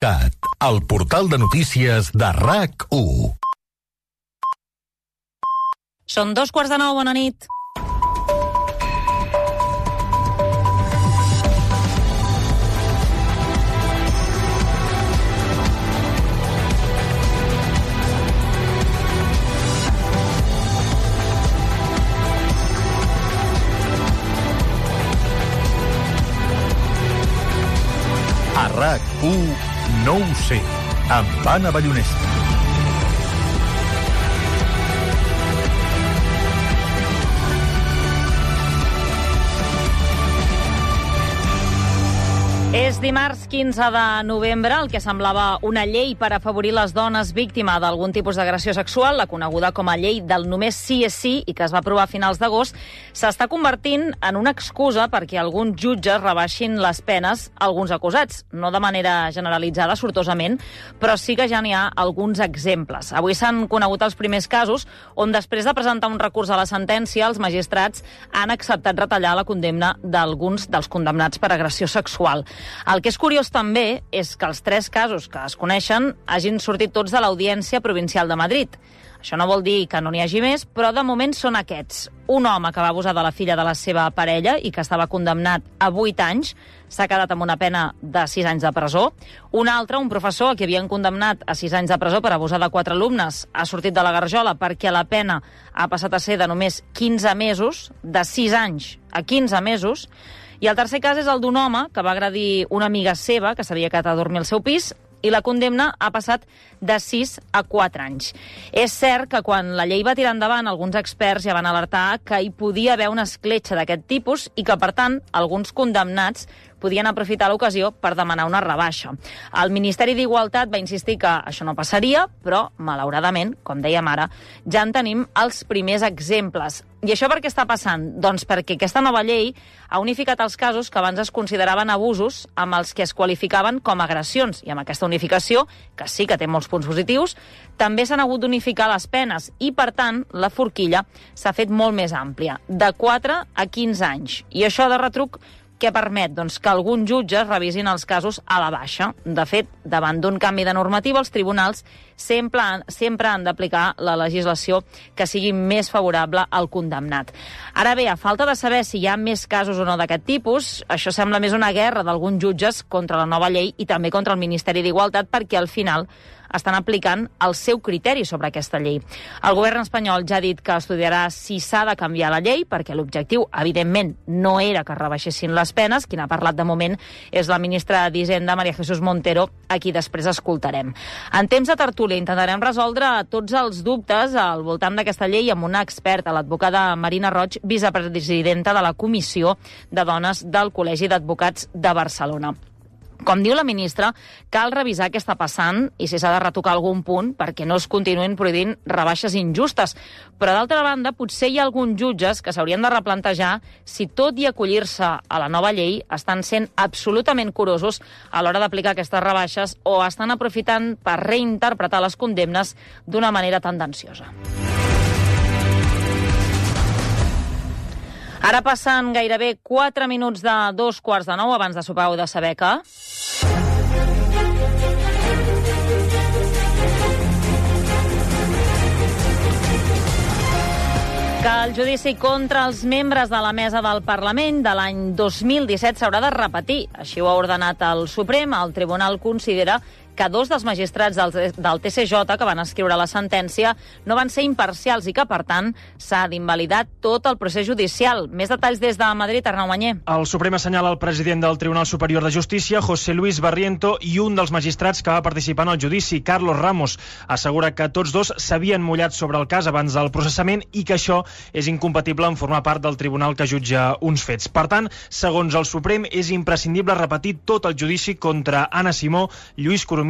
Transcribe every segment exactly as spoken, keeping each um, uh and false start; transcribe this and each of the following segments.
cat, el portal de notícies de R A C u. Són dos quarts de nou, bona nit. A R A C u no ho sé, amb Anna Ballonesta. És dimarts quinze de novembre, el que semblava una llei per afavorir les dones víctimes d'algun tipus d'agressió sexual, la coneguda com a llei del només sí és sí i que es va aprovar a finals d'agost, s'està convertint en una excusa perquè alguns jutges rebaixin les penes a alguns acusats. No de manera generalitzada, sortosament, però sí que ja n'hi ha alguns exemples. Avui s'han conegut els primers casos on, després de presentar un recurs a la sentència, els magistrats han acceptat retallar la condemna d'alguns dels condemnats per agressió sexual. El que és curiós també és que els tres casos que es coneixen hagin sortit tots de l'Audiència Provincial de Madrid. Això no vol dir que no n'hi hagi més, però de moment són aquests. Un home que va abusar de la filla de la seva parella i que estava condemnat a vuit anys, s'ha quedat amb una pena de sis anys de presó. Un altre, un professor que havien condemnat a sis anys de presó per abusar de quatre alumnes, ha sortit de la garjola perquè la pena ha passat a ser de només quinze mesos, de sis anys a quinze mesos. I el tercer cas és el d'un home que va agredir una amiga seva que s'havia quedat a dormir al seu pis i la condemna ha passat de sis a quatre anys. És cert que quan la llei va tirar endavant, alguns experts ja van alertar que hi podia haver una escletxa d'aquest tipus i que, per tant, alguns condemnats podien aprofitar l'ocasió per demanar una rebaixa. El Ministeri d'Igualtat va insistir que això no passaria, però, malauradament, com dèiem ara, ja en tenim els primers exemples. I això per què està passant? Doncs perquè aquesta nova llei ha unificat els casos que abans es consideraven abusos amb els que es qualificaven com agressions. I amb aquesta unificació, que sí que té molts punts positius, també s'han hagut d'unificar les penes i, per tant, la forquilla s'ha fet molt més àmplia, de quatre a quinze anys. I això de retruc què permet? Doncs que alguns jutges revisin els casos a la baixa. De fet, davant d'un canvi de normativa, els tribunals sempre han, sempre han d'aplicar la legislació que sigui més favorable al condemnat. Ara bé, a falta de saber si hi ha més casos o no d'aquest tipus, això sembla més una guerra d'alguns jutges contra la nova llei i també contra el Ministeri d'Igualtat, perquè al final estan aplicant el seu criteri sobre aquesta llei. El govern espanyol ja ha dit que estudiarà si s'ha de canviar la llei, perquè l'objectiu, evidentment, no era que rebaixessin les penes. Qui n'ha parlat de moment és la ministra d'Hisenda, María Jesús Montero, a qui després escoltarem. En temps de tertúlia intentarem resoldre tots els dubtes al voltant d'aquesta llei amb una experta, l'advocada Marina Roig, vicepresidenta de la Comissió de Dones del Col·legi d'Advocats de Barcelona. Com diu la ministra, cal revisar què està passant i si s'ha de retocar algun punt perquè no es continuïn prohibint rebaixes injustes. Però, d'altra banda, potser hi ha alguns jutges que s'haurien de replantejar si, tot i acollir-se a la nova llei, estan sent absolutament curosos a l'hora d'aplicar aquestes rebaixes o estan aprofitant per reinterpretar les condemnes d'una manera tendenciosa. Ara passen gairebé quatre minuts de dos quarts de nou. Abans de sopar heu de saber que... que el judici contra els membres de la mesa del Parlament de l'any dos mil disset s'haurà de repetir. Així ho ha ordenat el Suprem. El Tribunal considera que dos dels magistrats del, del T C J que van escriure la sentència no van ser imparcials i que, per tant, s'ha d'invalidar tot el procés judicial. Més detalls des de Madrid, Arnau Mañé. El Suprem assenyala el president del Tribunal Superior de Justícia, José Luis Barriento, i un dels magistrats que va participar en el judici, Carlos Ramos. Assegura que tots dos s'havien mullat sobre el cas abans del processament i que això és incompatible en formar part del tribunal que jutja uns fets. Per tant, segons el Suprem, és imprescindible repetir tot el judici contra Anna Simó, Lluís Coromines,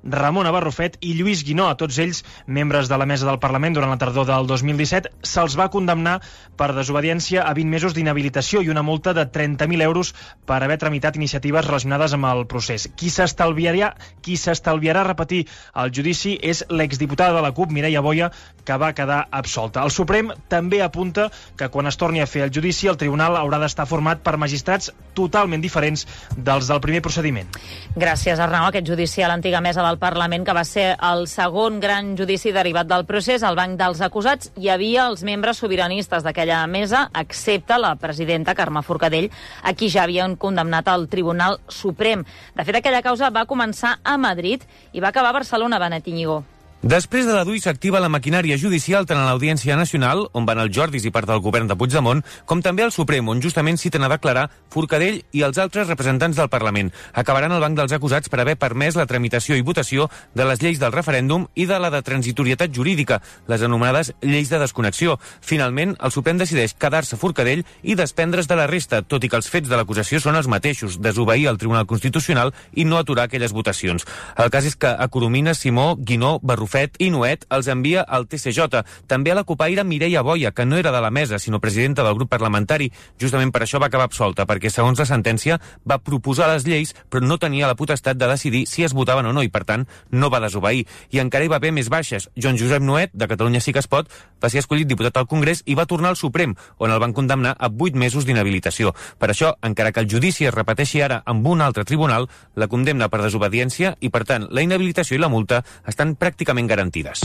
Ramona Barrufet i Lluís Guinó. A tots ells, membres de la mesa del Parlament durant la tardor del dos mil disset, se'ls va condemnar per desobediència a vint mesos d'inhabilitació i una multa de trenta mil euros per haver tramitat iniciatives relacionades amb el procés. Qui s'estalviarà qui s'estalviarà repetir el judici és l'exdiputada de la CUP, Mireia Boia, que va quedar absolta. El Suprem també apunta que quan es torni a fer el judici, el tribunal haurà d'estar format per magistrats totalment diferents dels del primer procediment. Gràcies, Arnau. Aquest judici a l'antiga mesa del Parlament, que va ser el segon gran judici derivat del procés, al banc dels acusats hi havia els membres sobiranistes d'aquella mesa, excepte la presidenta Carme Forcadell, a qui ja havien condemnat al Tribunal Suprem. De fet, aquella causa va començar a Madrid i va acabar a Barcelona, Benet Íñigo. Després de la D U I s'activa la maquinària judicial tant a l'Audiència Nacional, on van els Jordis i part del govern de Puigdemont, com també al Suprem, on justament citen a declarar Forcadell i els altres representants del Parlament. Acabaran al banc dels acusats per haver permès la tramitació i votació de les lleis del referèndum i de la de transitorietat jurídica, les anomenades lleis de desconnexió. Finalment, el Suprem decideix quedar-se Forcadell i desprendre's de la resta, tot i que els fets de l'acusació són els mateixos, desobeir el Tribunal Constitucional i no aturar aquelles votacions. El cas és que a Coromines, Simó, Guinó, Barrufet i Nuet els envia al T C J. També a la copaire Mireia Boia, que no era de la mesa, sinó presidenta del grup parlamentari. Justament per això va acabar absolta, perquè segons la sentència va proposar les lleis, però no tenia la potestat de decidir si es votaven o no, i per tant no va desobeir. I encara hi va haver més baixes. Joan Josep Nuet, de Catalunya Sí que es pot, va ser escollit diputat al Congrés i va tornar al Suprem, on el van condemnar a vuit mesos d'inhabilitació. Per això, encara que el judici es repeteixi ara amb un altre tribunal, la condemna per desobediència i, per tant, la inhabilitació i la multa estan pràcticament garantides.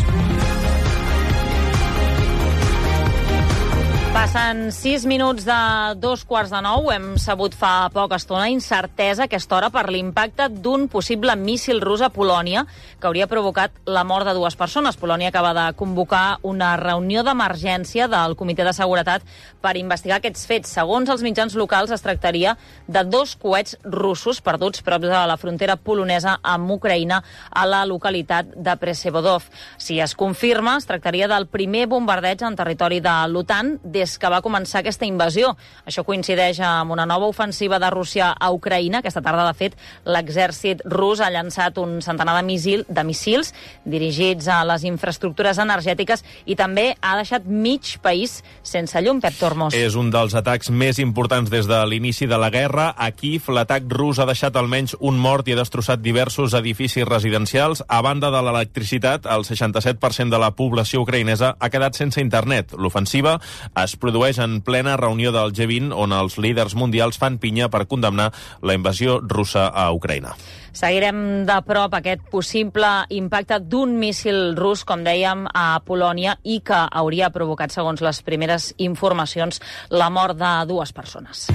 Passen sis minuts de dos quarts de nou. Hem sabut fa poca estona incertesa a aquesta hora per l'impacte d'un possible míssil rus a Polònia que hauria provocat la mort de dues persones. Polònia acaba de convocar una reunió d'emergència del Comitè de Seguretat per investigar aquests fets. Segons els mitjans locals, es tractaria de dos coets russos perduts prop de la frontera polonesa amb Ucraïna a la localitat de Przewodow. Si es confirma, es tractaria del primer bombardeig en territori de l'OTAN des que va començar aquesta invasió. Això coincideix amb una nova ofensiva de Rússia a Ucraïna. Aquesta tarda, de fet, l'exèrcit rus ha llançat un centenar de, missil, de missils dirigits a les infraestructures energètiques i també ha deixat mig país sense llum. Pep Tormos. És un dels atacs més importants des de l'inici de la guerra. A Kíev, l'atac rus ha deixat almenys un mort i ha destrossat diversos edificis residencials. A banda de l'electricitat, el seixanta-set per cent de la població ucraïnesa ha quedat sense internet. L'ofensiva es produeix en plena reunió del G vint, on els líders mundials fan pinya per condemnar la invasió russa a Ucraïna. Seguirem de prop aquest possible impacte d'un míssil rus, com dèiem, a Polònia i que hauria provocat, segons les primeres informacions, la mort de dues persones.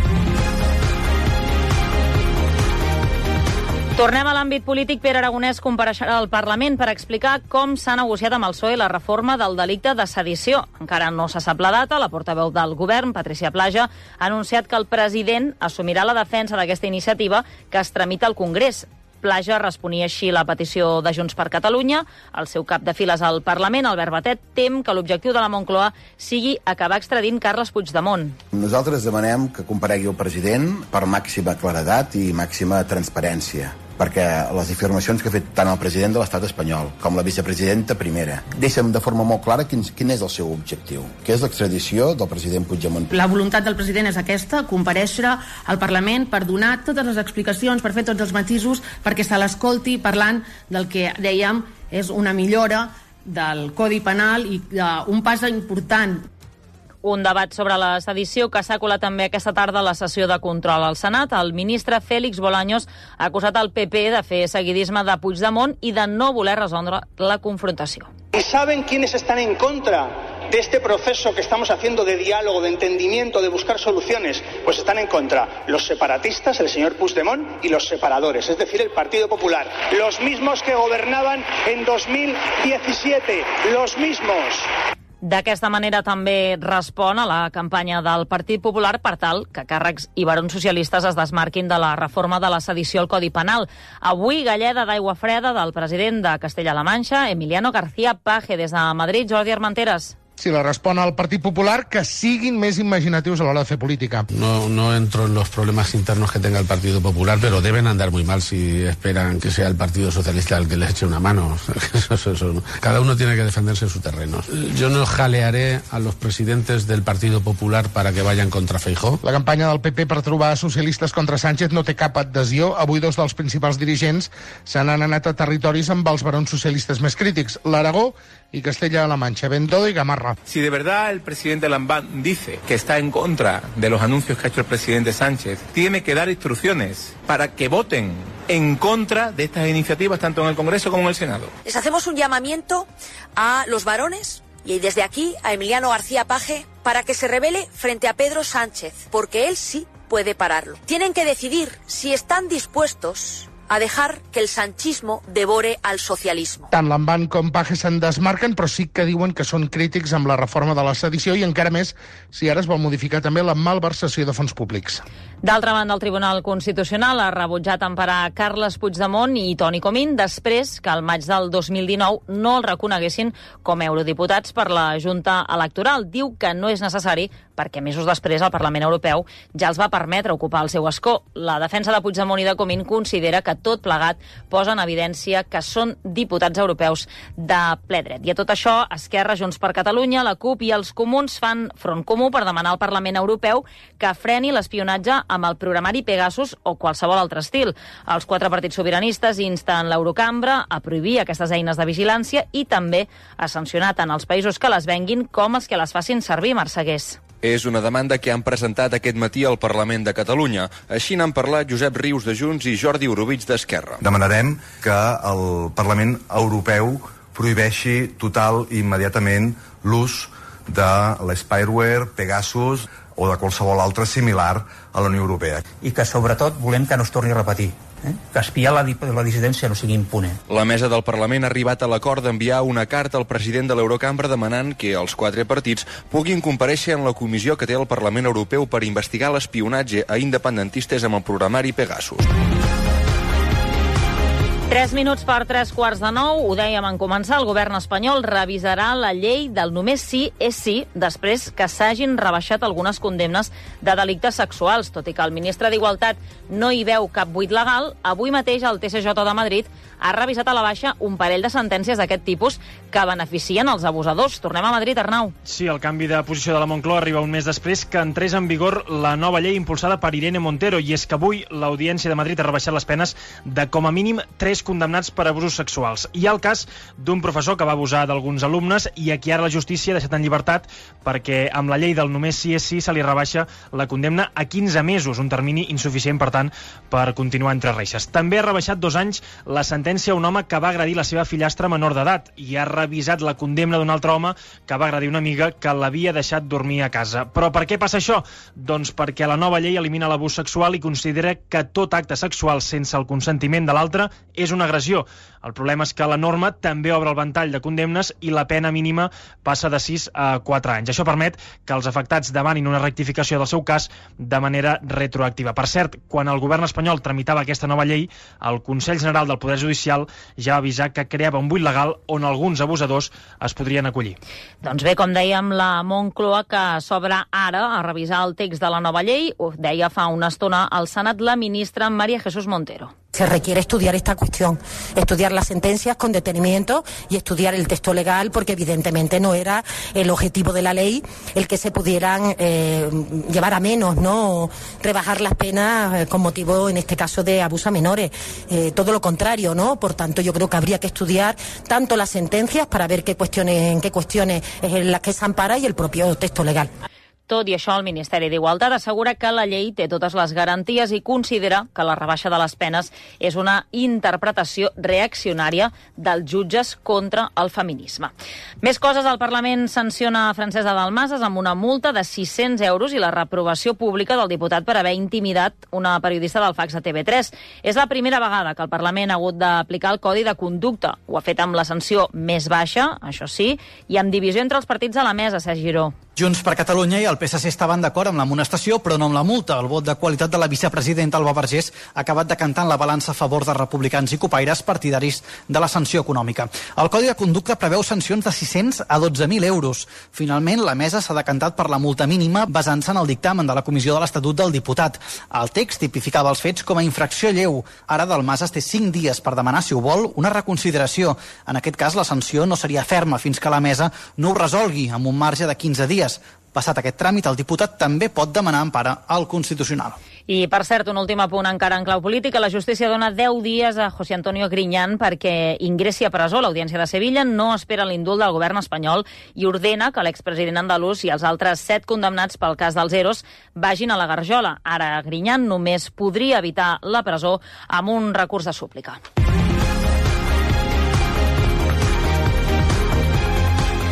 Tornem a l'àmbit polític. Pere Aragonès compareixerà al Parlament per explicar com s'ha negociat amb el P S O E la reforma del delicte de sedició. Encara no se sap la data. La portaveu del govern, Patricia Plaja, ha anunciat que el president assumirà la defensa d'aquesta iniciativa que es tramita al Congrés. Plaja responia així la petició de Junts per Catalunya. El seu cap de files al Parlament, Albert Batet, tem que l'objectiu de la Moncloa sigui acabar extradint Carles Puigdemont. Nosaltres demanem que comparegui el president per màxima claredat i màxima transparència, perquè les afirmacions que ha fet tant el president de l'estat espanyol com la vicepresidenta primera deixen de forma molt clara quin, quin és el seu objectiu, que és l'extradició del president Puigdemont. La voluntat del president és aquesta, comparèixer al Parlament per donar totes les explicacions, per fer tots els matisos, perquè se l'escolti parlant del que dèiem és una millora del Codi Penal i uh, un pas important. Un debat sobre la sedició que s'ha colat també aquesta tarda a la sessió de control al Senat. El ministre Félix Bolaños ha acusat el P P de fer seguidisme de Puigdemont i de no voler resoldre la confrontació. ¿Y saben quiénes están en contra de este proceso que estamos haciendo de diálogo, de entendimiento, de buscar soluciones? Pues están en contra los separatistas, el señor Puigdemont, y los separadores, es decir, el Partido Popular. Los mismos que gobernaban en dos mil diecisiete, los mismos. D'aquesta manera també respon a la campanya del Partit Popular per tal que càrrecs i barons socialistes es desmarquin de la reforma de la sedició al Codi Penal. Avui, galleda d'aigua freda del president de Castella-La Manxa, Emiliano García Paje. Des de Madrid, Jordi Armenteres. Si la respon al Partit Popular, que siguin més imaginatius a l'hora de fer política. No, no entro en los problemas internos que tenga el Partido Popular, pero deben andar muy mal si esperan que sea el Partido Socialista el que les eche una mano. Eso, eso, eso. Cada uno tiene que defenderse en su terreno. Yo no jalearé a los presidentes del Partido Popular para que vayan contra Feijóo. La campanya del P P per trobar socialistes contra Sánchez no té cap adhesió. Avui dos dels principals dirigents se n'han anat a territoris amb els barons socialistes més crítics, l'Aragó y Castella-La Mancha, Bendodo y Gamarra. Si de verdad el presidente Lambán dice que está en contra de los anuncios que ha hecho el presidente Sánchez, tiene que dar instrucciones para que voten en contra de estas iniciativas tanto en el Congreso como en el Senado. Les hacemos un llamamiento a los varones y desde aquí a Emiliano García Paje para que se rebele frente a Pedro Sánchez, porque él sí puede pararlo. Tienen que decidir si están dispuestos a dejar que el sanchismo devore al socialismo. Tant Lambán com Paje se'n desmarquen, però sí que diuen que són crítics amb la reforma de la sedició i encara més si ara es vol modificar també la malversació de fons públics. D'altra banda, el Tribunal Constitucional ha rebutjat emparar Carles Puigdemont i Toni Comín després que al maig del dos mil dinou no el reconeguessin com a eurodiputats per la Junta Electoral. Diu que no és necessari perquè mesos després el Parlament Europeu ja els va permetre ocupar el seu escó. La defensa de Puigdemont i de Comín considera que tot plegat posa en evidència que són diputats europeus de ple dret. I a tot això, Esquerra, Junts per Catalunya, la CUP i els Comuns fan front comú per demanar al Parlament Europeu que freni l'espionatge amb el programari Pegasus o qualsevol altre estil. Els quatre partits sobiranistes insten l'Eurocambra a prohibir aquestes eines de vigilància i també a sancionar tant els països que les venguin com els que les facin servir, Marcegués. És una demanda que han presentat aquest matí al Parlament de Catalunya. Així n'han parlat Josep Rius de Junts i Jordi Orobitg d'Esquerra. Demanarem que el Parlament Europeu prohibeixi total i immediatament l'ús de l'spyware, Pegasus o de qualsevol altre similar a la Unió Europea. I que sobretot volem que no es torni a repetir. Eh? Que espiar la, la dissidència no sigui impune. La mesa del Parlament ha arribat a l'acord d'enviar una carta al president de l'Eurocambra demanant que els quatre partits puguin comparèixer en la comissió que té el Parlament Europeu per investigar l'espionatge a independentistes amb el programari Pegasus. Tres minuts per tres quarts de nou, ho dèiem en començar, el govern espanyol revisarà la llei del només sí és sí després que s'hagin rebaixat algunes condemnes de delictes sexuals. Tot i que el ministre d'Igualtat no hi veu cap buit legal, avui mateix el T S J de Madrid ha revisat a la baixa un parell de sentències d'aquest tipus que beneficien els abusadors. Tornem a Madrid, Arnau. Sí, el canvi de posició de la Moncloa arriba un mes després que entrés en vigor la nova llei impulsada per Irene Montero, i és que avui l'Audiència de Madrid ha rebaixat les penes de com a mínim tres condemnats per abusos sexuals. Hi ha el cas d'un professor que va abusar d'alguns alumnes i a qui ara la justícia ha deixat en llibertat perquè amb la llei del només sí és sí se li rebaixa la condemna a quinze mesos, un termini insuficient, per tant, per continuar entre reixes. També ha rebaixat dos anys la sentència a un home que va agredir la seva fillastra menor d'edat i ha revisat la condemna d'un altre home que va agredir una amiga que l'havia deixat dormir a casa. Però per què passa això? Doncs perquè la nova llei elimina l'abús sexual i considera que tot acte sexual sense el consentiment de l'altre és una agressió. El problema és que la norma també obre el ventall de condemnes i la pena mínima passa de sis a quatre anys. Això permet que els afectats demanin una rectificació del seu cas de manera retroactiva. Per cert, quan el govern espanyol tramitava aquesta nova llei, el Consell General del Poder Judicial ja va avisar que creava un buit legal on alguns abusadors es podrien acollir. Doncs bé, com dèiem, la Moncloa que s'obre ara a revisar el text de la nova llei, ho deia fa una estona al Senat la ministra María Jesús Montero. Se requiere estudiar esta cuestión, estudiar las sentencias con detenimiento y estudiar el texto legal, porque evidentemente no era el objetivo de la ley el que se pudieran eh, llevar a menos, ¿no? Rebajar las penas eh, con motivo, en este caso, de abuso a menores. Eh, todo lo contrario, ¿no? Por tanto, yo creo que habría que estudiar tanto las sentencias para ver qué cuestiones, en qué cuestiones es en las que se ampara y el propio texto legal. Tot i això, el Ministeri d'Igualtat assegura que la llei té totes les garanties i considera que la rebaixa de les penes és una interpretació reaccionària dels jutges contra el feminisme. Més coses, el Parlament sanciona Francesa Dalmases amb una multa de sis-cents euros i la reprovació pública del diputat per haver intimidat una periodista del Fax de T V tres. És la primera vegada que el Parlament ha hagut d'aplicar el Codi de Conducta. Ho ha fet amb la sanció més baixa, això sí, i amb divisió entre els partits a la mesa, Sergi Giró. Junts per Catalunya i el P S C estaven d'acord amb l'amonestació, però no amb la multa. El vot de qualitat de la vicepresidenta Alba Vergés ha acabat decantant la balança a favor de republicans i copaires partidaris de la sanció econòmica. El Codi de Conducta preveu sancions de sis-cents a dotze mil euros. Finalment, la mesa s'ha decantat per la multa mínima basant-se en el dictamen de la Comissió de l'Estatut del Diputat. El text tipificava els fets com a infracció lleu. Ara Dalmases té cinc dies per demanar, si ho vol, una reconsideració. En aquest cas, la sanció no seria ferma fins que la mesa no ho resolgui amb un marge de quinze dies. Passat aquest tràmit, el diputat també pot demanar empara al Constitucional. I, per cert, un últim apunt encara en clau política. La justícia dona deu dies a José Antonio Griñán perquè ingressi a presó. L'Audiència de Sevilla no espera l'indult del govern espanyol i ordena que l'expresident andalús i els altres set condemnats pel cas dels Eros vagin a la Garjola. Ara Griñán només podria evitar la presó amb un recurs de súplica.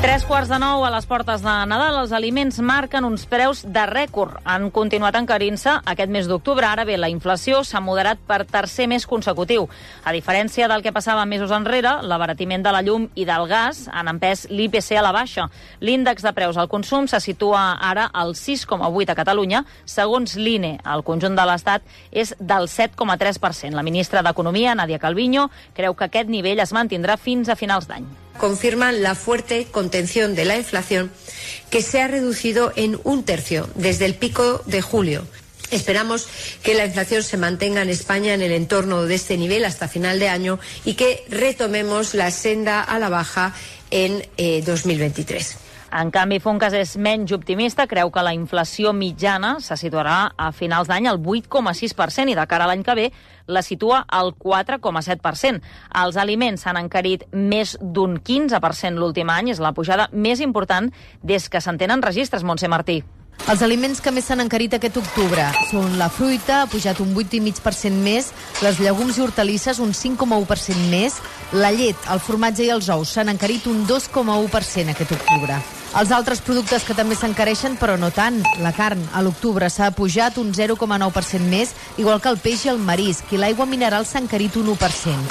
Tres quarts de nou a les portes de Nadal. Els aliments marquen uns preus de rècord. Han continuat encarint-se aquest mes d'octubre. Ara bé, la inflació s'ha moderat per tercer mes consecutiu. A diferència del que passava mesos enrere, l'abaratiment de la llum i del gas han empès l'I P C a la baixa. L'índex de preus al consum se situa ara al sis coma vuit a Catalunya. Segons l'I N E, el conjunt de l'Estat és del set coma tres per cent. La ministra d'Economia, Nadia Calviño, creu que aquest nivell es mantindrà fins a finals d'any. Confirman la fuerte contención de la inflación, que se ha reducido en un tercio desde el pico de julio. Esperamos que la inflación se mantenga en España en el entorno de este nivel hasta final de año y que retomemos la senda a la baja en eh, dos mil veintitrés. En canvi, Funcas és menys optimista, creu que la inflació mitjana se situarà a finals d'any al vuit coma sis per cent i de cara a l'any que ve la situa al quatre coma set per cent. Els aliments s'han encarit més d'un quinze per cent l'últim any, és la pujada més important des que se'n tenen registres, Montse Martí. Els aliments que més s'han encarit aquest octubre són la fruita, ha pujat un vuit coma cinc per cent més, les llegums i hortalisses un cinc coma u per cent més, la llet, el formatge i els ous s'han encarit un dos coma u per cent aquest octubre. Els altres productes que també s'encareixen, però no tant. La carn, a l'octubre, s'ha pujat un zero coma nou per cent més, igual que el peix i el marisc, i l'aigua mineral s'ha encarit un u per cent.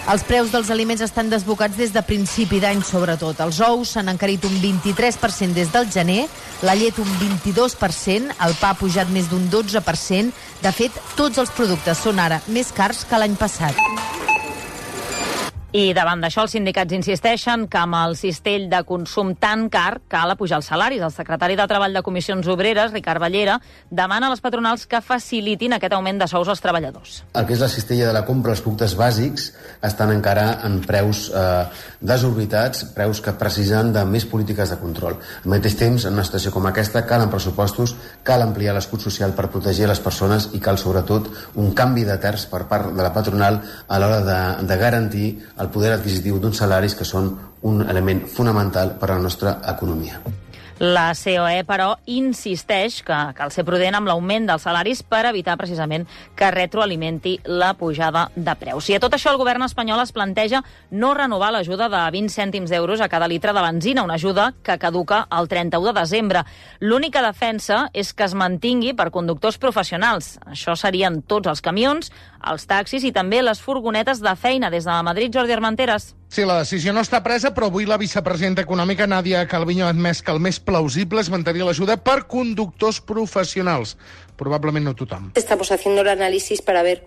Els preus dels aliments estan desbocats des de principi d'any, sobretot. Els ous s'han encarit un vint-i-tres per cent des del gener, la llet un vint-i-dos per cent, el pa ha pujat més d'un dotze per cent. De fet, tots els productes són ara més cars que l'any passat. I davant d'això, els sindicats insisteixen que amb el cistell de consum tan car cal apujar els salaris. El secretari de Treball de Comissions Obreres, Ricard Ballera, demana a les patronals que facilitin aquest augment de sous als treballadors. El que és la cistella de la compra, els productes bàsics, estan encara en preus eh, desorbitats, preus que precisen de més polítiques de control. Al mateix temps, en una situació com aquesta, calen pressupostos, cal ampliar l'escut social per protegir les persones i cal, sobretot, un canvi de terç per part de la patronal a l'hora de, de garantir el poder adquisitiu d'uns salaris que són un element fonamental per a la nostra economia. La C O E, però, insisteix que cal ser prudent amb l'augment dels salaris per evitar precisament que retroalimenti la pujada de preus. I a tot això el govern espanyol es planteja no renovar l'ajuda de vint cèntims d'euros a cada litre de benzina, una ajuda que caduca el trenta-u de desembre. L'única defensa és que es mantingui per conductors professionals. Això serien tots els camions, els taxis i també les furgonetes de feina. Des de Madrid, Jordi Armenteres. Sí, la decisió no està presa, però avui la vicepresidenta econòmica Nadia Calviño ha admès que el més plausible és mantenir l'ajuda per conductors professionals. Probablement no tothom. Estamos haciendo el análisis para ver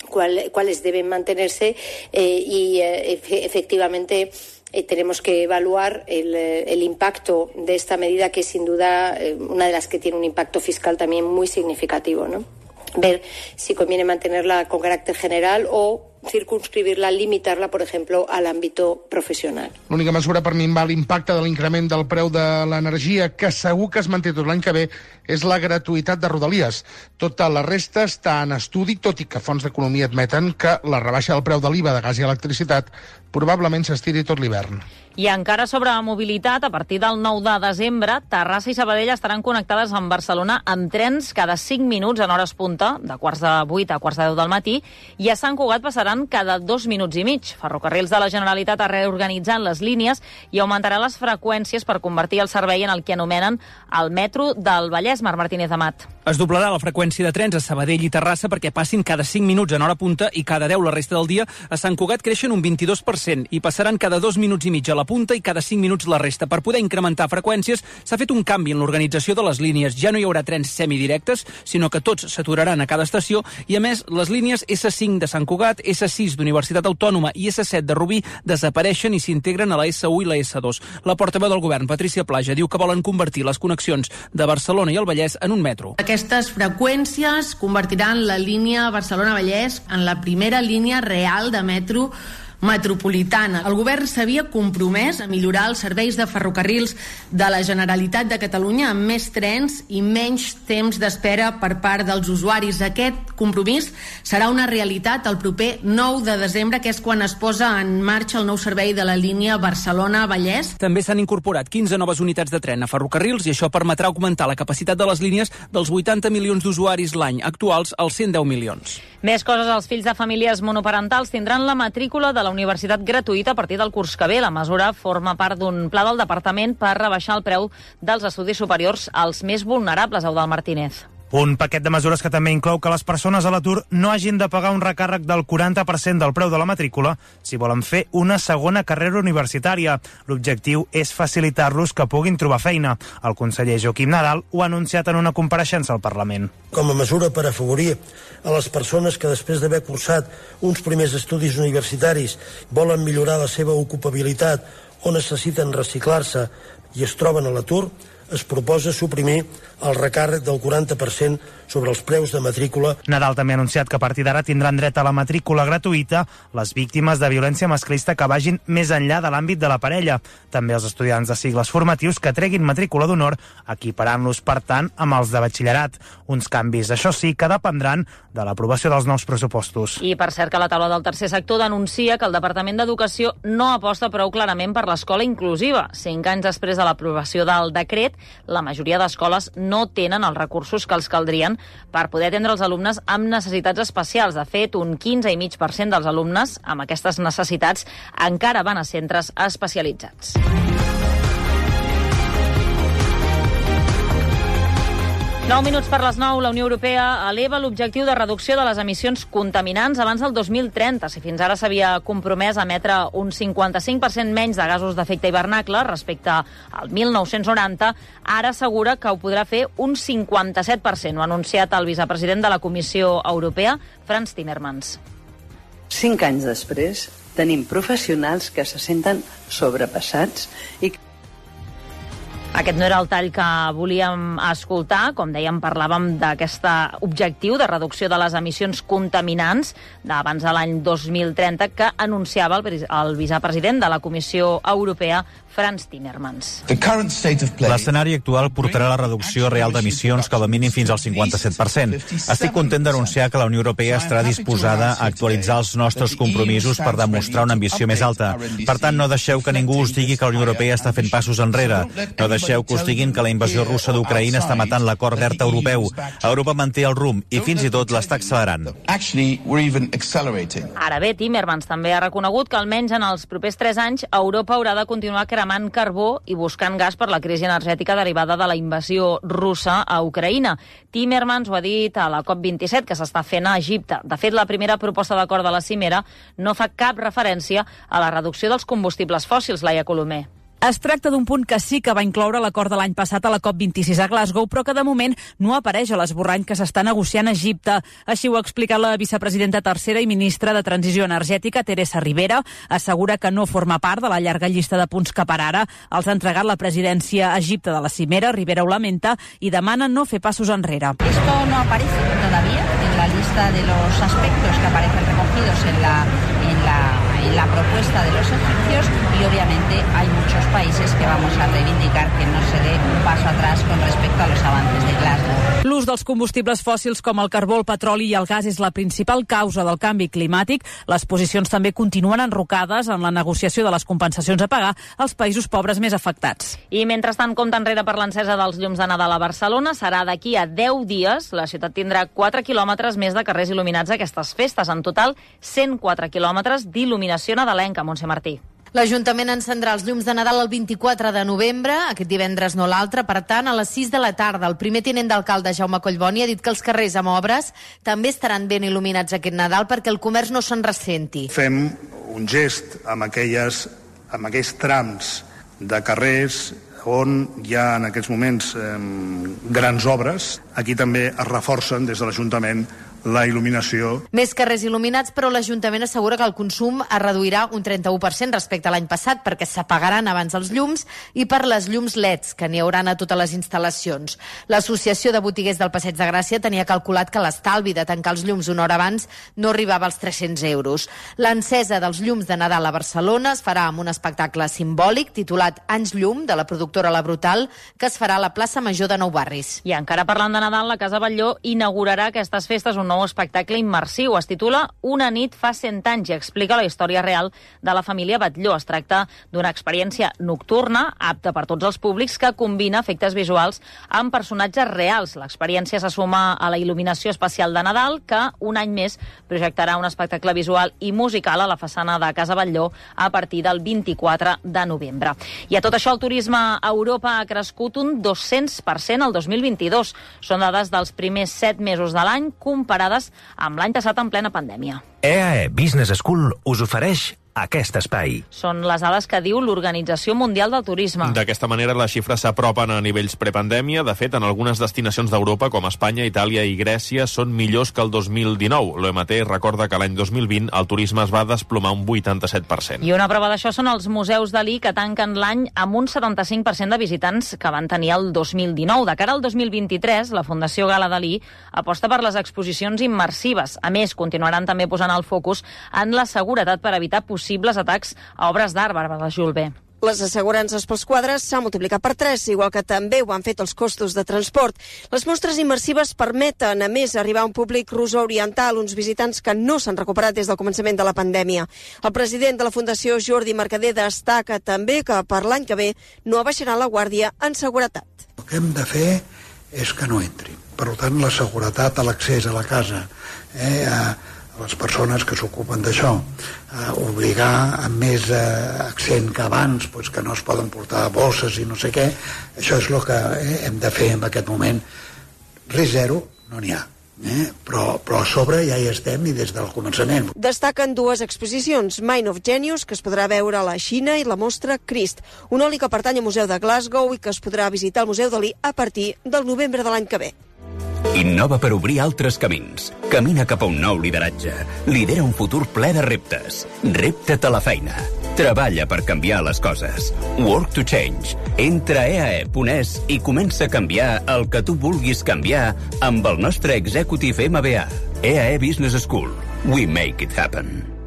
cuál, cuáles deben mantenerse eh, y eh, efectivamente eh, tenemos que evaluar el, el impacto de esta medida, que es sin duda eh, una de las que tiene un impacto fiscal también muy significativo, ¿no? Ver si conviene mantenerla con carácter general o circunscribirla, limitar-la, per exemple, a l'àmbit professional. L'única mesura per minvar l'impacte de l'increment del preu de l'energia, que segur que es manté tot l'any que ve, és la gratuïtat de Rodalies. Tota la resta està en estudi, tot i que fons d'economia admeten que la rebaixa del preu de l'I V A de gas i electricitat probablement s'estiri tot l'hivern. I encara sobre mobilitat, a partir del nou de desembre, Terrassa i Sabadell estaran connectades amb Barcelona amb trens cada cinc minuts en hores punta, de quarts de vuit a quarts de deu del matí, i a Sant Cugat passaran passaran cada dos minuts i mig. Ferrocarrils de la Generalitat ha reorganitzat les línies i augmentarà les freqüències per convertir el servei en el que anomenen el metro del Vallès. Marc Martínez Amat. Es doblarà la freqüència de trens a Sabadell i Terrassa perquè passin cada cinc minuts en hora punta i cada deu la resta del dia. A Sant Cugat creixen un vint-i-dos per cent i passaran cada dos minuts i mig a la punta i cada cinc minuts la resta. Per poder incrementar freqüències s'ha fet un canvi en l'organització de les línies. Ja no hi haurà trens semidirectes, sinó que tots s'aturaran a cada estació i, a més, les línies esse cinc de Sant Cugat, esse sis d'Universitat Autònoma i esse set de Rubí desapareixen i s'integren a la esse u i la esse dos. La portaveu del govern, Patrícia Plaja, diu que volen convertir les connexions de Barcelona i el Vallès en un metro. Aquestes freqüències convertiran la línia Barcelona-Vallès en la primera línia real de metro metropolitana. El govern s'havia compromès a millorar els serveis de ferrocarrils de la Generalitat de Catalunya amb més trens i menys temps d'espera per part dels usuaris. Aquest compromís serà una realitat el proper nou de desembre, que és quan es posa en marxa el nou servei de la línia Barcelona-Vallès. També s'han incorporat quinze noves unitats de tren a ferrocarrils i això permetrà augmentar la capacitat de les línies dels vuitanta milions d'usuaris l'any, actuals als cent deu milions. Més coses, els fills de famílies monoparentals tindran la matrícula de la universitat gratuïta a partir del curs que ve. La mesura forma part d'un pla del departament per rebaixar el preu dels estudis superiors als més vulnerables. Eudald Martínez. Un paquet de mesures que també inclou que les persones a l'atur no hagin de pagar un recàrrec del quaranta per cent del preu de la matrícula si volen fer una segona carrera universitària. L'objectiu és facilitar-los que puguin trobar feina. El conseller Joaquim Nadal ho ha anunciat en una compareixença al Parlament. Com a mesura per afavorir a les persones que després d'haver cursat uns primers estudis universitaris volen millorar la seva ocupabilitat o necessiten reciclar-se i es troben a l'atur, es proposa suprimir el recàrrec del quaranta per cent sobre els preus de matrícula. Nadal també ha anunciat que a partir d'ara tindran dret a la matrícula gratuïta les víctimes de violència masclista que vagin més enllà de l'àmbit de la parella. També els estudiants de cicles formatius que treguin matrícula d'honor, equiparant-los, per tant, amb els de batxillerat. Uns canvis, això sí, que dependran de l'aprovació dels nous pressupostos. I per cert que la taula del tercer sector denuncia que el Departament d'Educació no aposta prou clarament per l'escola inclusiva. Cinc anys després de l'aprovació del decret, la majoria d'escoles no tenen els recursos que els caldrien per poder atendre els alumnes amb necessitats especials. De fet, un quinze coma cinc per cent dels alumnes amb aquestes necessitats encara van a centres especialitzats. nou minuts per les nou, la Unió Europea eleva l'objectiu de reducció de les emissions contaminants abans del dos mil trenta. Si fins ara s'havia compromès a emetre un cinquanta-cinc per cent menys de gasos d'efecte hivernacle respecte al mil nou-cents noranta, ara assegura que ho podrà fer un cinquanta-set per cent. Ho ha anunciat el vicepresident de la Comissió Europea, Frans Timmermans. Cinc anys després tenim professionals que se senten sobrepassats i que Aquest no era el tall que volíem escoltar. Com dèiem, parlàvem d'aquest objectiu de reducció de les emissions contaminants d'abans de l'any dos mil trenta que anunciava el, el vicepresident de la Comissió Europea, Frans Timmermans. L'escenari actual portarà la reducció real d'emissions com a mínim fins al cinquanta-set per cent. Estic content d'anunciar que la Unió Europea estarà disposada a actualitzar els nostres compromisos per demostrar una ambició més alta. Per tant, no deixeu que ningú us digui que la Unió Europea està fent passos enrere. No deixeu que us diguin que la invasió russa d'Ucraïna està matant l'acord verd europeu. Europa manté el rumb i fins i tot l'està accelerant. Ara bé, Timmermans també ha reconegut que almenys en els propers tres anys Europa haurà de continuar cremant carbó i buscant gas per la crisi energètica derivada de la invasió russa a Ucraïna. Timmermans ho ha dit a la COP vint-i-set que s'està fent a Egipte. De fet, la primera proposta d'acord de la cimera no fa cap referència a la reducció dels combustibles fòssils, Laia Colomer. Es tracta d'un punt que sí que va incloure l'acord de l'any passat a la COP vint-i-sis a Glasgow, però que de moment no apareix a l'esborrany que s'està negociant a Egipte. Així ho ha explicat la vicepresidenta tercera i ministra de Transició Energètica, Teresa Ribera. Assegura que no forma part de la llarga llista de punts que per ara els ha entregat la presidència a Egipte de la cimera. Ribera ho lamenta i demana no fer passos enrere. Esto no aparece todavía en la lista de los aspectos que aparecen recogidos en la, en la, en la propuesta de los egipcios y obviamente hay muchos países que vamos a reivindicar que no se dé un paso atrás con respecto a los avances de Glasgow. L'ús dels combustibles fòssils com el carbó, el petroli i el gas és la principal causa del canvi climàtic. Les posicions també continuen enrocades en la negociació de les compensacions a pagar als països pobres més afectats. I mentrestant, compte enrere per l'encesa dels llums de Nadal a Barcelona. Serà d'aquí a deu dies. La ciutat tindrà quatre quilòmetres més de carrers il·luminats a aquestes festes. En total, cent quatre quilòmetres d'il·luminació nadalenca, Montse Martí. L'Ajuntament encendrà els llums de Nadal el vint-i-quatre de novembre, aquest divendres no l'altre, per tant, a les sis de la tarda. El primer tinent d'alcalde, Jaume Collboni, ha dit que els carrers amb obres també estaran ben il·luminats aquest Nadal perquè el comerç no se'n ressenti. Fem un gest amb, aquelles, amb aquells trams de carrers on hi ha en aquests moments eh, grans obres. Aquí també es reforcen des de l'Ajuntament la il·luminació. Més carrers il·luminats, però l'Ajuntament assegura que el consum es reduirà un trenta-u per cent respecte a l'any passat perquè s'apagaran abans els llums i per les llums L E Ds, que n'hi hauran a totes les instal·lacions. L'Associació de Botiguers del Passeig de Gràcia tenia calculat que l'estalvi de tancar els llums una hora abans no arribava als tres-cents euros. L'encesa dels llums de Nadal a Barcelona es farà amb un espectacle simbòlic titulat Anys Llum, de la productora La Brutal, que es farà a la plaça Major de Nou Barris. I encara parlant de Nadal, la Casa Batlló inaugurarà aquestes festes un nou espectacle immersiu. Es titula Una nit fa cent anys i explica la història real de la família Batlló. Es tracta d'una experiència nocturna, apta per tots els públics, que combina efectes visuals amb personatges reals. L'experiència se suma a la il·luminació especial de Nadal, que un any més projectarà un espectacle visual i musical a la façana de Casa Batlló a partir del vint-i-quatre de novembre. I a tot això, el turisme a Europa ha crescut un dos-cents per cent el dos mil vint-i-dos. Són dades dels primers set mesos de l'any comparades amb l'any passat en plena pandèmia. E A E Business School us ofereix aquest espai. Són les dades que diu l'Organització Mundial del Turisme. D'aquesta manera, les xifres s'apropen a nivells prepandèmia. De fet, en algunes destinacions d'Europa, com Espanya, Itàlia i Grècia, són millors que el dos mil dinou. L'O M T recorda que l'any dos mil vint el turisme es va desplomar un vuitanta-set per cent. I una prova d'això són els museus Dalí, que tanquen l'any amb un setanta-cinc per cent de visitants que van tenir el dos mil dinou. De cara al dos mil vint-i-tres, la Fundació Gala Dalí aposta per les exposicions immersives. A més, continuaran també posant el focus en la seguretat per evitar possibles possibles atacs a obres d'art, Bàrbara Julbé. Les assegurances pels quadres s'han multiplicat per tres, igual que també ho han fet els costos de transport. Les mostres immersives permeten, a més, arribar a un públic rus-oriental, uns visitants que no s'han recuperat des del començament de la pandèmia. El president de la Fundació, Jordi Mercader, destaca també que per l'any que ve no abaixarà la guàrdia en seguretat. El que hem de fer és que no entrin. Per tant, la seguretat a l'accés a la casa, eh, a les persones que s'ocupen d'això, eh, obligar amb més eh, accent que abans, pues, que no es poden portar bosses i no sé què, això és el que eh, hem de fer en aquest moment. Res zero no n'hi ha, eh? però, però a sobre ja hi estem i des del començament. Destaquen dues exposicions, Mind of Genius, que es podrà veure a la Xina, i la mostra Crist, un oli que pertany al Museu de Glasgow i que es podrà visitar al Museu Dalí a partir del novembre de l'any que ve. Innova per obrir altres camins. Camina cap a un nou lideratge. Lidera un futur ple de reptes. Repta't a la feina. Treballa per canviar les coses. Work to change. Entra a e a e punt es i comença a canviar el que tu vulguis canviar amb el nostre Executive M B A. E A E Business School. We make it happen.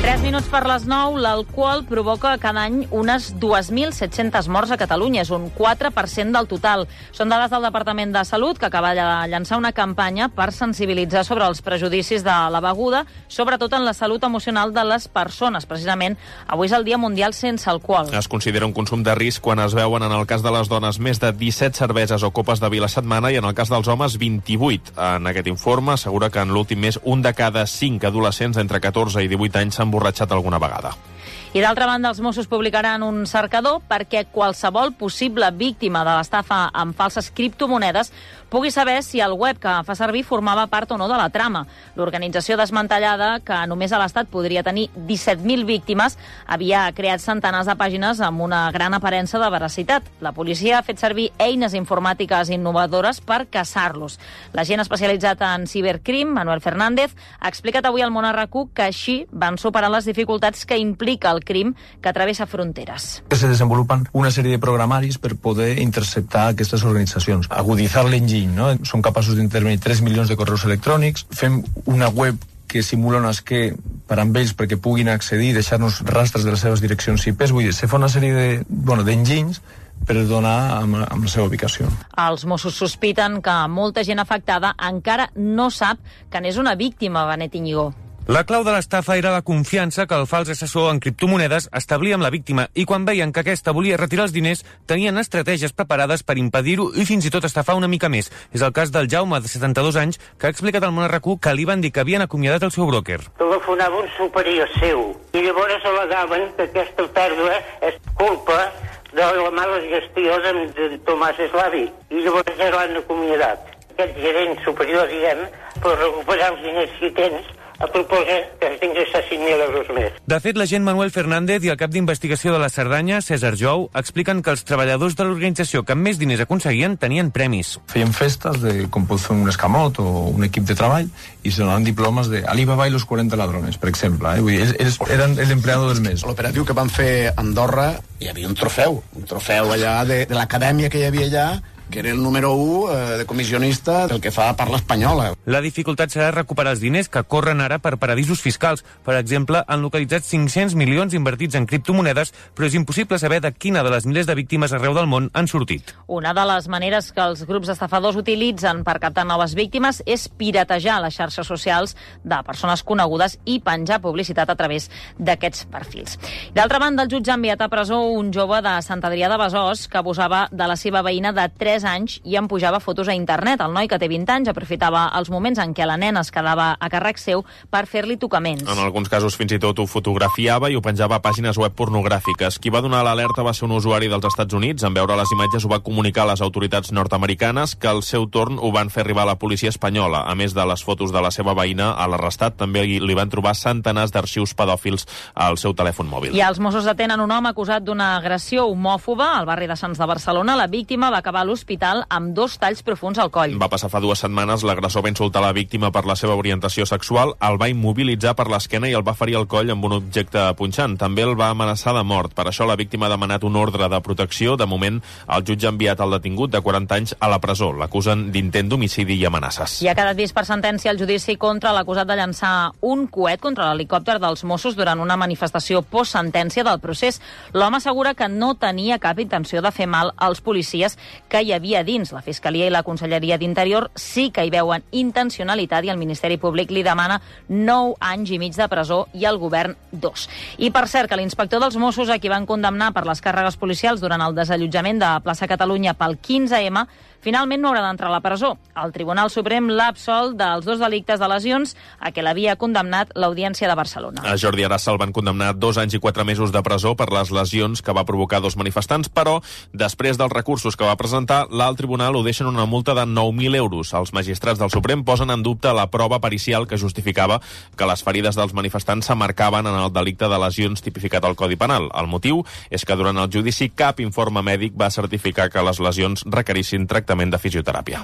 Tres minuts per les nou, l'alcohol provoca cada any unes dos mil set-centes morts a Catalunya. És un quatre per cent del total. Són dades del Departament de Salut, que acaba de llançar una campanya per sensibilitzar sobre els prejudicis de la beguda, sobretot en la salut emocional de les persones. Precisament, avui és el Dia Mundial sense alcohol. Es considera un consum de risc quan es veuen, en el cas de les dones, més de disset cerveses o copes de vi a la setmana i en el cas dels homes, vint-i-vuit. En aquest informe assegura que en l'últim mes un de cada cinc adolescents entre catorze i divuit anys s'han emborratxat alguna vegada. I d'altra banda, els Mossos publicaran un cercador perquè qualsevol possible víctima de l'estafa amb falses criptomonedes pugui saber si el web que fa servir formava part o no de la trama. L'organització desmantellada, que només a l'Estat podria tenir disset mil víctimes, havia creat centenars de pàgines amb una gran aparença de veracitat. La policia ha fet servir eines informàtiques innovadores per caçar-los. L'agent especialitzat en cibercrim, Manuel Fernández, ha explicat avui al Món R Q que així van superar les dificultats que implica el crim que travessa fronteres. Se desenvolupen una sèrie de programaris per poder interceptar aquestes organitzacions, aguditzar l'enginy, no? Som capaços d'intervenir tres milions de correus electrònics, fem una web que simula un esquer per amb ells perquè puguin accedir i deixar-nos rastres de les seves direccions I P. Vull dir, se fa una sèrie de, bueno, d'enginys per donar amb, amb la seva ubicació. Els Mossos sospiten que molta gent afectada encara no sap que n'és una víctima, Benet Íñigo. La clau de l'estafa era la confiança que el fals assessor en criptomonedes establia amb la víctima i quan veien que aquesta volia retirar els diners tenien estratègies preparades per impedir-ho i fins i tot estafar una mica més. És el cas del Jaume, de setanta-dos anys, que ha explicat al Món R Q que li van dir que havien acomiadat el seu bròquer. Telefonava un superior seu i llavors al·legaven que aquesta pèrdua és culpa de la mala gestió de, de Tomàs Eslavi i llavors ja l'han acomiadat. Aquest gerent superior, diguem, per recuperar els diners que tens, a proposa que es d'ingressar cinc mil euros més. De fet, l'agent Manuel Fernández i el cap d'investigació de la Cerdanya, César Jou, expliquen que els treballadors de l'organització que més diners aconseguien tenien premis. Feien festes de com pot fer un escamot o un equip de treball i se donaven diplomes de Alibaba i los quaranta ladrones, per exemple. Eh? Vull dir, ells eren l'empleado del mes. L'operatiu que van fer a Andorra hi havia un trofeu, un trofeu allà de, de l'acadèmia que hi havia allà, que era el número u eh, de comissionista del que fa parla espanyola. La dificultat serà recuperar els diners que corren ara per paradisos fiscals. Per exemple, han localitzat cinc-cents milions invertits en criptomonedes, però és impossible saber de quina de les milers de víctimes arreu del món han sortit. Una de les maneres que els grups estafadors utilitzen per captar noves víctimes és piratejar les xarxes socials de persones conegudes i penjar publicitat a través d'aquests perfils. D'altra banda, el jutge ha enviat a presó un jove de Sant Adrià de Besòs que abusava de la seva veïna de tres anys i en pujava fotos a internet. El noi, que té vint anys, aprofitava els moments en què la nena es quedava a càrrec seu per fer-li tocaments. En alguns casos fins i tot ho fotografiava i ho penjava a pàgines web pornogràfiques. Qui va donar l'alerta va ser un usuari dels Estats Units. En veure les imatges ho va comunicar a les autoritats nord-americanes, que al seu torn ho van fer arribar a la policia espanyola. A més de les fotos de la seva veïna, a l'arrestat també li van trobar centenars d'arxius pedòfils al seu telèfon mòbil. I els Mossos detenen un home acusat d'una agressió homòfoba al barri de Sants de Barcelona. La víctima va acabar a l'hospital amb dos talls profuns al coll. Va passar fa dues setmanes, l'agressor va insultar la víctima per la seva orientació sexual, el va immobilitzar per l'esquena i el va ferir al coll amb un objecte punxant. També el va amenaçar de mort. Per això la víctima ha demanat un ordre de protecció. De moment, el jutge ha enviat el detingut de quaranta anys a la presó. L'acusen d'intent d'homicidi i amenaces. I ha quedat vist per sentència el judici contra l'acusat de llançar un coet contra l'helicòpter dels Mossos durant una manifestació post-sentència del procés. L'home assegura que no tenia cap intenció de fer mal als policies que hi havia dins. La Fiscalia i la Conselleria d'Interior sí que hi veuen intencionalitat i el Ministeri Públic li demana nou anys i mig de presó i el govern dos. I per cert, que l'inspector dels Mossos, a qui van condemnar per les càrregues policials durant el desallotjament de Plaça Catalunya pel quinze eme, finalment no haurà d'entrar a la presó. El Tribunal Suprem l'ha absolt dels dos delictes de lesions a què l'havia condemnat l'Audiència de Barcelona. A Jordi Arassa el van condemnar dos anys i quatre mesos de presó per les lesions que va provocar dos manifestants, però després dels recursos que va presentar, l'alt tribunal ho deixen una multa de nou mil euros. Els magistrats del Suprem posen en dubte la prova pericial que justificava que les ferides dels manifestants s'amarcaven en el delicte de lesions tipificat al Codi Penal. El motiu és que durant el judici cap informe mèdic va certificar que les lesions requerissin tractament de fisioteràpia.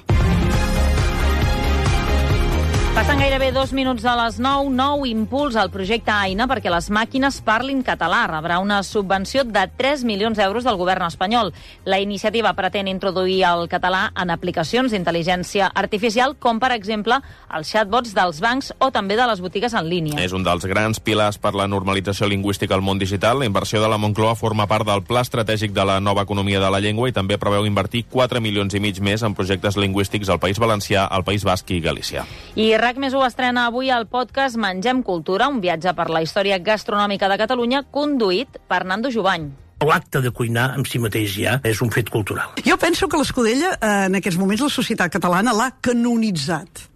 Passen gairebé dos minuts de les nou. Nou impuls al projecte Aina perquè les màquines parlin català. Rebrà una subvenció de tres milions d'euros del govern espanyol. La iniciativa pretén introduir el català en aplicacions d'intel·ligència artificial, com per exemple els chatbots dels bancs o també de les botigues en línia. És un dels grans pilars per la normalització lingüística al món digital. La inversió de la Moncloa forma part del Pla Estratègic de la Nova Economia de la Llengua i també preveu invertir quatre milions i mig més en projectes lingüístics al País Valencià, al País Basc i Galícia. I RAC més ho estrena avui al podcast Mengem Cultura, un viatge per la història gastronòmica de Catalunya conduït per Nando Jubany. L'acte de cuinar en si mateix ja és un fet cultural. Jo penso que l'Escudella, en aquests moments, la societat catalana l'ha canonitzat.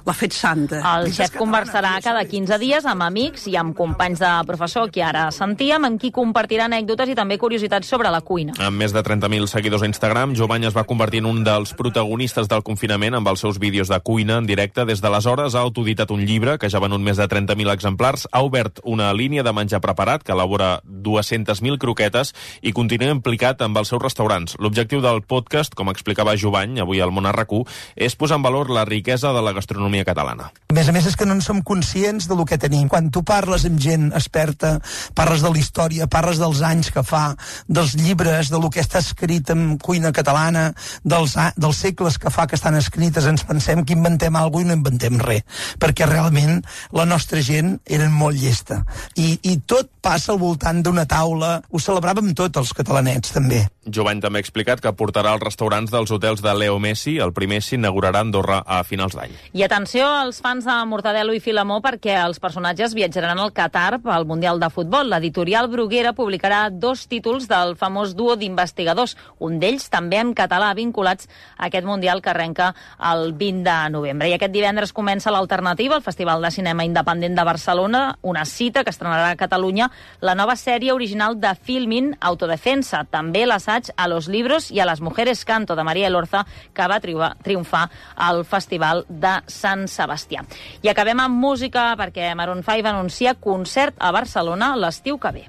L'ha fet santa. El xef conversarà cada quinze dies amb amics i amb companys de professor que ara sentíem, amb qui compartirà anècdotes i també curiositats sobre la cuina. Amb més de trenta mil seguidors a Instagram, Jovany es va convertir en un dels protagonistes del confinament amb els seus vídeos de cuina en directe. Des d'aleshores ha autoeditat un llibre que ja ha venut més de trenta mil exemplars, ha obert una línia de menjar preparat que elabora dues-centes mil croquetes i continua implicat amb els seus restaurants. L'objectiu del podcast, com explicava Jovany avui al Món R Q, és posar en valor la riquesa de la gastronomia l'economia catalana. A més a més és que no en som conscients de lo que tenim. Quan tu parles amb gent experta, parles de la història, parles dels anys que fa, dels llibres, de lo que està escrit en cuina catalana, dels, dels segles que fa que estan escrites, ens pensem que inventem alguna cosa i no inventem res, perquè realment la nostra gent era molt llesta. I, i tot passa al voltant d'una taula, ho celebràvem tots els catalanets, també. Jovany també ha explicat que portarà els restaurants dels hotels de Leo Messi. El primer s'inaugurarà a Andorra a finals d'any. I atenció als fans de Mortadelo i Filemó, perquè els personatges viatjaran al Qatar pel Mundial de Futbol. L'editorial Bruguera publicarà dos títols del famós duo d'investigadors, un d'ells també en català, vinculats a aquest Mundial que arrenca el vint de novembre. I aquest divendres comença l'Alternativa, el Festival de Cinema Independent de Barcelona, una cita que estrenarà a Catalunya la nova sèrie original de Filmin, Autodefensa, també l'assaig a los libros i a las mujeres canto de María Elorza, que va triomfar al Festival de Sant Sebastià. I acabem amb música perquè Maroon cinc anuncia concert a Barcelona l'estiu que ve.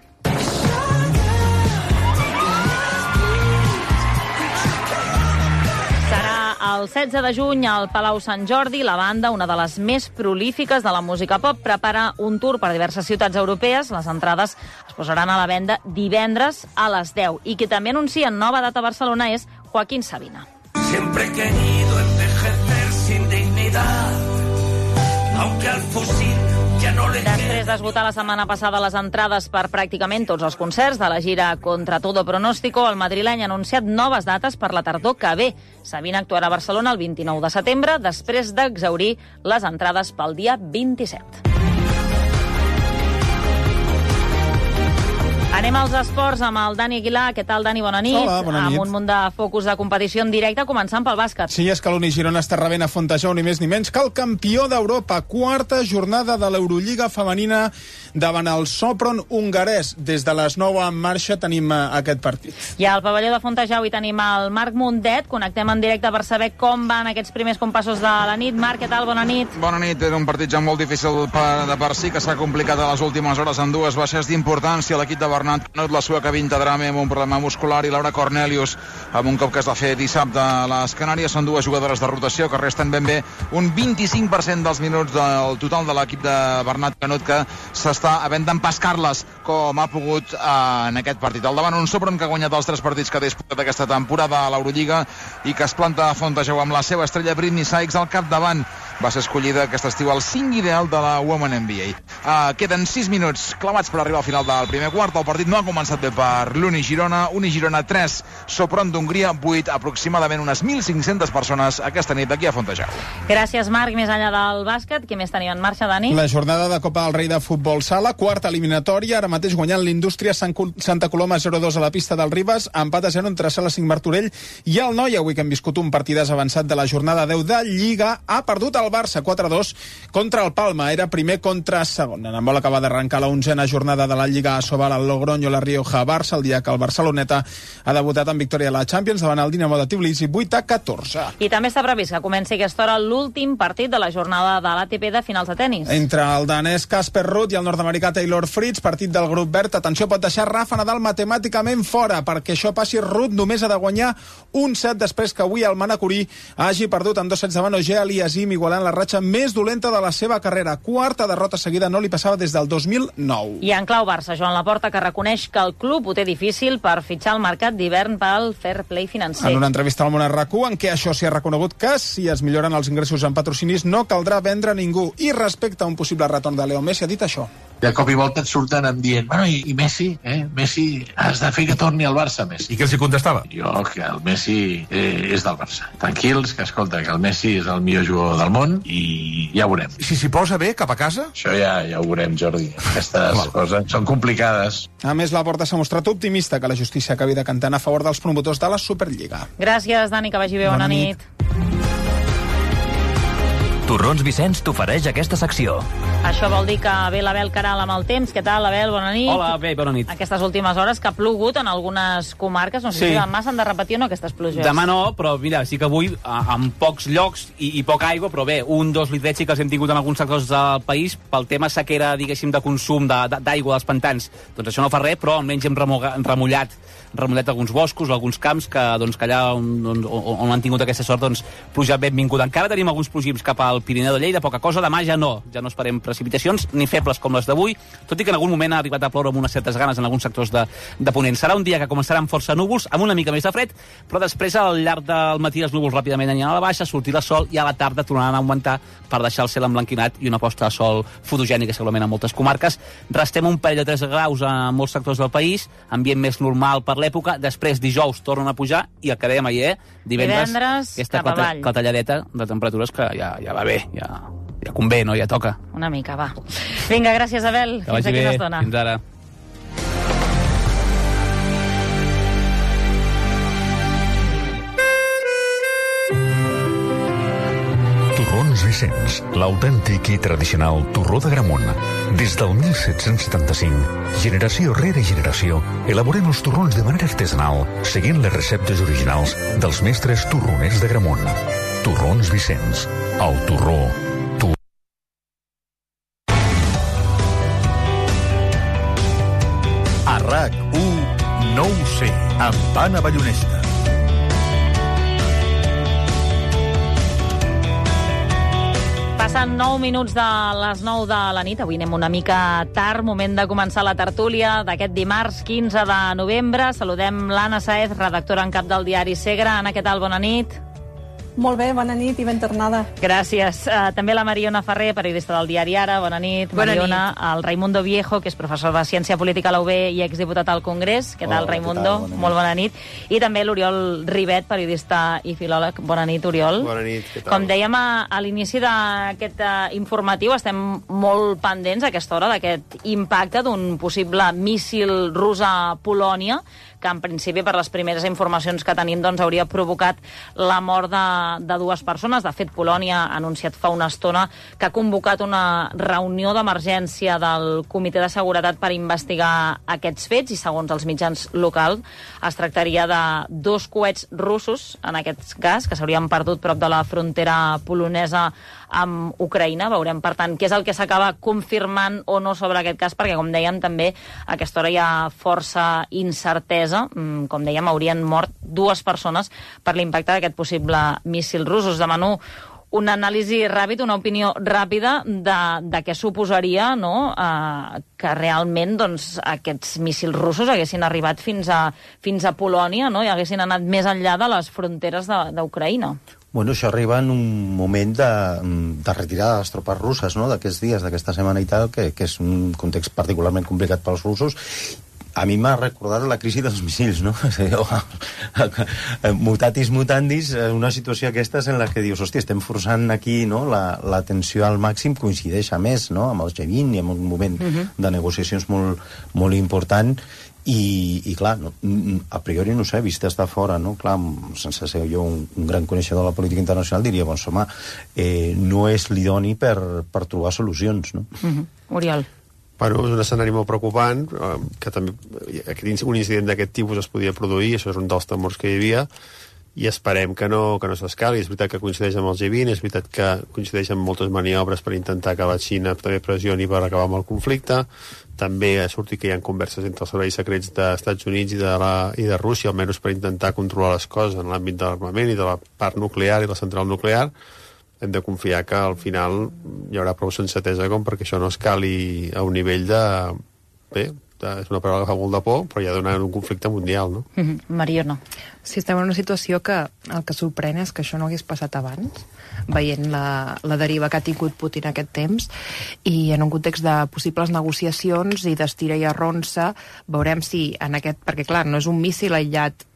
El setze de juny al Palau Sant Jordi, la banda, una de les més prolífiques de la música pop, prepara un tour per diverses ciutats europees. Les entrades es posaran a la venda divendres a les deu. I qui també anuncia nova data a Barcelona és Joaquín Sabina. Siempre he querido envejecer sin dignidad, aunque al fusil ja no le... Després d'esgotar la setmana passada les entrades per pràcticament tots els concerts de la gira Contra Todo Pronóstico, el madrileny ha anunciat noves dates per la tardor que ve. Sabina actuarà a Barcelona el vint-i-nou de setembre, després d'exhaurir les entrades pel dia vint-i-set. Anem als esports amb el Dani Aguilar. Què tal, Dani? Bona nit. Hola, bona nit. Amb un munt de focus de competició en directe, començant pel bàsquet. Sí, és que l'Uni Girona està rebent a Fontejau ni més ni menys que el campió d'Europa. Quarta jornada de l'Eurolliga femenina davant el Sopron hongarès. Des de les nou en marxa tenim aquest partit. I al pavelló de Fontejau hi tenim el Marc Mundet. Connectem en directe per saber com van aquests primers compassos de la nit. Marc, què tal? Bona nit. Bona nit. Era un partit ja molt difícil per, de per si, que s'ha complicat a les últimes hores amb dues baixes d'importància. L'equip de Bernat Canut, la sueca Vinta Drame amb un problema muscular i Laura Cornelius amb un cop que es va fer dissabte a les Canàries. Són dues jugadores de rotació que resten ben bé un vint-i-cinc per cent dels minuts del total de l'equip de Bernat Canut, que s'està havent d'empascar-les com ha pogut en aquest partit. Al davant un Sopron que ha guanyat els tres partits que ha disputat aquesta temporada a l'Eurolliga i que es planta a Fontejau amb la seva estrella Britney Sykes al capdavant. Va ser escollida aquest estiu al cinc ideal de la Women N B A. Uh, queden sis minuts clavats per arribar al final del primer quart. El partit no ha començat bé per l'Uni Girona. Uni Girona tres, Sopron d'Hongria vuit, aproximadament unes mil cinc-centes persones aquesta nit aquí a Fontejau. Gràcies, Marc. Més enllà del bàsquet, què més tenim en marxa, Dani? La jornada de Copa del Rei de Futbol Sala, quarta eliminatòria, ara mateix guanyant l'Indústria Santa Coloma zero dos a la pista del Ribes, empat a zero entre Sala cinc Martorell i el Noi. Avui que hem viscut un partidàs avançat de la jornada deu de Lliga, ha perdut el Barça quatre a dos contra el Palma. Era primer contra segon. En vol acabar d'arrencar la onzena jornada de la Lliga a Sobal al Logroño, la Rioja, Barça, el dia que el Barceloneta ha debutat en victòria a la Champions davant el Dinamo de Tbilisi vuit a catorze. I també està previst que comenci aquesta hora l'últim partit de la jornada de l'A T P de finals de tennis. Entre el danès Casper Ruud i el nord-americà Taylor Fritz, partit del grup verd. Atenció, pot deixar Rafa Nadal matemàticament fora. Perquè això passi, Ruud només ha de guanyar un set després que avui el manacorí hagi perdut en dos sets davant Auger Aliassime, igualant la ratxa més dolenta de la seva carrera. Quarta derrota seguida, no li passava des del dos mil nou. I en clau Barça, Joan Laporta, que reconeix que el club ho té difícil per fitxar el mercat d'hivern pel fair play financer. En una entrevista al Món R Q, en què això s'hi ha reconegut que si es milloren els ingressos en patrocinis no caldrà vendre ningú. I respecte a un possible retorn de Leo Messi ha dit això. De cop i volta et surten em dient, bueno, i, i Messi, eh? Messi, has de fer que torni al Barça, Messi. I què els hi contestava? Jo, que el Messi eh, és del Barça. Tranquils, que escolta, que el Messi és el millor jugador del món i ja ho veurem. Si s'hi posa bé, cap a casa? Això ja, ja ho veurem, Jordi. Aquestes coses són complicades. A més, la Porta s'ha mostrat optimista que la justícia acabi decantant a favor dels promotors de la Superliga. Gràcies, Dani, que vagi bé. Bona, Bona nit. nit. Torrons Vicenç t'ofereix aquesta secció. Això vol dir que ve l'Abel Caral amb el temps. Què tal, Abel? Bona nit. Hola, bé, bona nit. Aquestes últimes hores que ha plogut en algunes comarques, no sé sí. si demà s'han de repetir o no aquestes pluges. Demà no, però mira, sí que avui amb pocs llocs i, i poca aigua, però bé, un, dos litrets sí que els hem tingut en alguns sectors del país pel tema sequera, diguéssim, de consum d'aigua dels pantans. Doncs això no fa res, però almenys hem remullat remullat alguns boscos o alguns camps que, doncs, que allà on, on, on han tingut aquesta sort, doncs, pluja benvinguda. Encara tenim alguns plogims cap al al Pirineu de Lleida, poca cosa. Demà ja no, ja no esperem precipitacions, ni febles com les d'avui, tot i que en algun moment ha arribat a ploure amb unes certes ganes en alguns sectors de, de Ponent. Serà un dia que començarà amb força núvols, amb una mica més de fred, però després al llarg del matí els núvols ràpidament aniran a la baixa, sortirà sol i a la tarda tornaran a augmentar per deixar el cel emblanquinat i una posta de sol fotogènica segurament en moltes comarques. Restem un parell de tres graus a molts sectors del país, ambient més normal per l'època, després dijous tornen a pujar i el que dèiem ahir, divendres, divendres aquesta cap avall. clatalladeta de temperatures que ja, ja va bé, ja, ja convé, no? Ja toca. Una mica, va. Vinga, gràcies, Abel. Que vagi bé, fins ara. Torrons Vicenç, l'autèntic i tradicional torró de Gramunt. Des del mil set-cents setanta-cinc, generació rere generació, elaborem els torrons de manera artesanal, seguint les receptes originals dels mestres torroners de Gramunt. Torrons Vicenç, el torró. Tu... A RAC u, no ho sé, amb Anna Ballonesta. Passen nou minuts de les nou de la nit. Avui anem una mica tard, moment de començar la tertúlia d'aquest dimarts quinze de novembre. Saludem l'Anna Saez, redactora en cap del diari Segre. Anna, què tal? Bona nit. Molt bé, bona nit i ben tornada. Gràcies. Uh, també la Mariona Ferrer, periodista del diari Ara. Bona nit, Bona Mariona. nit. El Raimundo Viejo, que és professor de Ciència Política a la U B i exdiputat al Congrés. Què tal, Hola, Raimundo? què tal? Bona nit. Molt bona nit. I també l'Oriol Ribet, periodista i filòleg. Bona nit, Oriol. Bona nit, què tal? Com dèiem a, a l'inici d'aquest uh, informatiu, estem molt pendents a aquesta hora d'aquest impacte d'un possible míssil rus a Polònia, que en principi, per les primeres informacions que tenim, doncs, hauria provocat la mort de, de dues persones. De fet, Polònia ha anunciat fa una estona que ha convocat una reunió d'emergència del Comitè de Seguretat per investigar aquests fets, i segons els mitjans locals es tractaria de dos coets russos, en aquest cas, que s'haurien perdut prop de la frontera polonesa amb Ucraïna. Veurem, per tant, què és el que s'acaba confirmant o no sobre aquest cas, perquè, com dèiem, també a aquesta hora hi ha força incertesa. Com dèiem, haurien mort dues persones per l'impacte d'aquest possible míssil rus. Us demano una anàlisi ràpida, una opinió ràpida de, de què suposaria, no?, eh, que realment, doncs, aquests míssils russos haguessin arribat fins a, fins a Polònia, no?, i haguessin anat més enllà de les fronteres d'Ucraïna. Bueno, això arriba en un moment de, de retirada de les tropes russes, no?, d'aquests dies, d'aquesta setmana i tal, que, que és un context particularment complicat pels russos. A mi m'ha recordat la crisi dels missils, no? Mutatis mutandis, una situació aquesta en la que dius, hòstia, estem forçant aquí, no?, la, la tensió al màxim, coincideix a més, no?, amb el G vint i amb un moment uh-huh. de negociacions molt, molt important, i, i clar, no, a priori no sé, vist estar fora, no? Clar, sense ser jo un, un gran coneixedor de la política internacional, diria, doncs, home, eh, no és l'idoni per, per trobar solucions, no? Uh-huh. Oriol. Bueno, és un escenari molt preocupant, que també un incident d'aquest tipus es podia produir, això és un dels temors que hi havia, i esperem que no, que no s'escali. És veritat que coincideix amb el G vint, és veritat que coincideix amb moltes maniobres per intentar que la Xina també pressioni per acabar amb el conflicte. També ha sortit que hi ha converses entre els serveis secrets dels Estats Units i de, la, i de Rússia, almenys per intentar controlar les coses en l'àmbit de l'armament i de la part nuclear i la central nuclear. Hem de confiar que al final hi haurà prou sensatesa com perquè això no escali a un nivell de... Bé, de, és una paraula que fa molt de por, però ja dona un conflicte mundial, no? Mm-hmm. Mariona. Sí, estem en una situació que el que sorprèn és que això no hagués passat abans, veient la, la deriva que ha tingut Putin aquest temps, i en un context de possibles negociacions i d'estira i arronsa, veurem si en aquest... Perquè, clar, no és un míssil aïllat,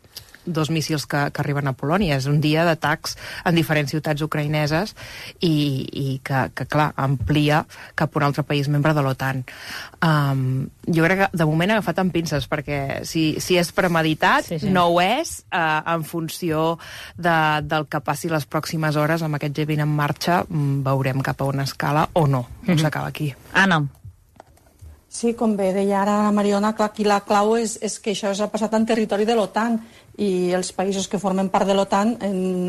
dos míssils que, que arriben a Polònia, és un dia d'atacs en diferents ciutats ucraïneses i, i que, que, clar, amplia cap a un altre país membre de l'OTAN. Um, jo crec que de moment he agafat amb pinces, perquè si, si és premeditat, sí, sí. no ho és, uh, en funció de, del que passi les pròximes hores amb aquest G vint en marxa, veurem cap a una escala o no, mm-hmm. no s'acaba aquí. Anna. Sí, com bé deia ara la Mariona, clar, aquí la clau és, és que això s'ha passat en territori de l'OTAN, i els països que formen part de l'OTAN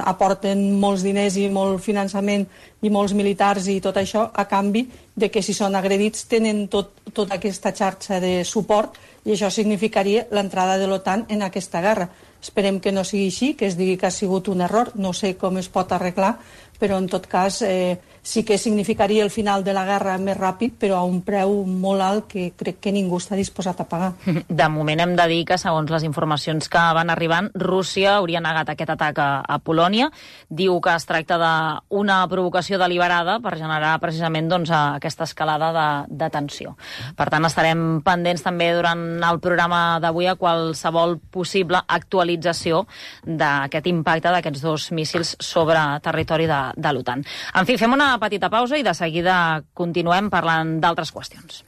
aporten molts diners i molt finançament i molts militars i tot això a canvi de que si són agredits tenen tot, tota aquesta xarxa de suport, i això significaria l'entrada de l'OTAN en aquesta guerra. Esperem que no sigui així, que es digui que ha sigut un error, no sé com es pot arreglar, però en tot cas eh, sí que significaria el final de la guerra més ràpid, però a un preu molt alt que crec que ningú està disposat a pagar. De moment hem de dir que, segons les informacions que van arribant, Rússia hauria negat aquest atac a, a Polònia. Diu que es tracta d'una provocació deliberada per generar precisament doncs, aquesta escalada de, de tensió. Per tant, estarem pendents també durant el programa d'avui a qualsevol possible actualització d'aquest impacte d'aquests dos míssils sobre territori de, de l'OTAN. En fi, fem una petita pausa i de seguida continuem parlant d'altres qüestions.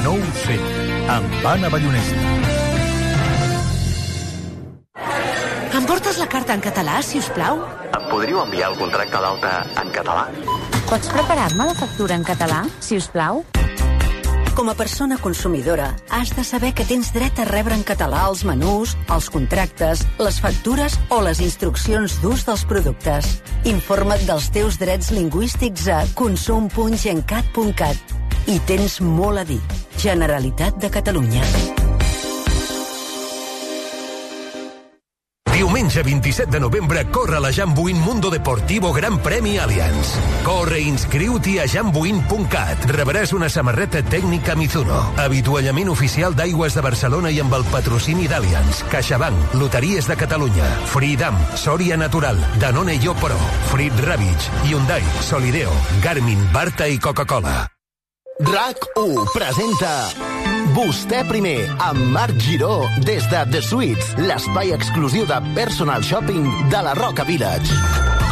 No ho sé, amb Anna Ballonesta. Em portes la carta en català, si us plau? Em podríeu enviar el contracte d'alta en català? Pots preparar-me la factura en català, si us plau? Com a persona consumidora, has de saber que tens dret a rebre en català els menús, els contractes, les factures o les instruccions d'ús dels productes. Informa't dels teus drets lingüístics a consum punt gencat punt cat. I tens molt a dir. Generalitat de Catalunya. Diumenge vint-i-set de novembre corre la Jambuin Mundo Deportivo Gran Premi Allianz. Corre i inscriu-t'hi a jambuin punt cat. Rebràs una samarreta tècnica Mizuno, avituallament oficial d'Aigües de Barcelona i amb el patrocini d'Allianz, CaixaBank, Loteries de Catalunya, Freedom, Soria Natural, Danone Yo Pro, Frit Ravitch, Hyundai, Solideo, Garmin, Barta i Coca-Cola. RAC u presenta Vostè primer, amb Marc Giró, des de The Suites, l'espai exclusiu de personal shopping de la Roca Village.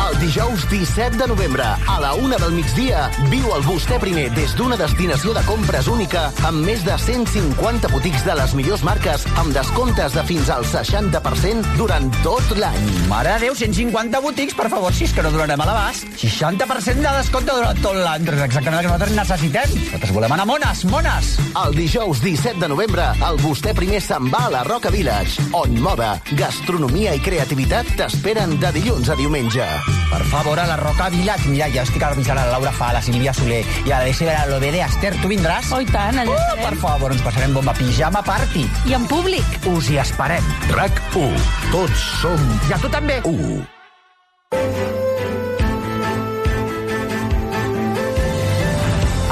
El dijous disset de novembre, a la una del migdia, viu el Vostè primer des d'una destinació de compres única amb més de cent cinquanta botics de les millors marques amb descomptes de fins al seixanta per cent durant tot l'any. Mare de Déu, cent cinquanta botics, per favor, si és que no donarem a l'abast. seixanta per cent de descompte durant tot l'any. És exactament el que nosaltres necessitem. Nosaltres volem anar mones, mones. El dijous disset de novembre, el Vostè primer se'n va a la Roca Village, on moda, gastronomia i creativitat t'esperen de dilluns a diumenge. Per favor, a la Roca Village. Mira, ja estic avisant a la Laura Fa, a la Sílvia Soler i a la Desi de l'O B D. Esther, tu vindràs? Oh, i tant, allà uh, Per favor, ens passarem bomba. Pijama party. I en públic. Us hi esperem. RAC u. Tots som... I a tu també. U.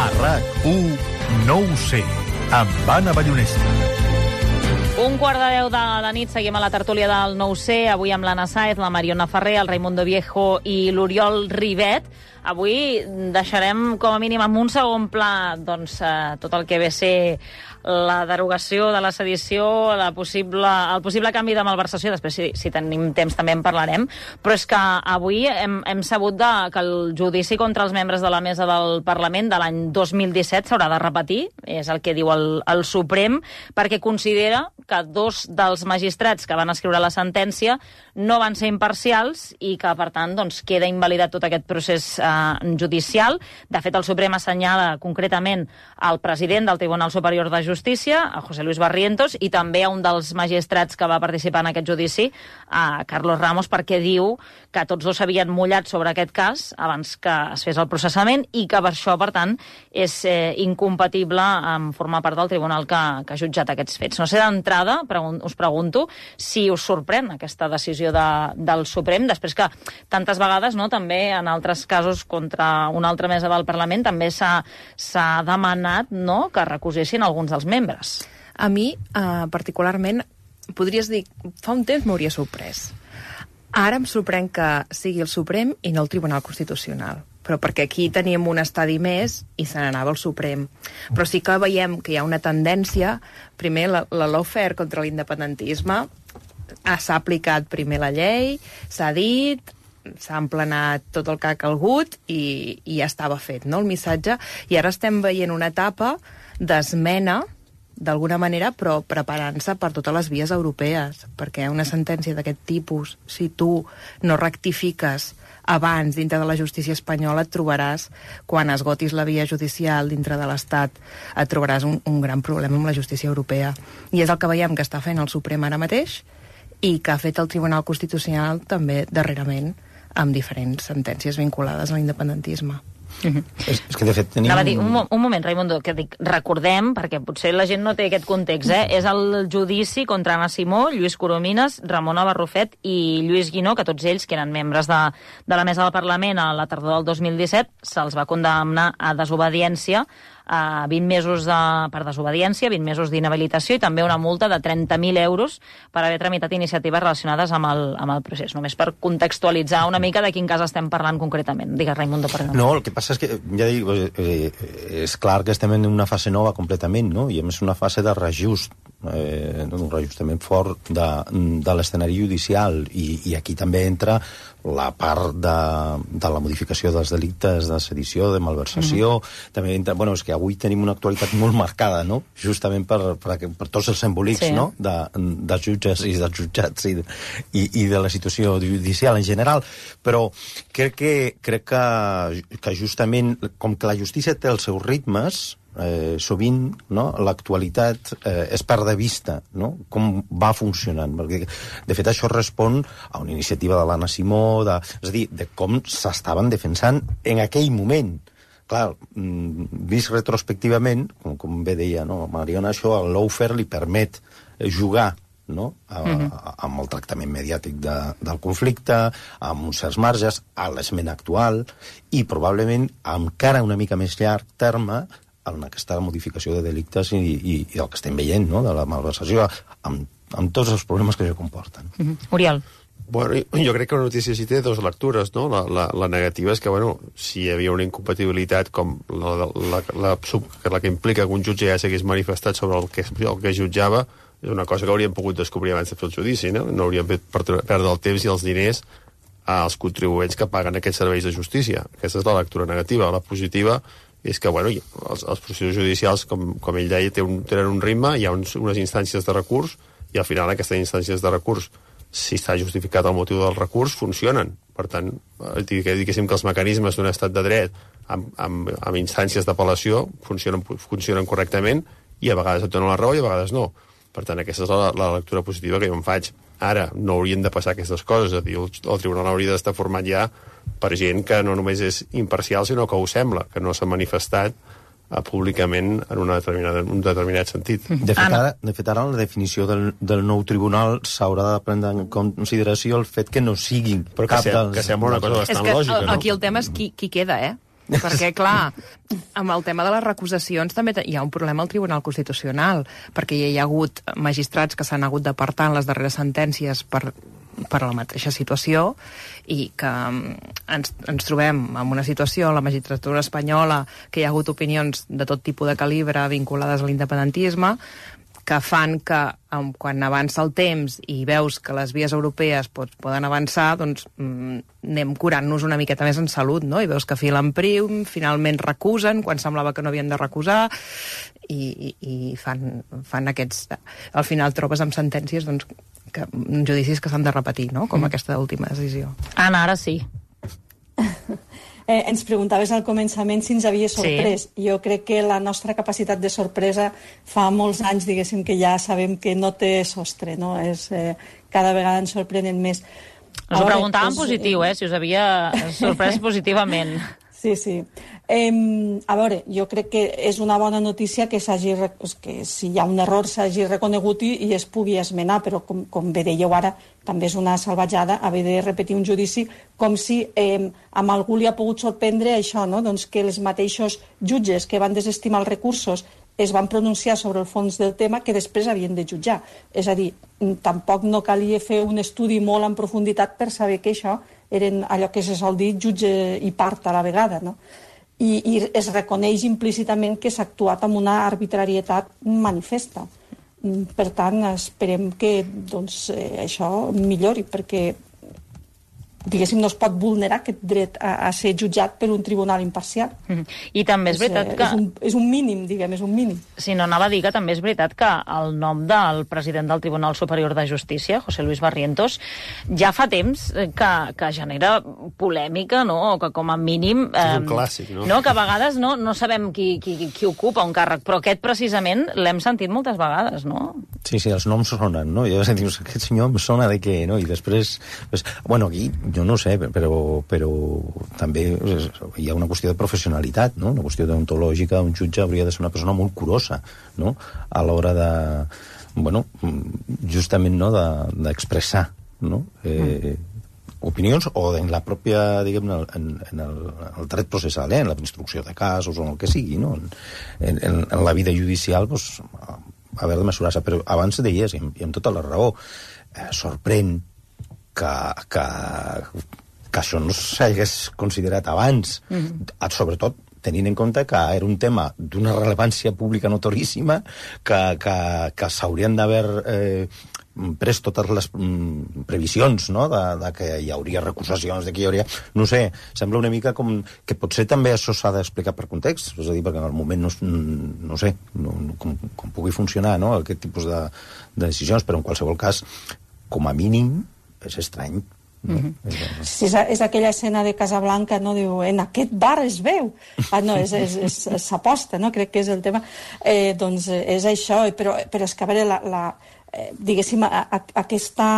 A RAC u, no ho sé, amb Anna Ballonesta. Un quart de deu de la nit, seguim a la tertúlia del nou C, avui amb l'Anna Sáez, la Mariona Ferrer, el Raimundo Viejo i l'Oriol Ribet. Avui deixarem com a mínim en un segon pla doncs, eh, tot el que ve a ser la derogació de la sedició, la possible, el possible canvi de malversació, després si, si tenim temps també en parlarem, però és que avui hem, hem sabut de, que el judici contra els membres de la mesa del Parlament de l'any dos mil disset s'haurà de repetir, és el que diu el, el Suprem, perquè considera que dos dels magistrats que van escriure la sentència no van ser imparcials i que, per tant, doncs, queda invalidat tot aquest procés eh, judicial. De fet, el Suprem assenyala concretament al president del Tribunal Superior de Justícia, a José Luis Barrientos, i també a un dels magistrats que va participar en aquest judici, a Carlos Ramos, perquè diu que tots dos s'havien mullat sobre aquest cas abans que es fes el processament i que per això, per tant, és eh, incompatible amb formar part del tribunal que, que ha jutjat aquests fets. No sé, d'entrada, pregun us pregunto si us sorprèn aquesta decisió de, del Suprem, després que tantes vegades, no, també en altres casos contra una altra mesa del Parlament també s'ha demanat, no, que recusessin alguns dels membres. A mi, eh, particularment, podries dir, fa un temps m'hauria sorprès. Ara em sorprèn que sigui el Suprem i no el Tribunal Constitucional, però perquè aquí teníem un estadi més i se n'anava al Suprem. Però sí que veiem que hi ha una tendència, primer la, la lawfare contra l'independentisme, s'ha aplicat primer la llei, s'ha dit, s'ha emplenat tot el que ha calgut i, i ja estava fet, no?, el missatge, i ara estem veient una etapa d'esmena, d'alguna manera, però preparant-se per totes les vies europees, perquè una sentència d'aquest tipus, si tu no rectifiques abans dintre de la justícia espanyola, et trobaràs, quan esgotis la via judicial dintre de l'Estat, et trobaràs un, un gran problema amb la justícia europea. I és el que veiem que està fent el Suprem ara mateix i que ha fet el Tribunal Constitucional també darrerament amb diferents sentències vinculades a l'independentisme. Mm-hmm. és, és que, de fet, tenim... Anava a dir, un, un moment, Raimundo, que dic, recordem, perquè potser la gent no té aquest context, eh? És el judici contra Anna Simó, Lluís Coromines, Ramona Barrufet i Lluís Guinó, que tots ells, que eren membres de, de la mesa del Parlament a la tardor del dos mil disset, se'ls va condemnar a desobediència, a vint mesos de, per desobediència, vint mesos d'inhabilitació i també una multa de trenta mil euros per haver tramitat iniciatives relacionades amb el, amb el procés. Només per contextualitzar una mica de quin cas estem parlant concretament. Digues, Raimundo, perdó. No, el que passa és que, ja dic, eh, és clar que estem en una fase nova completament, no? I a més una fase de reajust, eh, un reajustament fort de, de l'escenari judicial i, i aquí també entra la part de, de la modificació dels delictes de sedició, de malversació, mm-hmm. també entra, bueno, és que avui tenim una actualitat molt marcada, no? Justament per, per, per tots els embolics, sí. no? De, de jutges i dels jutjats i, i, i de la situació judicial en general, però crec que, crec que, que justament, com que la justícia té els seus ritmes, Eh, sovint no, l'actualitat eh, es perd de vista, no? Com va funcionant, perquè de fet això respon a una iniciativa de l'Anna Simó, de, és a dir, de com s'estaven defensant en aquell moment. Clar, vist retrospectivament, com, com bé deia no, Mariona, això al lawfare li permet jugar no? a, a, amb el tractament mediàtic de, del conflicte, amb uns certs marges, a l'esment actual, i probablement encara una mica més llarg terme en aquesta modificació de delictes i, i, i el que estem veient, no?, de la malversació, amb, amb tots els problemes que això comporten. Mm-hmm. Oriol. Bueno, jo crec que la notícia sí té dues lectures, no? La, la, la negativa és que, bueno, si hi havia una incompatibilitat com la, la, la, la, la que implica que un jutge ja s'hagués manifestat sobre el que, el que jutjava, és una cosa que hauríem pogut descobrir abans de fer el judici, no? No hauríem fet perdre el temps i els diners als contribuents que paguen aquests serveis de justícia. Aquesta és la lectura negativa. La positiva és que, bueno, els, els processos judicials, com, com ell deia, tenen un, tenen un ritme, hi ha uns, unes instàncies de recurs, i al final aquestes instàncies de recurs, si està justificat el motiu del recurs, funcionen. Per tant, diguéssim que els mecanismes d'un estat de dret amb, amb, amb instàncies d'apel·lació funcionen, funcionen correctament, i a vegades et donen la raó i a vegades no. Per tant, aquesta és la, la lectura positiva que jo em faig. Ara, no haurien de passar aquestes coses, és a dir, el, el tribunal hauria d'estar format ja per gent que no només és imparcial, sinó que ho sembla, que no s'ha manifestat uh, públicament en una determinada, un determinat sentit. De fet, ara, de fet, ara la definició del, del nou tribunal s'haurà de prendre en consideració el fet que no siguin Però que, cap se, dels... que sembla una cosa bastant és que, lògica, no? Aquí el tema és qui, qui queda, eh? Perquè, clar, amb el tema de les recusacions també hi ha un problema al Tribunal Constitucional, perquè hi ha hagut magistrats que s'han hagut d'apartar en les darreres sentències per, per la mateixa situació i que ens, ens trobem en una situació, la magistratura espanyola, que hi ha hagut opinions de tot tipus de calibre vinculades a l'independentisme, que fan que um, quan avança el temps i veus que les vies europees pot, poden avançar, doncs mm, anem curant-nos una miqueta més en salut, no? I veus que filen prim, finalment recusen, quan semblava que no havien de recusar, i, i, i fan, fan aquests... Al final trobes amb sentències doncs, que, judicis que s'han de repetir, no? Com mm. aquesta última decisió. Anna, ara sí. Eh, ens preguntaves al començament si ens havia sorprès. Sí. Jo crec que la nostra capacitat de sorpresa fa molts anys, diguéssim, que ja sabem que no té sostre, no? És, eh, cada vegada ens sorprenen més. Us ho preguntava en positiu, eh, si us havia sorprès positivament. Sí, sí. Eh, a veure, jo crec que és una bona notícia que, que si hi ha un error s'hagi reconegut i, i es pugui esmenar, però com, com bé dèieu ara, també és una salvatjada haver de repetir un judici com si eh, amb algú li ha pogut sorprendre això, no? Doncs que els mateixos jutges que van desestimar els recursos es van pronunciar sobre el fons del tema que després havien de jutjar. És a dir, tampoc no calia fer un estudi molt en profunditat per saber que això eren allò que se sol dir jutge i part a la vegada, no? I, i es reconeix implícitament que s'ha actuat amb una arbitrarietat manifesta. Per tant, esperem que doncs, eh, això millori, perquè diguéssim, no es pot vulnerar aquest dret a, a ser jutjat per un tribunal imparcial. Mm. I també és veritat que... És un, és un mínim, diguem, és un mínim. Si no, anava a dir que també és veritat que el nom del president del Tribunal Superior de Justícia, José Luis Barrientos, ja fa temps que, que genera polèmica, no? O que com a mínim... Eh, és un clàssic, no? No? Que a vegades no, no sabem qui, qui, qui ocupa un càrrec, però aquest precisament l'hem sentit moltes vegades, no? Sí, sí, els noms sonen, no? I llavors dius, aquest senyor em sona de què, no? I després, pues, bueno, aquí, jo no sé, però, però també hi ha una qüestió de professionalitat, no? Una qüestió deontològica. Un jutge hauria de ser una persona molt curosa, no? A l'hora de, bueno, justament, no?, d'expressar, no? Eh, opinions, o en la pròpia, diguem, en, en, el, en el dret processal, eh? En la instrucció de casos o en el que sigui, no? En, en, en la vida judicial, doncs, haver de mesurar-se. Però abans deies, i amb, i amb tota la raó, eh, sorprèn que, que, que això no s'hagués considerat abans, mm-hmm. sobretot tenint en compte que era un tema d'una rellevància pública notoríssima, que, que, que s'haurien d'haver eh, pres totes les mm, previsions, no?, de, de que hi hauria recusacions, de que hi hauria... No sé, sembla una mica com que potser també això s'ha d'explicar per context, és a dir, perquè en el moment no, no sé no, no, com, com pugui funcionar, no?, aquest tipus de, de decisions, però en qualsevol cas, com a mínim, és estrany. No? Mm-hmm. Sí, és, és aquella escena de Casablanca, no? Diu, en aquest bar es veu. Ah, no, és, és, és, és s'aposta, no? Crec que és el tema. Eh, doncs és això, però, però és que, a veure, la, la, eh, diguéssim, a, a, aquesta...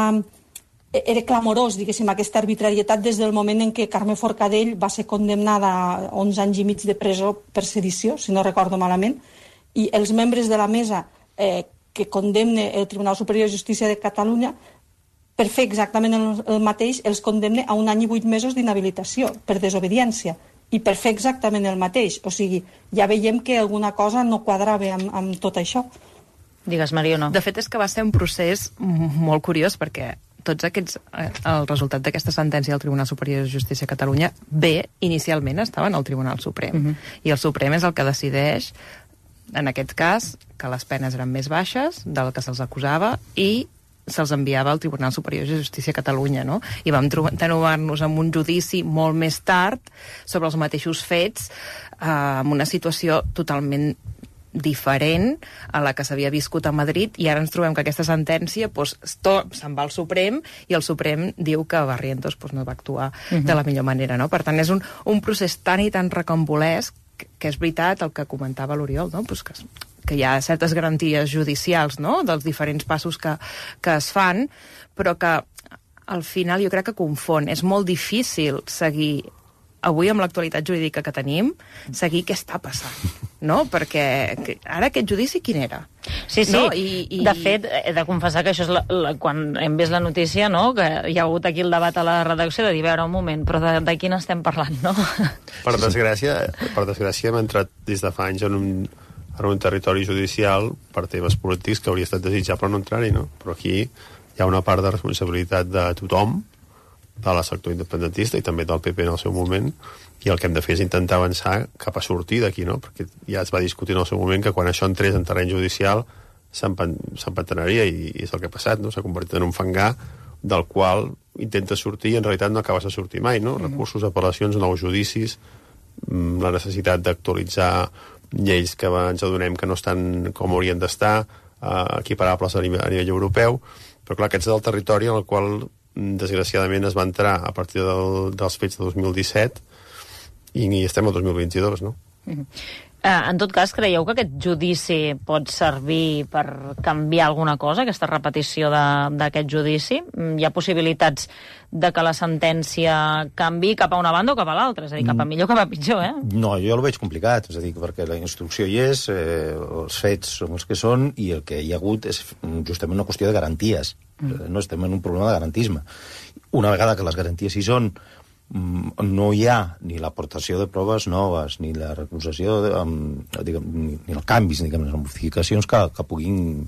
Era clamorós, diguéssim, aquesta arbitrarietat des del moment en què Carme Forcadell va ser condemnada a onze anys i mig de presó per sedició, si no recordo malament, i els membres de la mesa eh, que condemne el Tribunal Superior de Justícia de Catalunya per fer exactament el, el mateix, els condemne a un any i vuit mesos d'inhabilitació per desobediència, i per fer exactament el mateix. O sigui, ja veiem que alguna cosa no quadrava amb, amb tot això. Digues, Mariona. De fet, és que va ser un procés molt curiós, perquè tots aquests, el resultat d'aquesta sentència del Tribunal Superior de Justícia de Catalunya, bé, inicialment estaven al Tribunal Suprem. Uh-huh. I el Suprem és el que decideix, en aquest cas, que les penes eren més baixes del que se'ls acusava i se'ls enviava al Tribunal Superior de Justícia de Catalunya, no? I vam trobar-nos amb un judici molt més tard sobre els mateixos fets, eh, amb una situació totalment diferent a la que s'havia viscut a Madrid, i ara ens trobem que aquesta sentència doncs, se'n va al Suprem, i el Suprem diu que Barrientos doncs, no va actuar uh-huh. de la millor manera, no? Per tant, és un, un procés tan i tan recambolesc que, que és veritat el que comentava l'Oriol, no? Pues que que hi ha certes garanties judicials, no?, dels diferents passos que, que es fan, però que al final jo crec que confon. És molt difícil seguir, avui amb l'actualitat jurídica que tenim, seguir què està passant, no? Perquè ara aquest judici quin era? Sí, sí. No? I, i... De fet, he de confessar que això és la, la, quan hem vist la notícia, no?, que hi ha hagut aquí el debat a la redacció de dir, veure, un moment, però de, de quin estem parlant, no? Per desgràcia, per desgràcia hem entrat des de fa anys en un en un territori judicial per temes polítics que hauria estat desitjable no entrar-hi, no? Però aquí hi ha una part de responsabilitat de tothom, de la sector independentista i també del P P en el seu moment, i el que hem de fer és intentar avançar cap a sortir d'aquí, no? Perquè ja es va discutir en el seu moment que quan això entrés en terreny judicial s'empantanaria, i és el que ha passat, no? S'ha convertit en un fangar del qual intenta sortir i en realitat no acabes de sortir mai, no? Recursos, apel·lacions, nous judicis, la necessitat d'actualitzar lleis que ens adonem que no estan com haurien d'estar, eh, equiparables a nivell, a nivell europeu, però clar, aquest és el territori en el qual desgraciadament es va entrar a partir del, dels fets de dos mil disset i, i estem al dos mil vint-i-dos, no? Mm-hmm. Uh, en tot cas, creieu que aquest judici pot servir per canviar alguna cosa, aquesta repetició d'aquest judici? Hi ha possibilitats de que la sentència canvi cap a una banda o cap a l'altra? És a dir, cap a millor o cap a pitjor, eh? No, jo el veig complicat, és a dir, perquè la instrucció hi és, eh, els fets són els que són, i el que hi ha hagut és justament una qüestió de garanties. Mm. No estem en un problema de garantisme. Una vegada que les garanties hi són, no hi ha ni l'aportació de proves noves, ni la recusació, de, um, diguem, ni, ni els canvis, diguem, les modificacions que, que puguin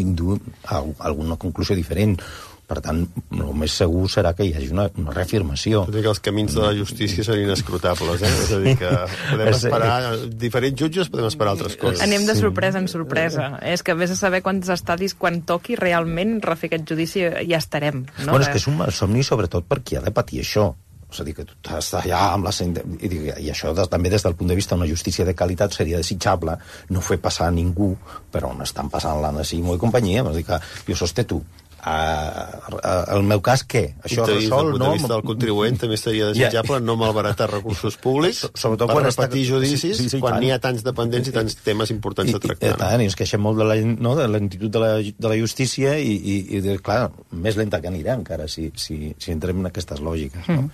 induir a alguna conclusió diferent. Per tant, el més segur serà que hi hagi una, una reafirmació. Tot i que els camins de la justícia serien escrutables, eh? És a dir, que podem esperar... Diferents jutges podem esperar altres coses. Anem de sorpresa en sorpresa. Sí. És que vés a saber quants estadis, quan toqui realment refer aquest judici, ja estarem. No? Bueno, és que és un somni sobretot per qui ha de patir això. És a dir, que tu estàs allà amb la... I, i això des, també des del punt de vista d'una justícia de qualitat seria desitjable no fer passar a ningú per on estan passant l'Anna Simó i companyia. És a dir, que jo sosté tu, el meu cas, què? Això resol, no? Des del punt de vista del contribuent també seria desitjable no malbaratar recursos públics per repetir judicis quan n'hi ha tants dependents i tants temes importants de tractar. I tant, i ens queixem molt de l'entitud de la justícia i, clar, més lenta que anirà encara si entrem en aquestes lògiques, no?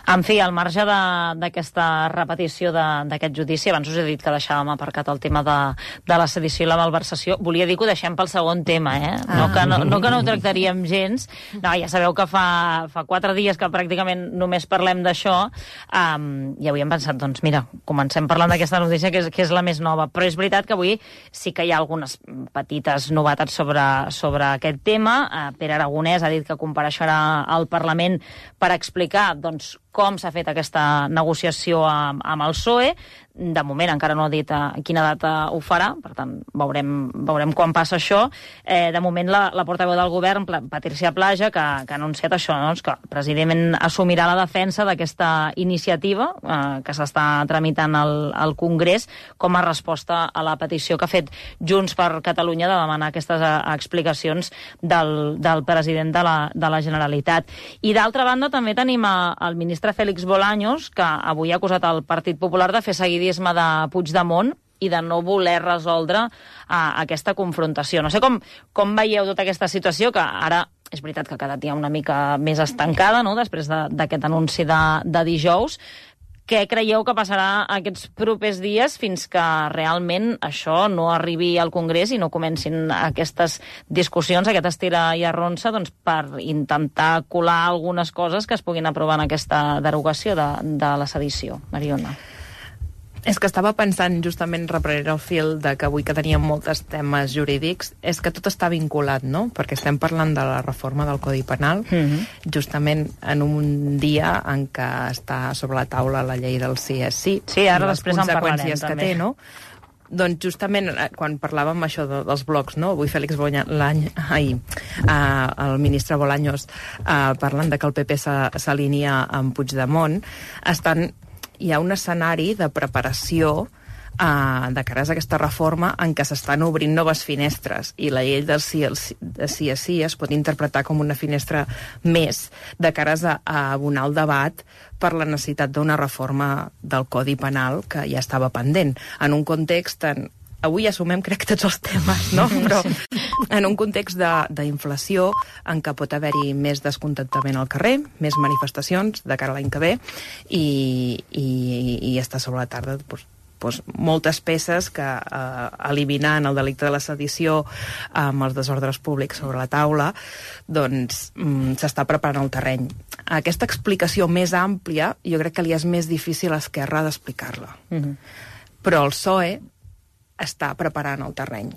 En fi, al marge d'aquesta repetició d'aquest judici, abans us he dit que deixàvem aparcat el tema de la sedició i la malversació, volia dir que ho deixem pel segon tema, eh? No que no ho tractaríem gens. No, ja sabeu que fa quatre dies que pràcticament només parlem d'això, i avui hem pensat, doncs mira, comencem parlant d'aquesta notícia que és la més nova, però és veritat que avui sí que hi ha algunes petites novetats sobre aquest tema. Pere Aragonès ha dit que compareixerà al Parlament per explicar, doncs, com s'ha fet aquesta negociació amb el P S O E. De moment encara no ha dit a quina data ho farà, per tant, veurem quan passa això. De moment, la portaveu del govern, Patrícia Plaja, que ha anunciat això, que el president assumirà la defensa d'aquesta iniciativa que s'està tramitant al Congrés com a resposta a la petició que ha fet Junts per Catalunya de demanar aquestes explicacions del president de la Generalitat. I d'altra banda, també tenim el ministre Félix Bolaños, que avui ha acusat el Partit Popular de fer seguidisme de Puigdemont i de no voler resoldre aquesta confrontació. No sé com veieu tota aquesta situació, que ara és veritat que ha quedat ja una mica més estancada, no?, després d'aquest anunci de dijous. Què creieu que passarà aquests propers dies fins que realment això no arribi al Congrés i no comencin aquestes discussions, aquest estira i arronsa, doncs, per intentar colar algunes coses que es puguin aprovar en aquesta derogació de la sedició? Mariona. És que estava pensant, justament reprenent el fil de que avui que teníem molts temes jurídics, és que tot està vinculat, no? Perquè estem parlant de la reforma del Codi Penal, justament en un dia en què està sobre la taula la llei del sí és sí. Sí, ara després en parlarem, també. Que té, no? Doncs justament quan parlàvem això dels blocs, no? Avui Félix Bolaños, ahir, el ministre Bolaños, parlant de que el P P s'alinea amb Puigdemont, estan... hi ha un escenari de preparació uh, de cares a aquesta reforma en què s'estan obrint noves finestres i la llei del sí, de sí a sí es pot interpretar com una finestra més de cares a, a abonar el debat per la necessitat d'una reforma del Codi Penal que ja estava pendent. En un context en... Avui assumem, crec, tots els temes, no? Però en un context d'inflació en què pot haver-hi més descontentament al carrer, més manifestacions de cara a l'any que ve, i, i, i està sobre la tarda doncs, doncs, moltes peces que, eh, eliminant el delicte de la sedició amb els desordres públics sobre la taula, doncs mm, s'està preparant el terreny. Aquesta explicació més àmplia jo crec que li és més difícil a Esquerra d'explicar-la. Mm-hmm. Però el P S O E està preparant el terreny,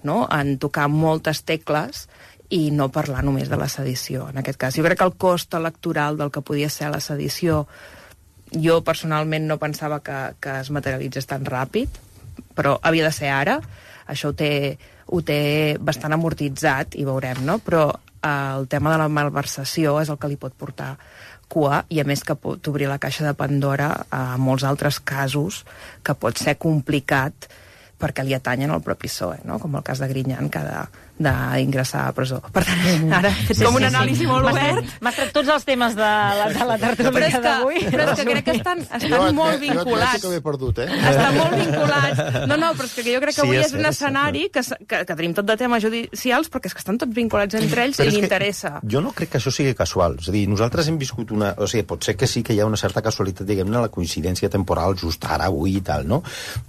no?, en tocar moltes tecles i no parlar només de la sedició, en aquest cas. Jo crec que el cost electoral del que podia ser la sedició, jo personalment no pensava que, que es materialitzés tan ràpid, però havia de ser ara, això ho té, ho té bastant amortitzat i veurem, no?, però eh, el tema de la malversació és el que li pot portar cua i a més que pot obrir la caixa de Pandora a molts altres casos que pot ser complicat perquè li atanyen al propi P S O E, no? Com el cas de Griñán, que ha d'ingressar a presó. Per tant, ara és com un anàlisi molt obert. M'has tret tots els temes de la, de la tertúlia d'avui. Però és que crec que estan, estan molt vinculats. Jo et que m'he perdut, eh? Estan molt vinculats. No, no, però és que jo crec que avui és un escenari que, que, que tenim tot de temes judicials, perquè és que estan tots vinculats entre ells i li interessa. Jo no crec que això sigui casual. És a dir, nosaltres hem viscut una... O sigui, pot ser que sí que hi ha una certa casualitat, diguem-ne, la coincidència temporal just ara, avui i tal, no?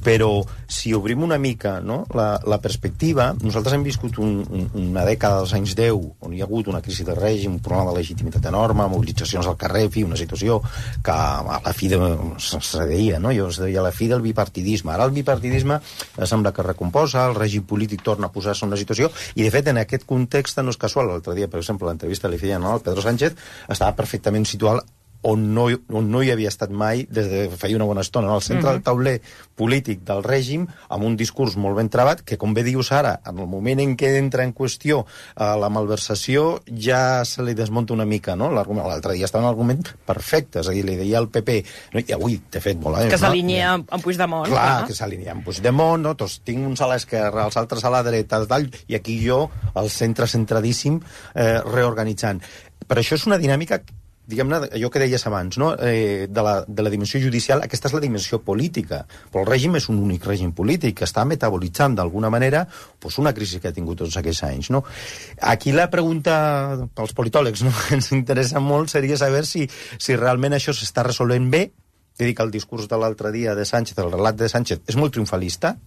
Però si obrim una mica, no?, la, la perspectiva, nosaltres hem viscut un, un, una dècada dels anys deu on hi ha hagut una crisi de règim, un problema de legitimitat enorme, mobilitzacions al carrer, fi, una situació que a la fi de, se deia, no?, jo es deia a la fi del bipartidisme. Ara el bipartidisme sembla que recomposa, el règim polític torna a posar-se en una situació i de fet en aquest context no és casual. L'altre dia, per exemple, l'entrevista li feien al Pedro Sánchez, estava perfectament situat on no, on no hi havia estat mai des de feia una bona estona, no? Al centre uh-huh. del tauler polític del règim, amb un discurs molt ben travat, que, com bé dius ara, en el moment en què entra en qüestió eh, la malversació, ja se li desmunta una mica, no? L'altre dia estava un argument perfecte, és a dir, li deia al P P, no? I avui, de fet, molt bé. Que s'alinea no? amb Puigdemont. Clar, clar, que s'alinea amb Puigdemont, no? Tots tinc uns a l'esquerra, els altres a la dreta, tal, i aquí jo, al centre centradíssim, eh, reorganitzant. Per això és una dinàmica, diguem-ne, allò que deies abans, no? eh, de, la, de la dimensió judicial, aquesta és la dimensió política, però el règim és un únic règim polític que està metabolitzant d'alguna manera pues, una crisi que ha tingut tots aquests anys. No? Aquí la pregunta pels politòlegs, no? que ens interessa molt, seria saber si, si realment això s'està resolvent bé. He dit que el discurs de l'altre dia de Sánchez, el relat de Sánchez, és molt triomfalista.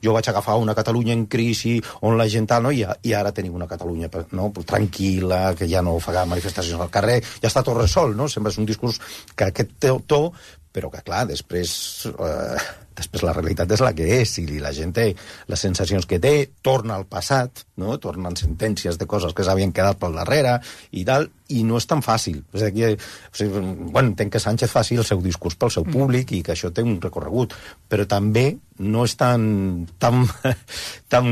Jo vaig agafar una Catalunya en crisi on la gent tal, no? I, I ara tenim una Catalunya no? tranquil·la, que ja no fa manifestacions al carrer, ja està tot resolt, no? Sempre és un discurs que aquest to, però que, clar, després, eh, després la realitat és la que és, i la gent té les sensacions que té, torna al passat, no? Tornen sentències de coses que s'havien quedat pel darrere, i tal, i no és tan fàcil. És aquí, o sigui, bueno, entenc que Sánchez faci el seu discurs pel seu públic i que això té un recorregut, però també no és tan, tan, tan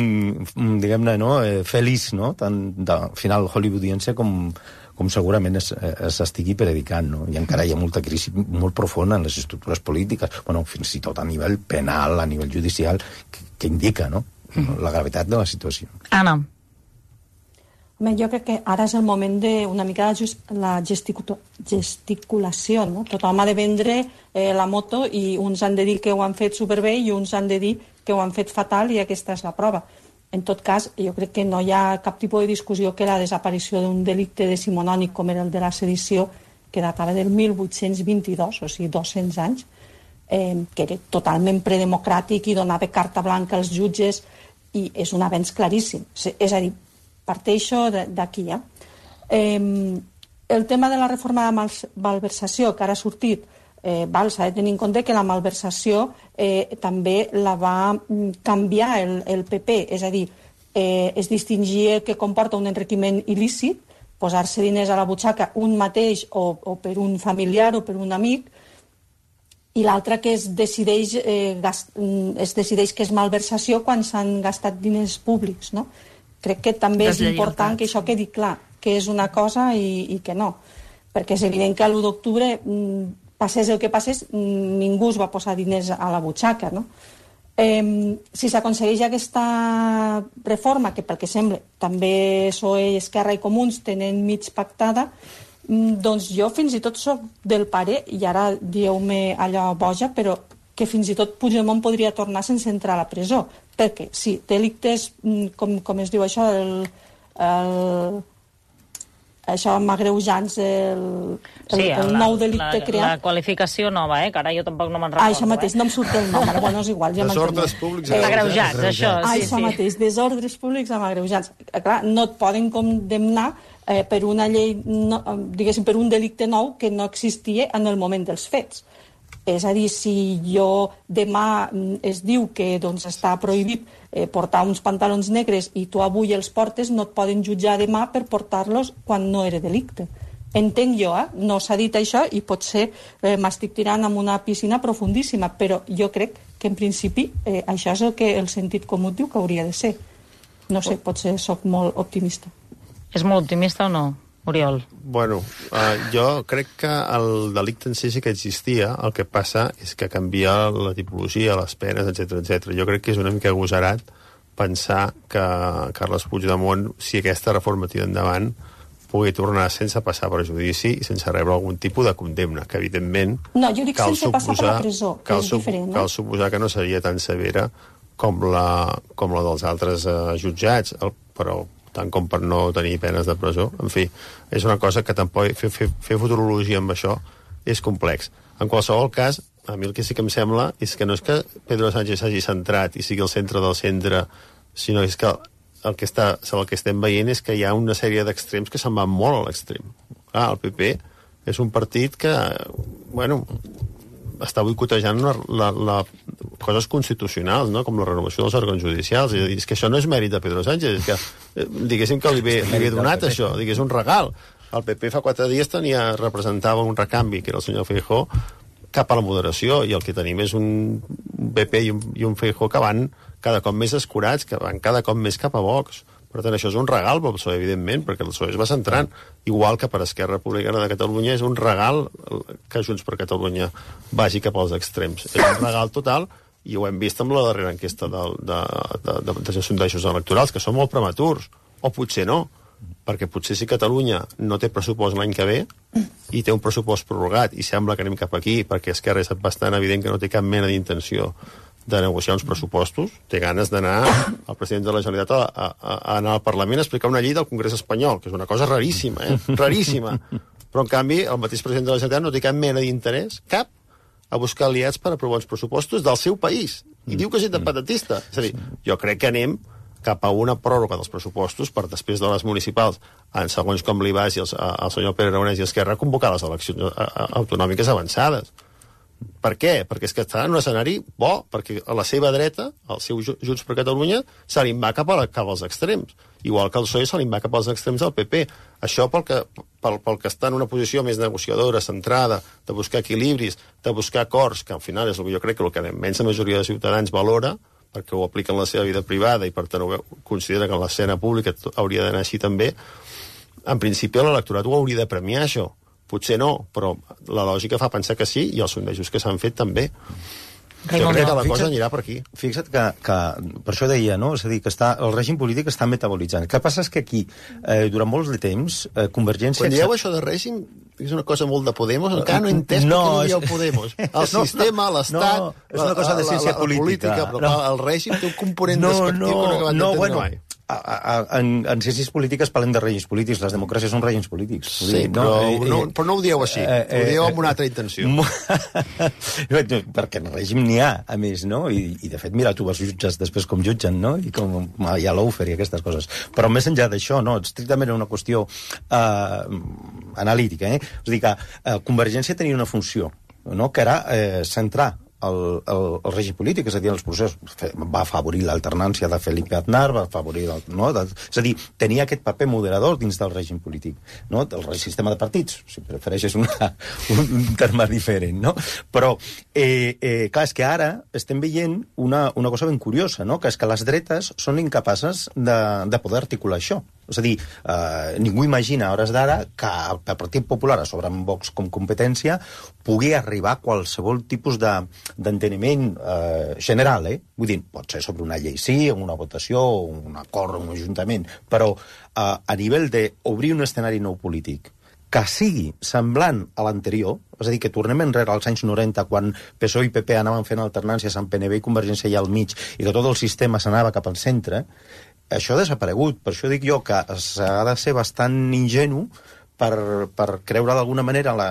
diguem-ne, no? eh, feliç, no? Tan de final hollywoodiense com, com segurament s'estigui predicant, no? I encara hi ha molta crisi molt profunda en les estructures polítiques, bueno, fins i tot a nivell penal, a nivell judicial, que, que indica, no? La gravetat de la situació. Anna. Home, jo crec que ara és el moment d'una mica la gesticulació, no? Tothom ha de vendre eh, la moto i uns han de dir que ho han fet superbé i uns han de dir que ho han fet fatal i aquesta és la prova. En tot cas, jo crec que no hi ha cap tipus de discussió que la desaparició d'un delicte decimonònic com era el de la sedició, que datava del mil vuit-cents vint-i-dos, o sigui, dos-cents anys, eh, que era totalment predemocràtic i donava carta blanca als jutges, i és un avenç claríssim. És a dir, parteixo d'aquí, ja. Eh, el tema de la reforma de malversació, que ara ha sortit, eh, s'ha de tenir en compte que la malversació eh, també la va canviar el, el P P, és a dir, eh, es distingia que comporta un enriquiment il·lícit, posar-se diners a la butxaca un mateix o, o per un familiar o per un amic, i l'altre que es decideix, eh, gast, es decideix que és malversació quan s'han gastat diners públics, no? Crec que també és important que això quedi clar, que és una cosa i, i que no. Perquè és evident que l'u d'octubre, passés el que passés, ningú es va posar diners a la butxaca, no? Eh, si s'aconsegueix aquesta reforma, que pel que sembla també P S O E, Esquerra i Comuns tenen mig pactada, doncs jo fins i tot soc del pare, i ara dieu-me allò boja, però que fins i tot Puigdemont podria tornar sense entrar a la presó. Perquè, sí, delictes, com, com es diu això, el, el, això amb agreujants, el, el, sí, el la, nou delicte la, creat. La qualificació nova, eh? Que ara jo tampoc no me'n recordo. Ah, això mateix, eh? No em surt el nom, bueno, és igual, ja desordres públics eh, agreujats, agreujats, això, ah, sí, això sí. mateix, desordres públics amb agreujants. Clar, no et poden condemnar eh, per una llei, no, diguéssim, per un delicte nou que no existia en el moment dels fets. És a dir, si jo demà es diu que doncs, està prohibit eh, portar uns pantalons negres i tu avui els portes, no et poden jutjar demà per portar-los quan no era delicte. Entenc jo, eh? No s'ha dit això i potser eh, m'estic tirant en una piscina profundíssima, però jo crec que en principi eh, això és el que el sentit comú diu que hauria de ser. No sé, potser sóc molt optimista. És molt optimista o no, Oriol? Bueno, uh, jo crec que el delicte en si sí que existia, el que passa és que canvia la tipologia, les penes, etcètera, etcètera. Jo crec que és una mica agosarat pensar que Carles Puigdemont, si aquesta reforma tira endavant, pugui tornar sense passar per judici i sense rebre algun tipus de condemna, que evidentment... No, jo dic sense suposar, passar per la presó, que és diferent. No? Cal suposar que no seria tan severa com la, com la dels altres uh, jutjats, el, però tant com per no tenir penes de presó. En fi, és una cosa que tampoc fer, fer, fer futurologia amb això és complex. En qualsevol cas, a mi el que sí que em sembla és que no és que Pedro Sánchez s'hagi centrat i sigui el centre del centre, sinó és que el que, està, el que estem veient és que hi ha una sèrie d'extrems que se'n van molt a l'extrem. Ah, el P P és un partit que, bueno, està boicotejant la, la, la coses constitucionals, no? Com la renovació dels òrgans judicials. És a dir, és que això no és mèrit de Pedro Sánchez, és que, eh, diguéssim que li ve, li ve donat això, digués un regal. el P P fa quatre dies tenia, representava un recanvi, que era el senyor Feijóo, cap a la moderació, i el que tenim és un P P i un, i un Feijóo que van cada cop més escurats, que van cada cop més cap a Vox. Per tant, això és un regal pel P S O E, evidentment, perquè el P S O E es va centrant, igual que per Esquerra Republicana de Catalunya és un regal que Junts per Catalunya vagi cap als extrems. És un regal total, i ho hem vist amb la darrera enquesta de, de, de, de, de sondejos electorals, que són molt prematurs, o potser no, perquè potser si Catalunya no té pressupost l'any que ve i té un pressupost prorrogat i sembla que anem cap aquí, perquè Esquerra és bastant evident que no té cap mena d'intenció de negociar uns pressupostos, té ganes d'anar al president de la Generalitat a, a, a anar al Parlament a explicar una llei del Congrés espanyol, que és una cosa raríssima, eh? Raríssima. Però, en canvi, el mateix president de la Generalitat no té cap mena d'interès, cap, a buscar aliats per aprovar uns pressupostos del seu país. I diu que és independentista. És a dir, jo crec que anem cap a una pròrroga dels pressupostos per després de les municipals, en segons com li vagi el, el senyor Pere Aragonès i Esquerra, convocar les eleccions autonòmiques avançades. Per què? Perquè és que està en un escenari bo, perquè a la seva dreta, el seu Junts per Catalunya, se li va cap, a la, cap als extrems. Igual que el P S O E se li va cap als extrems del P P. Això pel que, pel, pel que està en una posició més negociadora, centrada, de buscar equilibris, de buscar acords, que al final és el que jo crec que el que la immensa majoria de ciutadans valora, perquè ho apliquen en la seva vida privada i per tant considera que en l'escena pública hauria d'anar així també, en principi l'electorat ho hauria de premiar, això. Potser no, però la lògica fa pensar que sí, i els sondejos que s'han fet també. Jo crec que la cosa anirà per aquí. Fixa't que, que per això deia, no? És a dir, que està, el règim polític està metabolitzant. El que passa és que aquí, eh, durant molts de temps, eh, Convergència... Quan dieu això de règim, és una cosa molt de Podemos, encara no he entès no, per què dieu Podemos. El no, sistema, l'estat, no, és una cosa de ciència la, la, la política, política, però no. El règim té un component no, despectiu no, que no acabat no, d'entendre bueno, mai. A, a, en, en ciències polítiques parlem de règims polítics, les democràcies són règims polítics. Sí, dir, però, no, eh, no, però no ho dieu així, eh, eh, ho dieu amb una altra intenció. Perquè en règim n'hi ha, a més, no? I, i de fet, mira, tu els jutges després com jutgen, no? I com hi ha l'Oufer i aquestes coses. Però més enllà d'això, no? Estrictament una qüestió eh, analítica, eh? És a dir, que eh, Convergència tenia una funció, no? Que era eh, centrar El, el, el règim polític, és a dir, els processos, va afavorir l'alternància de Felipe Aznar, va afavorir... El, no? de, és a dir, tenia aquest paper moderador dins del règim polític, no? Del sistema de partits, si prefereixes una, un, un terme diferent, no? Però, eh, eh, clar, és que ara estem veient una, una cosa ben curiosa, no? Que és que les dretes són incapaces de, de poder articular això. És a dir, eh, ningú imagina a hores d'ara que el Partit Popular, a sobre amb Vox com competència, pugui arribar a qualsevol tipus de, d'enteniment eh, general, eh? Vull dir, pot ser sobre una llei sí, una votació, un acord, un ajuntament, però eh, a nivell d'obrir un escenari nou polític que sigui semblant a l'anterior, és a dir, que tornem enrere als anys noranta, quan P S O E i P P anaven fent alternàncies amb P N V i Convergència allà al mig, i que tot el sistema s'anava cap al centre, això ha desaparegut. Per això dic jo que s'ha de ser bastant ingenu per, per creure d'alguna manera, la,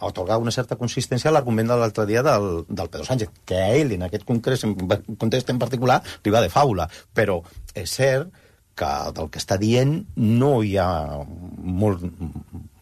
otorgar una certa consistència a l'argument de l'altre dia del, del Pedro Sánchez, que a ell, en aquest context en, context en particular, li va de faula. Però és cert que del que està dient no hi ha molt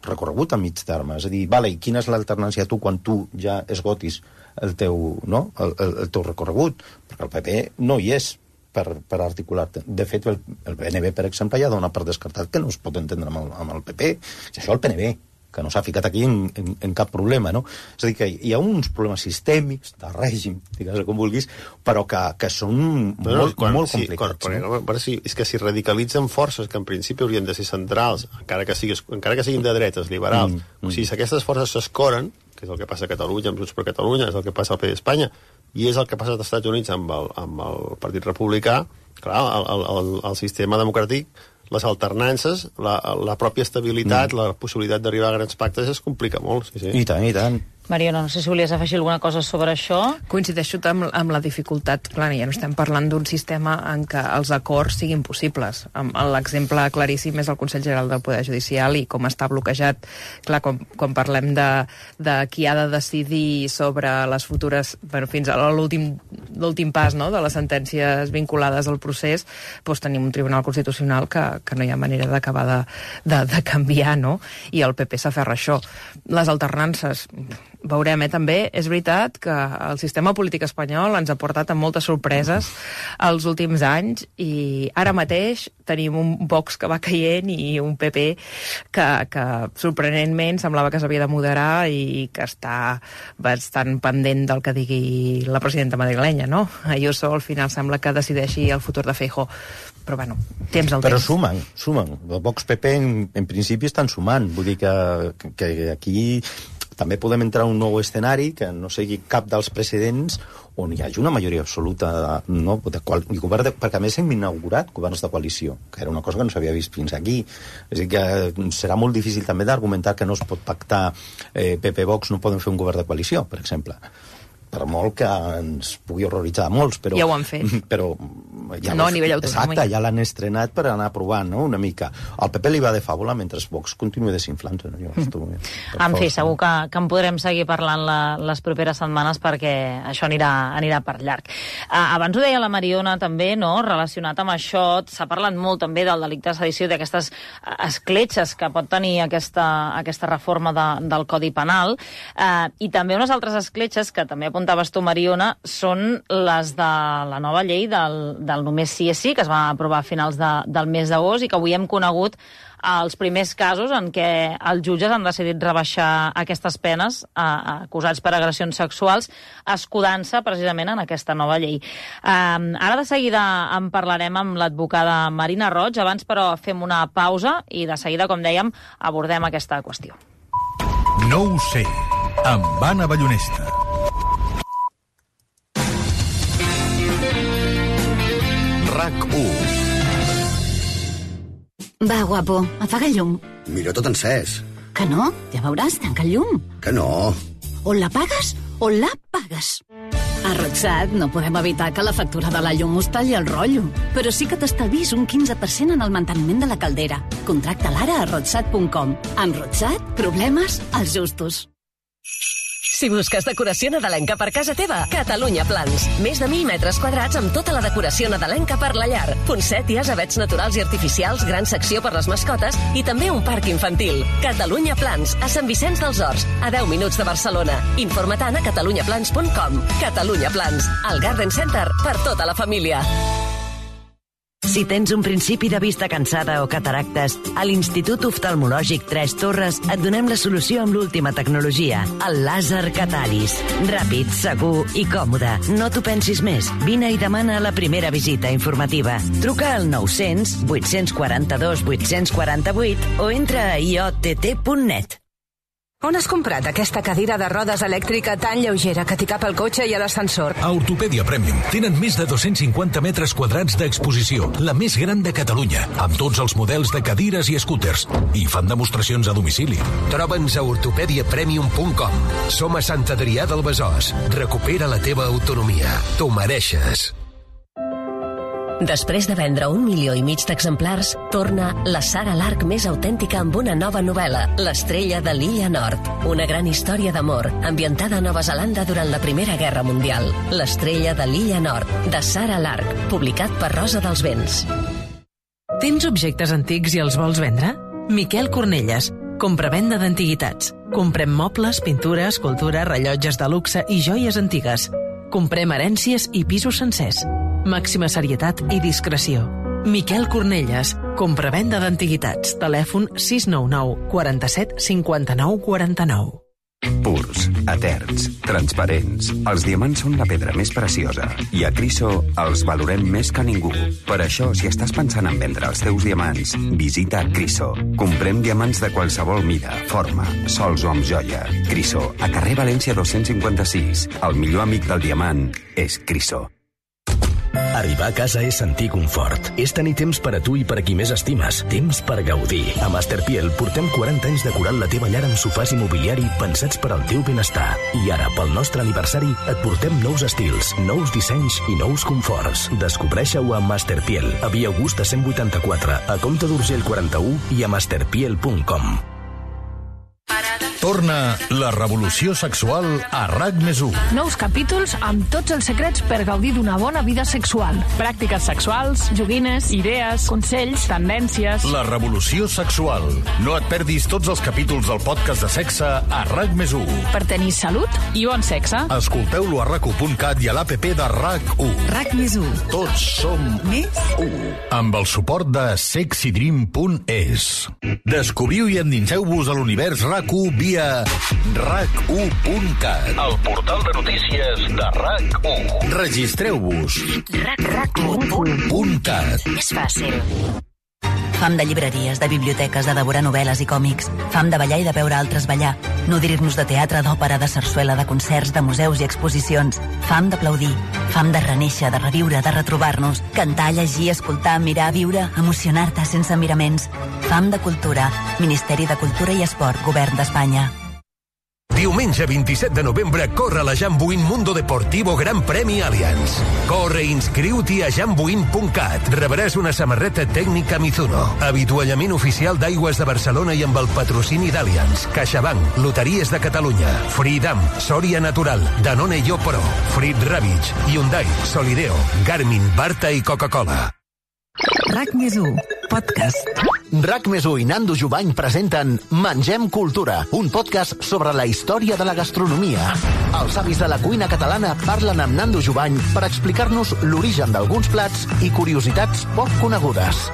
recorregut a mig terme. És a dir, vale, i quina és l'alternància tu quan tu ja esgotis el teu, no? el, el, el teu recorregut? Perquè el P P no hi és per, per articular-te. De fet, el, el P N V, per exemple, ja dona per descartat que no es pot entendre amb el, amb el P P. I això el P N V, que no s'ha ficat aquí en, en, en cap problema, no? És a dir, que hi ha uns problemes sistèmics, de règim, digues com vulguis, però que, que són no, molt, quan, molt complicats. Sí, quan, no? quan, sí, és que si radicalitzen forces que en principi haurien de ser centrals, encara que, siguis, encara que siguin de dretes, liberals, mm, mm. o sigui, si aquestes forces s'escoren, que és el que passa a Catalunya amb Junts per Catalunya, és el que passa al P D Espanya, i és el que passa als Estats Units amb el, amb el Partit Republicà, clar, el, el, el, el sistema democràtic, les alternances, la, la pròpia estabilitat, mm. la possibilitat d'arribar a grans pactes es complica molt. Sí, sí. I tant, i tant. Mariona, no sé si volies afegir alguna cosa sobre això. Coincideixo amb, amb la dificultat. Clar, ja no estem parlant d'un sistema en què els acords siguin possibles. L'exemple claríssim és el Consell General del Poder Judicial i com està bloquejat. Clar, quan, quan parlem de, de qui ha de decidir sobre les futures, bueno, fins a l'últim pas, no?, de les sentències vinculades al procés, doncs tenim un Tribunal Constitucional que, que no hi ha manera d'acabar de, de, de canviar, no? I el P P s'aferra a això. Les alternances... veurem, eh, també. És veritat que el sistema polític espanyol ens ha portat a moltes sorpreses els últims anys i ara mateix tenim un Vox que va caient i un P P que, que sorprenentment semblava que s'havia de moderar i que està bastant pendent del que digui la presidenta madrilenya, no? Ayuso al final sembla que decideixi el futur de Feijóo. Però, bueno, temps al temps. Però sumen, sumen. El Vox-P P en, en principi estan sumant. Vull dir que, que aquí també podem entrar en un nou escenari que no sigui cap dels precedents on hi hagi una majoria absoluta, no? De qual, i govern de, perquè a més hem inaugurat governs de coalició, que era una cosa que no s'havia vist fins aquí. És a dir, que serà molt difícil també d'argumentar que no es pot pactar eh, P P Vox, no poden fer un govern de coalició, per exemple. Per molt que ens pugui horroritzar a molts, però... Ja ho han fet. Però ja no a nivell autonòmic. Exacte, ja l'han estrenat per anar provant, no?, una mica. Al P P li va de fàbula mentre Vox continua desinflant-se. No? Mm. En fi, segur que, que en podrem seguir parlant la, les properes setmanes perquè això anirà, anirà per llarg. Uh, abans ho deia la Mariona també, no?, relacionat amb això, s'ha parlat molt també del delicte de sedició, d'aquestes escletxes que pot tenir aquesta, aquesta reforma de, del Codi Penal, uh, i també unes altres escletxes que també apuntaves tu, Mariona, són les de la nova llei del, del només sí és sí, que es va aprovar a finals de, del mes d'agost i que avui hem conegut els primers casos en què els jutges han decidit rebaixar aquestes penes a, a acusats per agressions sexuals, escudant-se precisament en aquesta nova llei. Um, ara de seguida en parlarem amb l'advocada Marina Roig, abans però fem una pausa i de seguida, com dèiem, abordem aquesta qüestió. No ho sé, amb Anna Ballonesta. RAC u. Va, guapo, apaga el llum. Mira tot encès. Que no? Ja veuràs, tanca el llum. Que no. O la pagues o la pagues. A Rodsat no podem evitar que la factura de la llum us talli el rotllo, però sí que t'estalvis un quinze per cent en el manteniment de la caldera. Contracta-la ara a rodsat punt com. Amb Rodsat, problemes als justos. Si busques decoració nadalenca per casa teva, Catalunya Plans. Més de mil metres quadrats amb tota la decoració nadalenca per la llar. Poncèties, avets naturals i artificials, gran secció per les mascotes i també un parc infantil. Catalunya Plans, a Sant Vicenç dels Horts, a deu minuts de Barcelona. Informa-te'n a catalunya plans punt com. Catalunya Plans, el Garden Center per tota la família. Si tens un principi de vista cansada o cataractes, a l'Institut Oftalmològic Tres Torres et donem la solució amb l'última tecnologia, el làser Cataris. Ràpid, segur i còmode. No t'ho pensis més. Vine i demana la primera visita informativa. Truca al nou-cents, vuit-cents quaranta-dos, vuit-cents quaranta-vuit o entra a i o te te punt net. On has comprat aquesta cadira de rodes elèctrica tan lleugera que t'hi cap al cotxe i a l'ascensor? A Ortopèdia Premium tenen més de dos-cents cinquanta metres quadrats d'exposició, la més gran de Catalunya, amb tots els models de cadires i escúters. I fan demostracions a domicili. Troba'ns a ortopèdia premium punt com. Som a Sant Adrià del Besòs. Recupera la teva autonomia. T'ho mereixes. Després de vendre un milió i mig d'exemplars, torna la Sara Lark més autèntica amb una nova novel·la, L'estrella de l'Illa Nord. Una gran història d'amor, ambientada a Nova Zelanda durant la Primera Guerra Mundial. L'estrella de l'Illa Nord, de Sara Lark, publicat per Rosa dels Vents. Tens objectes antics i els vols vendre? Miquel Cornelles, compra-venda d'antiguitats. Comprem mobles, pintura, escultura, rellotges de luxe i joies antigues. Comprem herències i pisos sencers. Màxima serietat i discreció. Miquel Cornelles, compra-venda d'antiguitats. Telèfon sis nou nou, quaranta-set, cinquanta-nou, quaranta-nou. Purs, eterns, transparents. Els diamants són la pedra més preciosa i a Criso els valorem més que ningú. Per això, si estàs pensant en vendre els teus diamants, visita Criso. Comprem diamants de qualsevol mida, forma, sols o amb joia. Criso, a carrer València dos-cents cinquanta-sis. El millor amic del diamant és Criso. Arribar a casa és sentir confort. És tenir temps per a tu i per a qui més estimes. Temps per gaudir. A Masterpiel portem quaranta anys decorant la teva llar amb sofàs i mobiliari pensats per al teu benestar. I ara, pel nostre aniversari, et portem nous estils, nous dissenys i nous conforts. Descobreixeu a Masterpiel, a Via Augusta cent vuitanta-quatre, a Comte d'Urgell quaranta-u i a masterpiel punt com. Torna la revolució sexual a RAC més u. Nous capítols amb tots els secrets per gaudir d'una bona vida sexual. Pràctiques sexuals, joguines, idees, consells, tendències... La revolució sexual. No et perdis tots els capítols del podcast de sexe a RAC més u. Per tenir salut i bon sexe. Escolteu-lo a rac u punt cat i a l'app de RAC u. RAC més u. Tots som més u. Amb el suport de sexy dream punt es. Descobriu i endinseu-vos a l'univers RAC u via rac u punt cat. El portal de notícies de RAC u. Registreu-vos. rac u punt cat. És fàcil. Fam de llibreries, de biblioteques, de devorar novel·les i còmics. Fam de ballar i de veure altres ballar. Nodrir-nos de teatre, d'òpera, de sarsuela, de concerts, de museus i exposicions. Fam d'aplaudir. Fam de renéixer, de reviure, de retrobar-nos. Cantar, llegir, escoltar, mirar, viure, emocionar-te sense miraments. Fam de cultura. Ministeri de Cultura i Esport, Govern d'Espanya. Diumenge vint-i-set de novembre corre la Jambuin Mundo Deportivo Gran Premi Allianz. Corre i inscriu-t'hi a jambuin punt cat. Rebràs una samarreta tècnica Mizuno, avituallament oficial d'Aigües de Barcelona i amb el patrocini d'Allianz, CaixaBank, Loteries de Catalunya, Freedom, Sòria Natural, Danone Yo Pro, Frit Ravitch, Hyundai, Solideo, Garmin, Barta i Coca-Cola. RAC més u, podcast. RAC més u i Nando Jubany presenten Mengem Cultura, un podcast sobre la història de la gastronomia. Els avis de la cuina catalana parlen amb Nando Jubany per explicar-nos l'origen d'alguns plats i curiositats poc conegudes.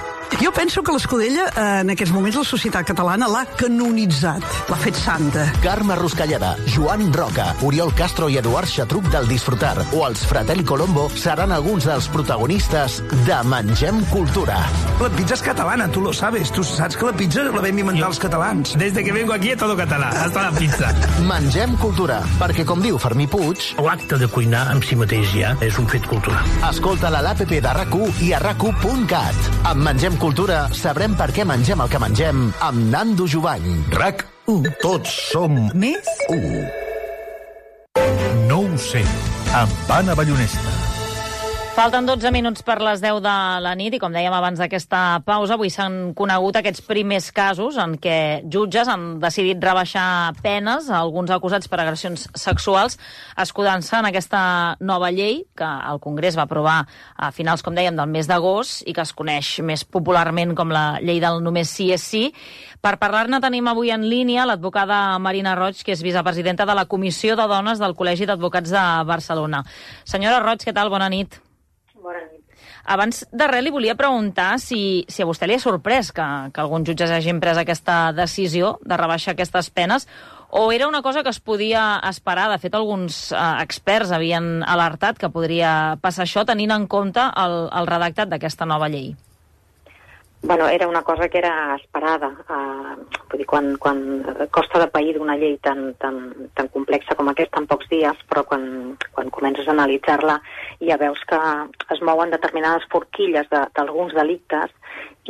Jo penso que l'Escudella, en aquests moments, la societat catalana l'ha canonitzat, l'ha fet santa. Carme Ruscalleda, Joan Roca, Oriol Castro i Eduard Xatruc del Disfrutar o els Fratelli Colombo seran alguns dels protagonistes de Mengem Cultura. La pizza és catalana, tu lo sabes. Tu saps que la pizza la vam inventar els catalans. Desde que vengo aquí és todo català, hasta la pizza. Mengem Cultura, perquè com diu Fermí Puig... L'acte de cuinar en si mateix ja és un fet cultural. Escolta-la a l'app de RAC u i a rac u punt cat. Amb Mengem Cultura sabrem per què mengem el que mengem amb Nando Jubany. RAC u. Tots som més u. No ho sé, amb Anna Ballonesta. Falten dotze minuts per les deu de la nit i, com dèiem abans d'aquesta pausa, avui s'han conegut aquests primers casos en què jutges han decidit rebaixar penes a alguns acusats per agressions sexuals, escudant-se en aquesta nova llei que el Congrés va aprovar a finals, com dèiem, del mes d'agost i que es coneix més popularment com la llei del només sí és sí. Per parlar-ne tenim avui en línia l'advocada Marina Roig, que és vicepresidenta de la Comissió de Dones del Col·legi d'Advocats de Barcelona. Senyora Roig, què tal? Bona nit. Bona nit. Abans de res, li volia preguntar si, si a vostè li ha sorprès que, que alguns jutges hagin pres aquesta decisió de rebaixar aquestes penes, o era una cosa que es podia esperar. De fet, alguns eh, experts havien alertat que podria passar això tenint en compte el, el redactat d'aquesta nova llei. Bueno, era una cosa que era esperada. Uh, vull dir, quan, quan costa de pair d'una llei tan, tan, tan complexa com aquesta en pocs dies, però quan, quan comences a analitzar-la ja veus que es mouen determinades forquilles d'alguns de, delictes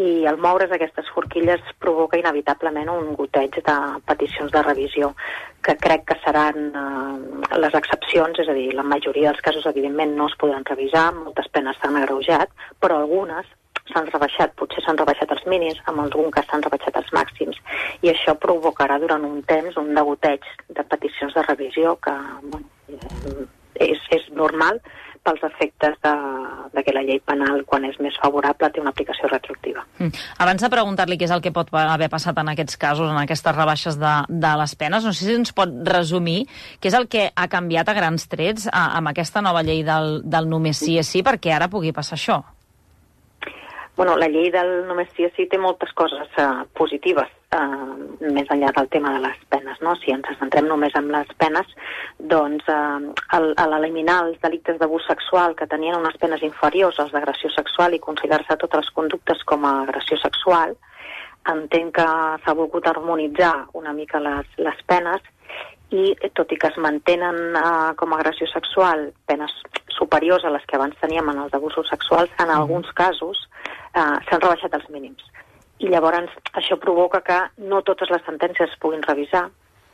i al moure's aquestes forquilles provoca inevitablement un goteig de peticions de revisió que crec que seran uh, les excepcions, és a dir, la majoria dels casos evidentment no es podran revisar, moltes penes s'han agreujat, però algunes s'han rebaixat, potser s'han rebaixat els mínims, en algun cas s'han rebaixat els màxims, i això provocarà durant un temps un degoteig de peticions de revisió que bueno, és, és normal pels efectes de, de que la llei penal, quan és més favorable, té una aplicació retroactiva. Mm. Abans de preguntar-li què és el que pot haver passat en aquests casos, en aquestes rebaixes de, de les penes, no sé si ens pot resumir què és el que ha canviat a grans trets a, amb aquesta nova llei del, del només sí és sí, perquè ara pugui passar això. Bueno, la llei del només sí és sí té moltes coses uh, positives, uh, més enllà del tema de les penes, no? Si ens centrem només en les penes, doncs uh, al, a l'eliminar els delictes d'abús sexual que tenien unes penes inferiors als d'agressió sexual i considerar-se totes les conductes com a agressió sexual, entenc que s'ha volgut harmonitzar una mica les, les penes i, tot i que es mantenen uh, com a agressió sexual penes superiors a les que abans teníem en els abusos sexuals, en alguns casos uh, s'han rebaixat els mínims. I llavors això provoca que no totes les sentències es puguin revisar,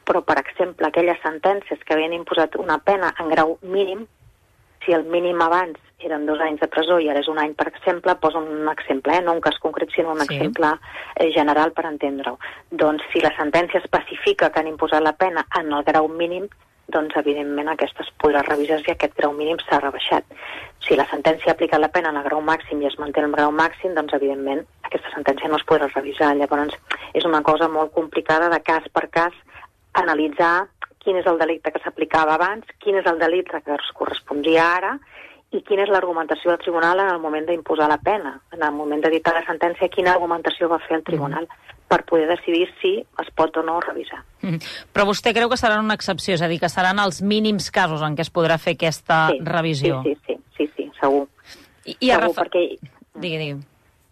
però, per exemple, aquelles sentències que havien imposat una pena en grau mínim, si el mínim abans eren dos anys de presó i ara és un any, per exemple, poso un exemple, eh? no un cas concret, sinó un sí. exemple eh, general per entendre-ho. Doncs si la sentència especifica que han imposat la pena en el grau mínim, doncs evidentment aquesta es podrà revisar si aquest grau mínim s'ha rebaixat. Si la sentència ha aplicat la pena en el grau màxim i es manté el grau màxim, doncs evidentment aquesta sentència no es podrà revisar. Llavors és una cosa molt complicada de cas per cas analitzar quin és el delicte que s'aplicava abans, quin és el delicte que es correspondria ara i quina és l'argumentació del tribunal en el moment d'imposar la pena, en el moment de dictar la sentència, quina argumentació va fer el tribunal mm. per poder decidir si es pot o no revisar. Mm. Però vostè creu que serà una excepció, és a dir, que seran els mínims casos en què es podrà fer aquesta sí, revisió? Sí, sí, sí, sí, sí segur. I, i segur, refer... perquè... Digui, digui.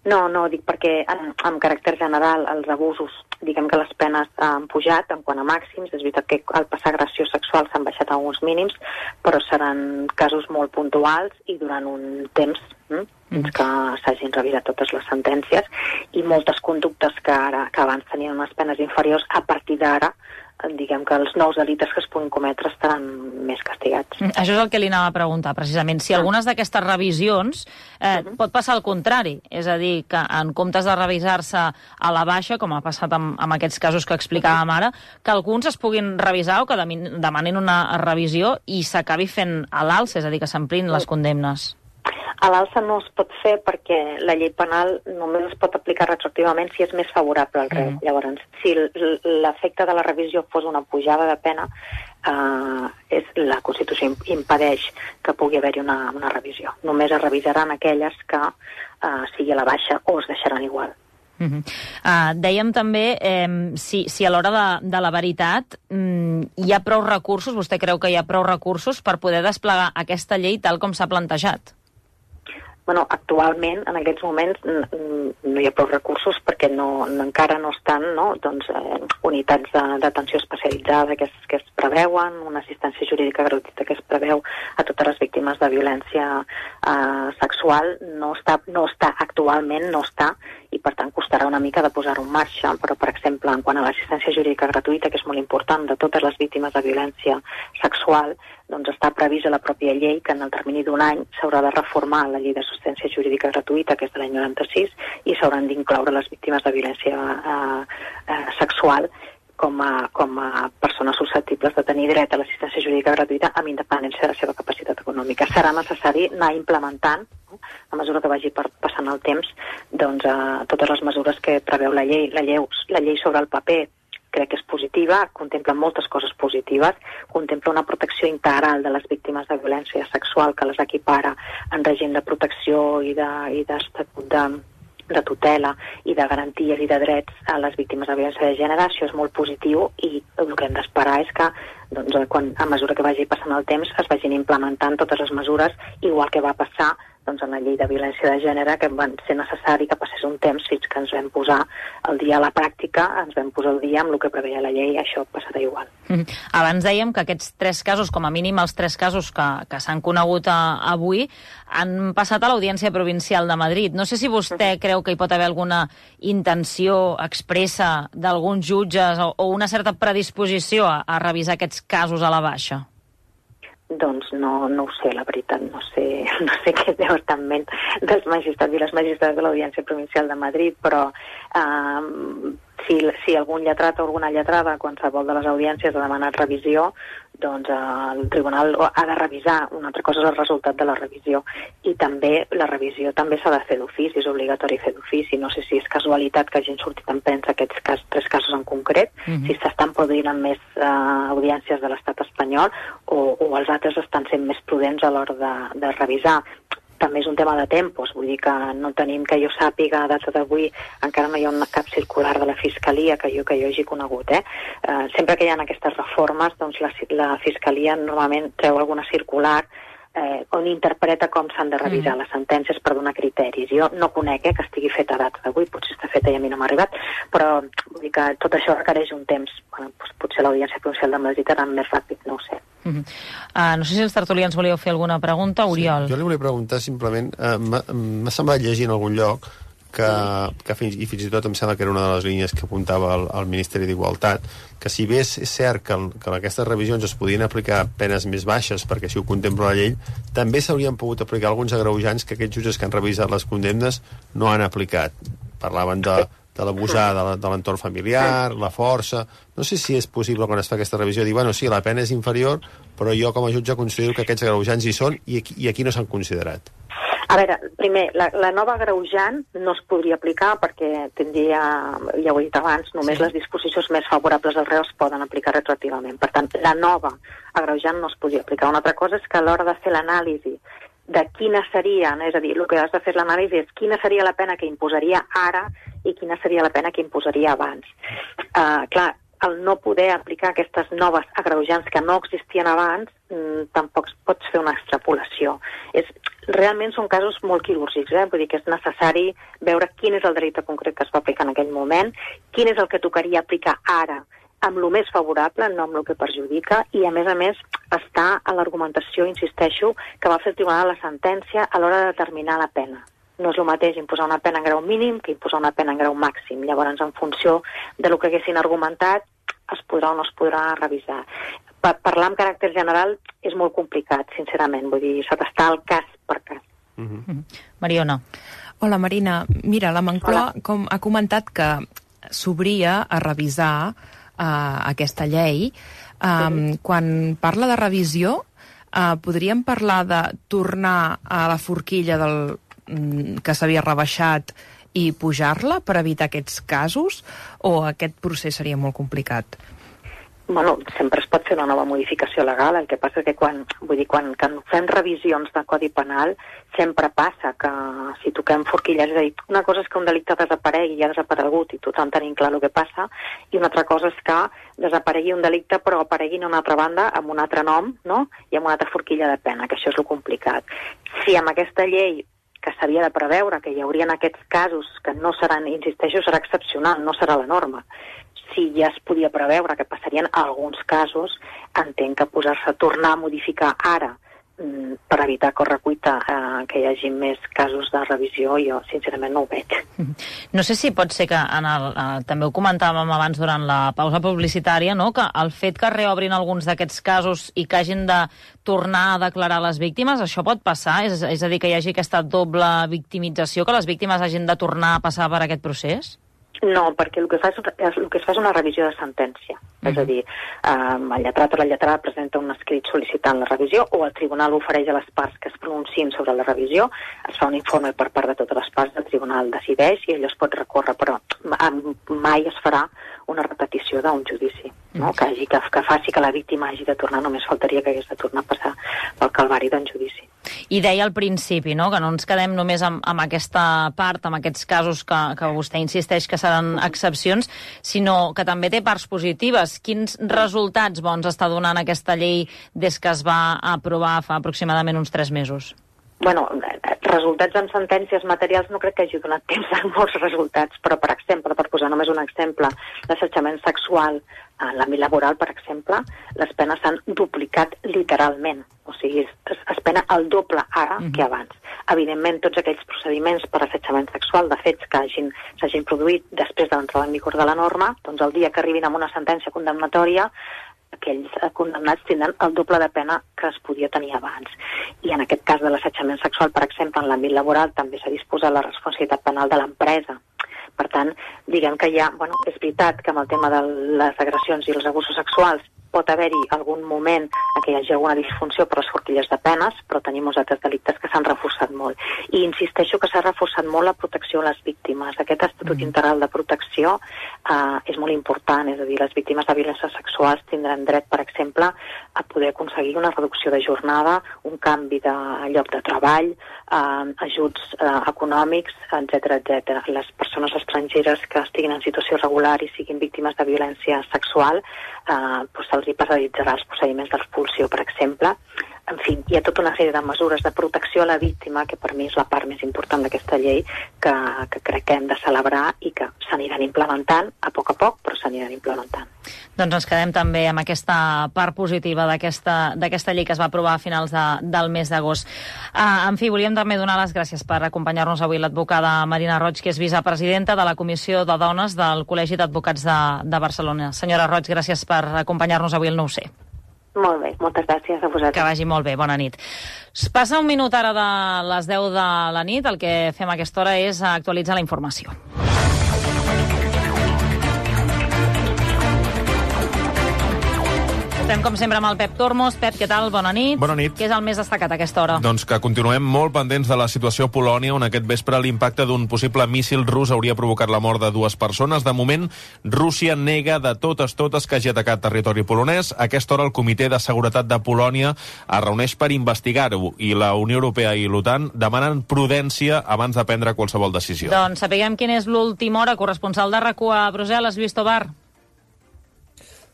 No, no, dic perquè en, en caràcter general els abusos, diguem que les penes han pujat en quant a màxims, és veritat que al passar agressió sexual s'han baixat a alguns mínims, però seran casos molt puntuals i durant un temps hm? fins que s'hagin revisat totes les sentències i moltes conductes que, ara, que abans tenien unes penes inferiors, a partir d'ara diguem que els nous delictes que es puguin cometre estaran més castigats. Mm, això és el que li anava a preguntar, precisament. Si algunes d'aquestes revisions eh, uh-huh. pot passar al contrari, és a dir, que en comptes de revisar-se a la baixa, com ha passat amb, amb aquests casos que explicàvem ara, que alguns es puguin revisar o que demanin una revisió i s'acabi fent a l'alça, és a dir, que s'amplin les condemnes. A l'alça no es pot fer perquè la llei penal només es pot aplicar retroactivament si és més favorable al reu. Mm. Llavors, si l'efecte de la revisió fos una pujada de pena, eh, és, la Constitució impedeix que pugui haver-hi una, una revisió. Només es revisaran aquelles que eh, sigui a la baixa o es deixaran igual. Uh -huh. uh, dèiem també eh, si, si a l'hora de, de la veritat mm, hi ha prou recursos, vostè creu que hi ha prou recursos per poder desplegar aquesta llei tal com s'ha plantejat? Bueno, actualment, en aquests moments, no hi ha prou recursos perquè no, no, encara no estan no, doncs, eh, unitats d'atenció especialitzada que es, que es preveuen, una assistència jurídica gratuïta que es preveu a totes les víctimes de violència eh, sexual. No està, no està actualment, no està, i per tant costarà una mica de posar-ho en marxa, però per exemple, en quant a l'assistència jurídica gratuïta, que és molt important de totes les víctimes de violència sexual, doncs està previst a la pròpia llei que en el termini d'un any s'haurà de reformar la llei d'assistència jurídica gratuïta, que és de l'any noranta-sis, i s'hauran d'incloure les víctimes de violència eh, eh, sexual com a, com a persones susceptibles de tenir dret a l'assistència jurídica gratuïta amb independència de la seva capacitat econòmica. Serà necessari anar implementant, no? A mesura que vagi per, passant el temps, doncs, eh, totes les mesures que preveu la llei. La llei, la llei sobre el paper crec que és positiva, contempla moltes coses positives, contempla una protecció integral de les víctimes de violència sexual que les equipara en règim de protecció i d'estatut de, de, de tutela i de garanties i de drets a les víctimes de violència de gènere. Això és molt positiu i el que hem d'esperar és que doncs, quan, a mesura que vagi passant el temps es vagin implementant totes les mesures, igual que va passar doncs, en la llei de violència de gènere, que va ser necessari que passés un temps fins que ens vam posar el dia a la pràctica, ens vam posar el dia amb el que preveia la llei, això passarà igual. Mm. Abans dèiem que aquests tres casos, com a mínim els tres casos que, que s'han conegut a, avui, han passat a l'Audiència Provincial de Madrid. No sé si vostè mm. creu que hi pot haver alguna intenció expressa d'alguns jutges o, o una certa predisposició a, a revisar aquests casos a la baixa. Doncs no, no ho sé, la veritat, no sé, no sé què deu estar en ment dels magistrats i les magistrats de l'Audiència Provincial de Madrid, però eh, si, si algun lletrat o alguna lletrada, qualsevol de les audiències ha demanat revisió, doncs eh, el tribunal ha de revisar. Una altra cosa és el resultat de la revisió. I també la revisió també s'ha de fer d'ofici, és obligatori fer d'ofici. No sé si és casualitat que hagin sortit en premsa aquests cas, tres casos en concret, mm-hmm. si s'estan produint en més eh, audiències de l'estat espanyol o, o els altres estan sent més prudents a l'hora de, de revisar. També és un tema de tempos, vull dir que no tenim, que jo sàpiga, a data d'avui encara no hi ha una, cap circular de la Fiscalia que jo, que jo hagi conegut. Eh? Eh, sempre que hi ha aquestes reformes, doncs la, la Fiscalia normalment treu alguna circular eh, on interpreta com s'han de revisar mm. les sentències per donar criteris. Jo no conec eh, que estigui feta a data d'avui, potser està feta i a mi no m'ha arribat, però vull dir que tot això requereix un temps. Bueno, doncs potser l'Audiència Provincial de Madrid serà més ràpid, no ho sé. Uh-huh. Uh, no sé si els tertulians volíeu fer alguna pregunta, Oriol. Sí, jo li volia preguntar simplement, uh, m'ha semblat llegir en algun lloc que, que fins, i fins i tot em sembla que era una de les línies que apuntava el, el Ministeri d'Igualtat, que si bé és cert que, el, que en aquestes revisions es podien aplicar penes més baixes, perquè així ho contempla la llei, també s'haurien pogut aplicar alguns agreujants que aquests jutges que han revisat les condemnes no han aplicat. Parlaven de, de l'abusar de l'entorn familiar, la força... No sé si és possible, quan es fa aquesta revisió, dir, bueno, sí, la pena és inferior, però jo com a jutge considero que aquests agreujants hi són i aquí, i aquí no s'han considerat. A veure, primer, la, la nova agreujant no es podria aplicar perquè tindria, ja ho he dit abans, només sí. les disposicions més favorables al reu es poden aplicar retroactivament. Per tant, la nova agreujant no es podria aplicar. Una altra cosa és que a l'hora de fer l'anàlisi de quina seria, és a dir, el que has de fer l'anàlisi és quina seria la pena que imposaria ara i quina seria la pena que imposaria abans. Uh, clar, el no poder aplicar aquestes noves agreujants que no existien abans, mm, tampoc pots fer una extrapolació. És, realment són casos molt quirúrgics, eh? Vull dir que és necessari veure quin és el delicte concret que es va aplicar en aquell moment, quin és el que tocaria aplicar ara amb el més favorable, no amb el que perjudica, i a més a més està a l'argumentació, insisteixo, que va fer el tribunal a la sentència a l'hora de determinar la pena. No és el mateix imposar una pena en grau mínim que imposar una pena en grau màxim. Llavors, en funció de lo que haguessin argumentat, es podrà o no es podrà revisar. Pa- parlar en caràcter general és molt complicat, sincerament. Vull dir, s'ha d'estar al cas per cas. Mm-hmm. Mariona. Hola, Marina. Mira, la Moncloa com, ha comentat que s'obria a revisar uh, aquesta llei. Um, sí. Quan parla de revisió, uh, podríem parlar de tornar a la forquilla del que s'havia rebaixat i pujar-la per evitar aquests casos, o aquest procés seria molt complicat? Bueno, sempre es pot fer una nova modificació legal, el que passa que quan, vull dir, quan, quan fem revisions de Codi Penal sempre passa que si toquem forquilles, és a dir, una cosa és que un delicte desaparegui i ha desaparegut i tothom tenim clar el que passa, i una altra cosa és que desaparegui un delicte però aparegui en una altra banda amb un altre nom, no?, i amb una altra forquilla de pena, que això és lo complicat. Si amb aquesta llei que s'havia de preveure, que hi haurien aquests casos que no seran, insisteixo, serà excepcional, no serà la norma. Si ja es podia preveure que passarien alguns casos, entenc que posar-se a tornar a modificar ara per evitar correcuita eh, que hi hagi més casos de revisió, jo sincerament no ho veig. No sé si pot ser que en el, eh, també ho comentàvem abans durant la pausa publicitària, no?, que el fet que reobrin alguns d'aquests casos i que hagin de tornar a declarar les víctimes, això pot passar? És, és a dir, que hi hagi aquesta doble victimització, que les víctimes hagin de tornar a passar per aquest procés? No, perquè el que fa és, el que es fa és una revisió de sentència. Uh-huh. És a dir, um, el lletrat o la lletrada presenta un escrit sol·licitant la revisió, o el tribunal ofereix a les parts que es pronunciïn sobre la revisió, es fa un informe per part de totes les parts, el tribunal decideix i allò es pot recórrer, però mai es farà una repetició d'un judici, no? Que, hagi, que, que faci que la víctima hagi de tornar, només faltaria que hagués de tornar a passar pel calvari d'un judici. I deia al principi, no?, que no ens quedem només amb, amb aquesta part, amb aquests casos que, que vostè insisteix que seran excepcions, sinó que també té parts positives. Quins resultats bons està donant aquesta llei des que es va aprovar fa aproximadament uns tres mesos? Bueno, resultats en sentències materials no crec que hagi donat temps a molts resultats, però, per exemple, per posar només un exemple, l'assetjament sexual en l'àmbit laboral, per exemple, les penes s'han duplicat literalment. O sigui, es, es pena el doble ara uh-huh. que abans. Evidentment, tots aquells procediments per assetjament sexual, de fets que hagin, s'hagin produït després de l'entrada en vigor de la norma, doncs el dia que arribin amb una sentència condemnatòria, aquells condemnats tindran el doble de pena que es podia tenir abans. I en aquest cas de l'assetjament sexual, per exemple, en l'àmbit laboral també s'ha disposat la responsabilitat penal de l'empresa. Per tant, diguem que ja, bueno, és veritat que amb el tema de les agressions i els abusos sexuals pot haver-hi algun moment en què hi hagi alguna disfunció per les forquilles de penes, però tenim uns altres delictes que s'han reforçat molt. I insisteixo que s'ha reforçat molt la protecció a les víctimes. Aquest estatut mm. integral de protecció eh, és molt important, és a dir, les víctimes de violències sexuals tindran dret, per exemple, a poder aconseguir una reducció de jornada, un canvi de lloc de treball, eh, ajuts eh, econòmics, etcètera, etcètera. Les persones estrangeres que estiguin en situació regular i siguin víctimes de violència sexual, eh, doncs se'ls hi paralitzarà els procediments d'expulsió, per exemple. en fi, hi ha tota una sèrie de mesures de protecció a la víctima, que per mi és la part més important d'aquesta llei, que, que crec que hem de celebrar i que s'aniran implementant a poc a poc, però s'aniran implementant. Doncs ens quedem també amb aquesta part positiva d'aquesta llei que es va aprovar a finals de, del mes d'agost. Uh, en fi, volíem també donar les gràcies per acompanyar-nos avui l'advocada Marina Roig, que és vicepresidenta de la Comissió de Dones del Col·legi d'Advocats de, de Barcelona. Senyora Roig, gràcies per acompanyar-nos avui al nou C. Molt bé, moltes gràcies a vosaltres. Que vagi molt bé, bona nit. Passa un minut ara de les deu de la nit, el que fem a aquesta hora és actualitzar la informació. Estem, com sempre, amb el Pep Tormos. Pep, què tal? Bona nit. Bona nit. Què és el més destacat a aquesta hora? Doncs que continuem molt pendents de la situació a Polònia, on aquest vespre l'impacte d'un possible míssil rus hauria provocat la mort de dues persones. De moment, Rússia nega de totes totes que hagi atacat territori polonès. A aquesta hora, el Comitè de Seguretat de Polònia es reuneix per investigar-ho i la Unió Europea i l'OTAN demanen prudència abans de prendre qualsevol decisió. Doncs sapiguem quina és l'última hora. Corresponsal de RAC u a Brussel·les, Lluís Tobar.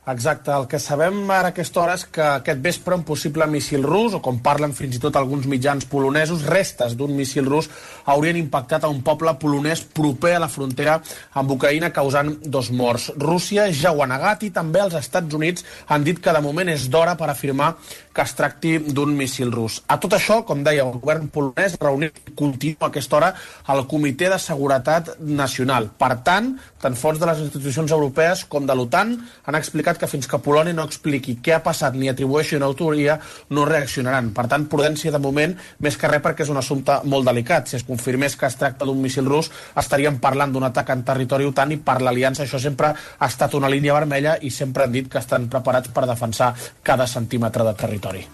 Exacte, el que sabem ara a aquesta hora és que aquest vespre un possible míssil rus, o com parlen fins i tot alguns mitjans polonesos, restes d'un míssil rus haurien impactat a un poble polonès proper a la frontera amb Ucraïna, causant dos morts. Rússia ja ho ha negat i també els Estats Units han dit que de moment és d'hora per afirmar que es tracti d'un míssil rus. A tot això, com deia, el govern polonès reunit continua a aquesta hora al Comitè de Seguretat Nacional. Per tant, tant fonts de les institucions europees com de l'OTAN han explicat que fins que Polònia no expliqui què ha passat ni atribueixi una autoria, no reaccionaran. Per tant, prudència de moment, més que res perquè és un assumpte molt delicat. Si es confirmés que es tracta d'un míssil rus, estaríem parlant d'un atac en territori OTAN i per l'aliança això sempre ha estat una línia vermella i sempre han dit que estan preparats per defensar cada centímetre de territori.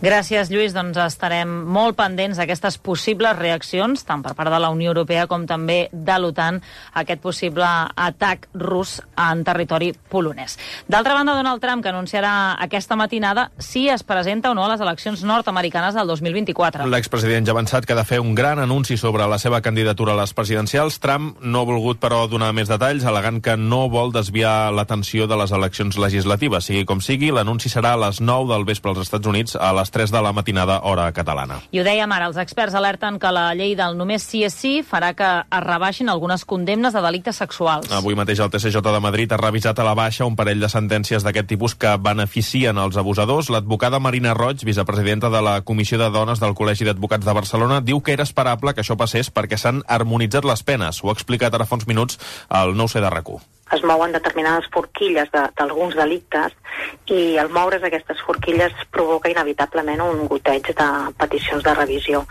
Gràcies, Lluís. Doncs estarem molt pendents d'aquestes possibles reaccions, tant per part de la Unió Europea com també de l'OTAN, a aquest possible atac rus en territori polonès. D'altra banda, Donald Trump, que anunciarà aquesta matinada si es presenta o no a les eleccions nord-americanes del dos mil vint-i-quatre. L'expresident ja ha avançat que ha de fer un gran anunci sobre la seva candidatura a les presidencials. Trump no ha volgut, però, donar més detalls, al·legant que no vol desviar l'atenció de les eleccions legislatives. Sigui com sigui, l'anunci serà a les nou del vespre als Estats Units, a les tres de la matinada, hora catalana. I ho dèiem ara, els experts alerten que la llei del només sí és sí farà que es rebaixin algunes condemnes de delictes sexuals. Avui mateix el T C J de Madrid ha revisat a la baixa un parell de sentències d'aquest tipus que beneficien els abusadors. L'advocada Marina Roig, vicepresidenta de la Comissió de Dones del Col·legi d'Advocats de Barcelona, diu que era esperable que això passés perquè s'han harmonitzat les penes. Ho ha explicat ara fa uns minuts al nou C de RAC u. Es mouen determinades forquilles d'alguns de, delictes i al moure's aquestes forquilles provoca inevitablement un goteig de peticions de revisió,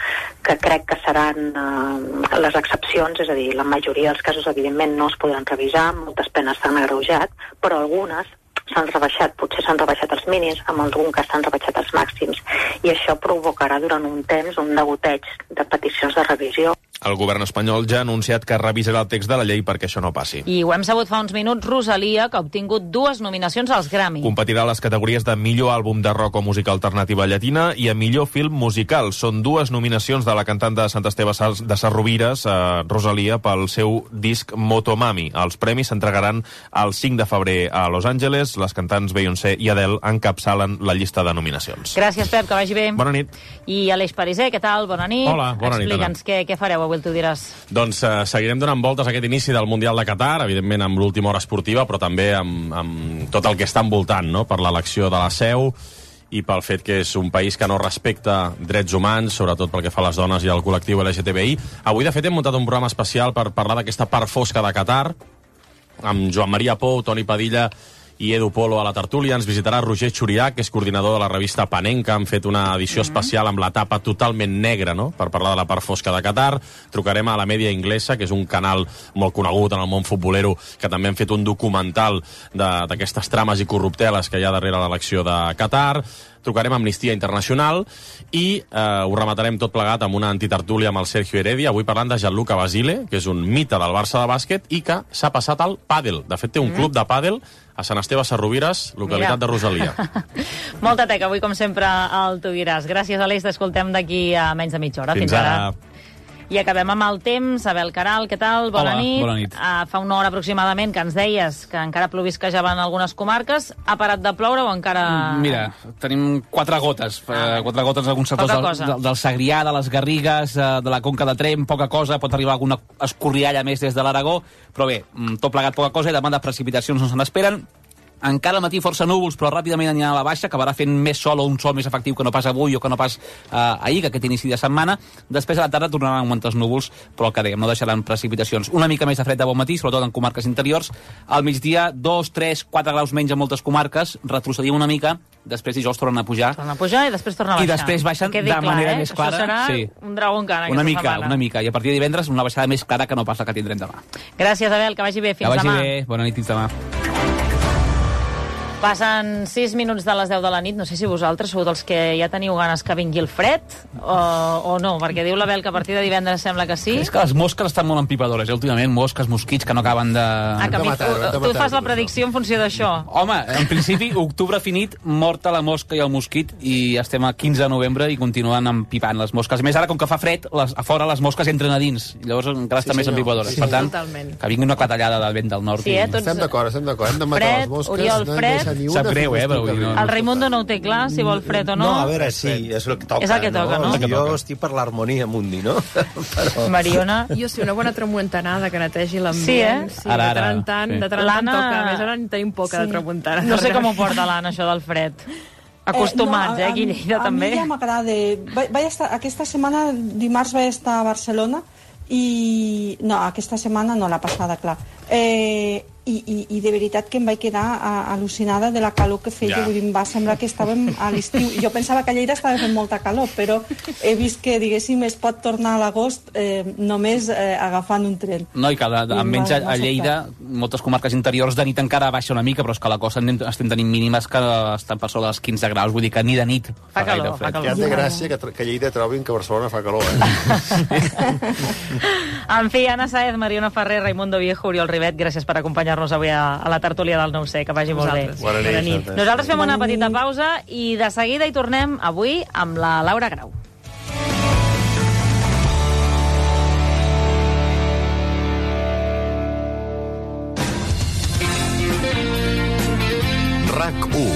que crec que seran eh, les excepcions, és a dir, la majoria dels casos evidentment no es podran revisar, moltes penes s'han agreujat, però algunes s'han rebaixat, potser s'han rebaixat els mínims, en algun cas s'han rebaixat els màxims, i això provocarà durant un temps un degoteig de peticions de revisió. El govern espanyol ja ha anunciat que revisarà el text de la llei perquè això no passi. I ho hem sabut fa uns minuts, Rosalia, que ha obtingut dues nominacions als Grammy. Competirà a les categories de millor àlbum de rock o música alternativa llatina i a millor film musical. Són dues nominacions de la cantant de Sant Esteve de Sarrovires, eh, Rosalia, pel seu disc Motomami. Els premis s'entregaran el cinc de febrer a Los Angeles. Les cantants Beyoncé i Adele encapçalen la llista de nominacions. Gràcies, Pep, que vagi bé. Bona nit. I Aleix Pariser, què tal? Bona nit. Hola, bona nit. Explica'ns què, què fareu avui, tu diràs. Doncs eh, seguirem donant voltes a aquest inici del Mundial de Qatar, evidentment amb l'última hora esportiva, però també amb, amb tot el que està envoltant, no?, per l'elecció de la seu i pel fet que és un país que no respecta drets humans, sobretot pel que fa a les dones i al col·lectiu L G T B I. Avui, de fet, hem muntat un programa especial per parlar d'aquesta part fosca de Qatar, amb Joan Maria Pou, Toni Padilla i Edu Polo a la tertúlia. Ens visitarà Roger Xurià, que és coordinador de la revista Panenka. Han fet una edició especial amb la tapa totalment negra, no?, per parlar de la part fosca de Qatar. Trucarem a la Mèdia Inglesa, que és un canal molt conegut en el món futbolero, que també han fet un documental d'aquestes trames i corrupteles que hi ha darrere l'elecció de Qatar. Trucarem a Amnistia Internacional i eh, ho rematarem tot plegat amb una antitertúlia amb el Sergio Heredia, avui parlant de Gianluca Basile, que és un mite del Barça de bàsquet i que s'ha passat al pàdel. De fet, té un mm. club de pàdel a Sant Esteve Sarrovires, localitat Mira. de Rosalia. Molta teca, avui, com sempre, el Tu diràs. Gràcies, Aleix. T'escoltem d'aquí a menys de mitja hora. Fins, Fins ara. ara. I acabem amb el temps. Abel Caral, què tal? Bona Hola, nit. bona nit. Uh, fa una hora aproximadament que ens deies que encara plovisquejava en algunes comarques. Ha parat de ploure o encara... Mira, tenim quatre gotes. Ah, quatre gotes en alguns sectors del, del, del Segrià, de les Garrigues, de la Conca de Tremp, poca cosa. Pot arribar alguna escorrialla més des de l'Aragó. Però bé, tot plegat poca cosa i demà de precipitacions no se n'esperen. Encara al matí força núvols, però ràpidament anirà a la baixa, acabarà fent més sol o un sol més efectiu que no pas avui o que no pas eh, ahir, que aquest inici de setmana. Després a la tarda tornaran a augmentar els núvols, però el que dèiem, no deixaran precipitacions. Una mica més de fred de bon matí, sobretot en comarques interiors. Al migdia, dos, tres, quatre graus menys en moltes comarques, retrocedim una mica, després dijous tornen a pujar. Tornen a pujar i després tornen a baixar. I després baixen de clar, manera eh? més clara. Això serà sí. un dragó encara una aquesta mica, setmana. Una mica, i a partir de divendres una baixada més clara que no pas la que tindrem demà. Gràcies, Abel, que vagi bé. Fins demà. Que vagi demà. bé, bona nit, fins demà. Passen sis minuts de les deu de la nit. No sé si vosaltres sou dels que ja teniu ganes que vingui el fred o, o no, perquè diu l'Abel que a partir de divendres sembla que sí. És que les mosques estan molt empipadores, eh? Últimament, mosques, mosquits que no acaben de... Ah, que mi, tu, tu fas la predicció en funció d'això. Home, en principi, octubre finit, morta la mosca i el mosquit, i estem a quinze de novembre i continuen empipant les mosques. A més, ara, com que fa fred, les, a fora les mosques entren a dins, i llavors encara estan sí, més empipadores. Sí, per tant, totalment. Que vingui una clatellada del vent del nord. Sí, eh, tots... Estem d'acord, estem d'acord. Hem de matar fred, les mosques. Oriol, fred. Sap greu, eh? Però, no, el Raimundo no ho té clar, si vol fred o no. No, a veure, sí, és el que toca. És el que toca, no? no? Jo estic per l'harmonia mundi, no? Però... Mariona? Jo sí, una bona tramuntanada que netegi l'ambient. Sí, eh? Sí, ara, ara, de tant en tant, sí. de tant en tant toca. A més, ara en tenim poca sí. de tramuntana. No sé com ho porta l'Anna, això del fred. Acostumats, eh, no, a, eh, aquí a Lleida, a també. A mi ja m'agrada. Vaig estar, aquesta setmana, dimarts, vaig estar a Barcelona i... No, aquesta setmana no, la passada, clar. Eh, i, i, i de veritat que em vaig quedar a, al·lucinada de la calor que feia. Ja. Vull dir, em va semblar que estàvem a l'estiu. Jo pensava que a Lleida estava fent molta calor, però he vist que, diguéssim, es pot tornar a l'agost eh, només eh, agafant un tren. No, i que de, de, almenys a, a Lleida, moltes comarques interiors, de nit encara baixa una mica, però és que a la costa estem tenint mínimes que estan per sobre dels quinze graus, vull dir que ni de nit fa, fa calor, fred. Fa calor. Ja té gràcia que, que a Lleida trobin que a Barcelona fa calor, eh? En fi, Anna Sáez, Mariona Ferrer, Raimundo Viejo, Oriol Ribet, gràcies per acompanyar-nos avui a, a la tertúlia del nou ce, que vagi molt bé. Bona nit. Bona nit. Nosaltres fem una petita pausa i de seguida hi tornem avui amb la Laura Grau. RAC u.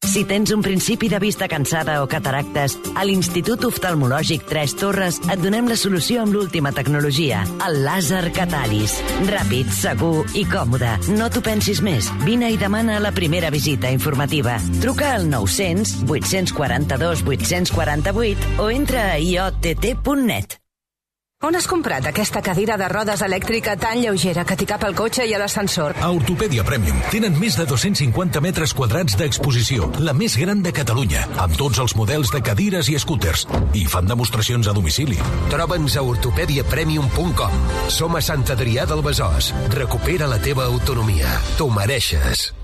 Si tens un principi de vista cansada o cataractes, a l'Institut Oftalmològic Tres Torres et donem la solució amb l'última tecnologia, el làser Cataris. Ràpid, segur i còmode. No t'ho pensis més. Vine i demana la primera visita informativa. Truca al nou-cents, vuit-cents quaranta-dos, vuit-cents quaranta-vuit o entra a i o te te punt net. On has comprat aquesta cadira de rodes elèctrica tan lleugera que t'hi cap al cotxe i a l'ascensor? A Ortopèdia Premium tenen més de dos-cents cinquanta metres quadrats d'exposició, la més gran de Catalunya, amb tots els models de cadires i escúters. I fan demostracions a domicili. Troba'ns a ortopèdia premium punt com. Som a Sant Adrià del Besòs. Recupera la teva autonomia. T'ho mereixes.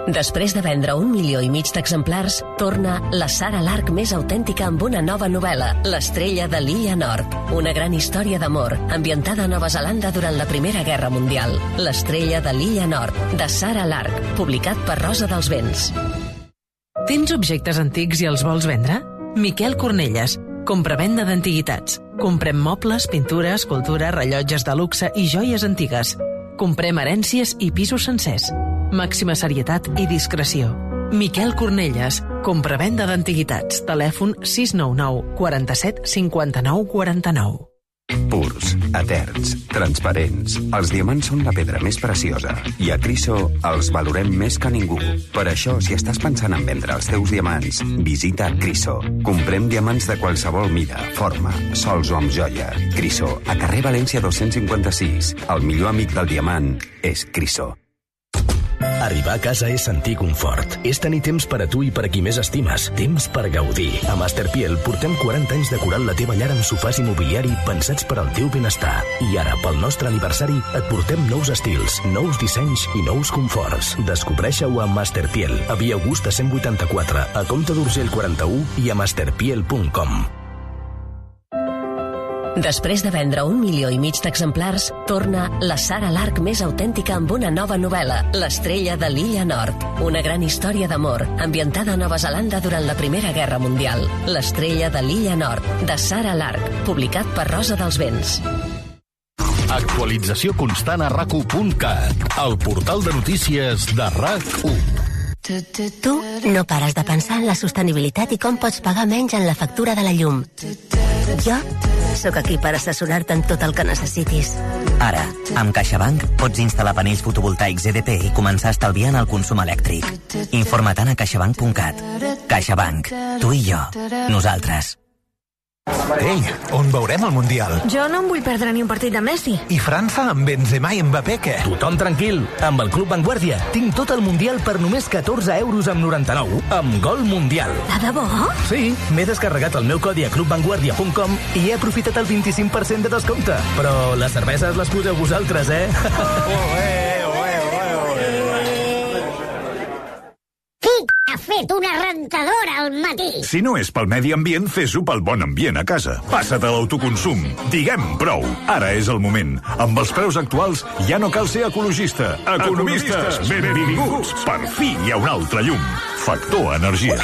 Després de vendre un milió i mig d'exemplars, torna la Sara Lark més autèntica amb una nova novel·la, L'estrella de l'Illa Nord. Una gran història d'amor, ambientada a Nova Zelanda durant la Primera Guerra Mundial. L'estrella de l'Illa Nord, de Sara Lark, publicat per Rosa dels Vents. Tens objectes antics i els vols vendre? Miquel Cornelles, compra-venda d'antiguitats. Comprem mobles, pintura, escultura, rellotges de luxe i joies antigues. Comprem herències i pisos sencers. Màxima serietat i discreció. Miquel Cornelles, compra-venda d'antiguitats. Telèfon sis nou nou, quaranta-set, cinquanta-nou, quaranta-nou. Purs, eterns, transparents. Els diamants són la pedra més preciosa i a Criso els valorem més que ningú. Per això, si estàs pensant en vendre els teus diamants, visita Criso. Comprem diamants de qualsevol mida, forma, sols o amb joia. Criso, a carrer València dos-cents cinquanta-sis. El millor amic del diamant és Criso. Arribar a casa és sentir confort. És tenir temps per a tu i per a qui més estimes. Temps per gaudir. A Masterpiel portem quaranta anys decorant la teva llar amb sofàs i mobiliari pensats per al teu benestar. I ara, pel nostre aniversari, et portem nous estils, nous dissenys i nous conforts. Descobreixeu a Masterpiel, a Via Augusta cent vuitanta-quatre, a Comte d'Urgell quaranta-u i a masterpiel punt com. Després de vendre un milió i mig d'exemplars, torna la Sara Lark més autèntica amb una nova novel·la, L'estrella de l'Illa Nord. Una gran història d'amor, ambientada a Nova Zelanda durant la Primera Guerra Mundial. L'estrella de l'Illa Nord, de Sara Lark, publicat per Rosa dels Vents. Actualització constant a rac u punt cat, el portal de notícies de RAC u. Tu no pares de pensar en la sostenibilitat i com pots pagar menys en la factura de la llum. Jo sóc aquí per assessorar-te en tot el que necessitis. Ara, amb CaixaBank pots instal·lar panells fotovoltaics E D P i començar a estalviar en el consum elèctric. Informa-te'n a caixabank punt cat. CaixaBank. Tu i jo. Nosaltres. Ei, on veurem el Mundial? Jo no em vull perdre ni un partit de Messi. I França amb Benzema i Mbappé, què? Tothom tranquil. Amb el Club Vanguardia tinc tot el Mundial per només catorze euros amb noranta-nou, amb Gol Mundial. De debò? Sí, m'he descarregat el meu codi a club vanguardia punt com i he aprofitat el vint-i-cinc per cent de descompte. Però les cerveses les poseu vosaltres, eh? Oh, eh! Ha fet una rentadora al matí. Si no és pel medi ambient, fes-ho pel bon ambient a casa. Passa't a l'autoconsum. Diguem prou. Ara és el moment. Amb els preus actuals ja no cal ser ecologista. Economistes, benvinguts. Per fi hi ha un altre llum. Factor Energia.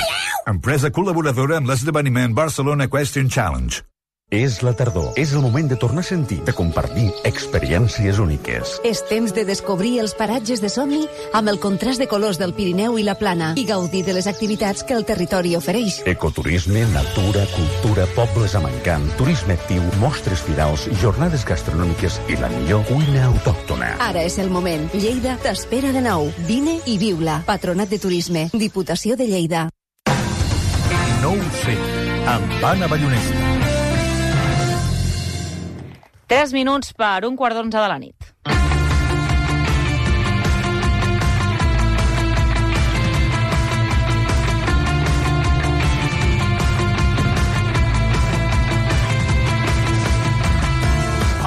Empresa col·laboradora amb l'esdeveniment Barcelona Equestrian Challenge. És la tardor. És el moment de tornar a sentir, de compartir experiències úniques. És temps de descobrir els paratges de somni amb el contrast de colors del Pirineu i la Plana i gaudir de les activitats que el territori ofereix. Ecoturisme, natura, cultura, pobles amb encant, turisme actiu, mostres firals, jornades gastronòmiques i la millor cuina autòctona. Ara és el moment. Lleida t'espera de nou. Vine i viu-la. Patronat de Turisme. Diputació de Lleida. No ho sé, amb Anna Ballonesta. Tres minuts per un quart d'onze de la nit.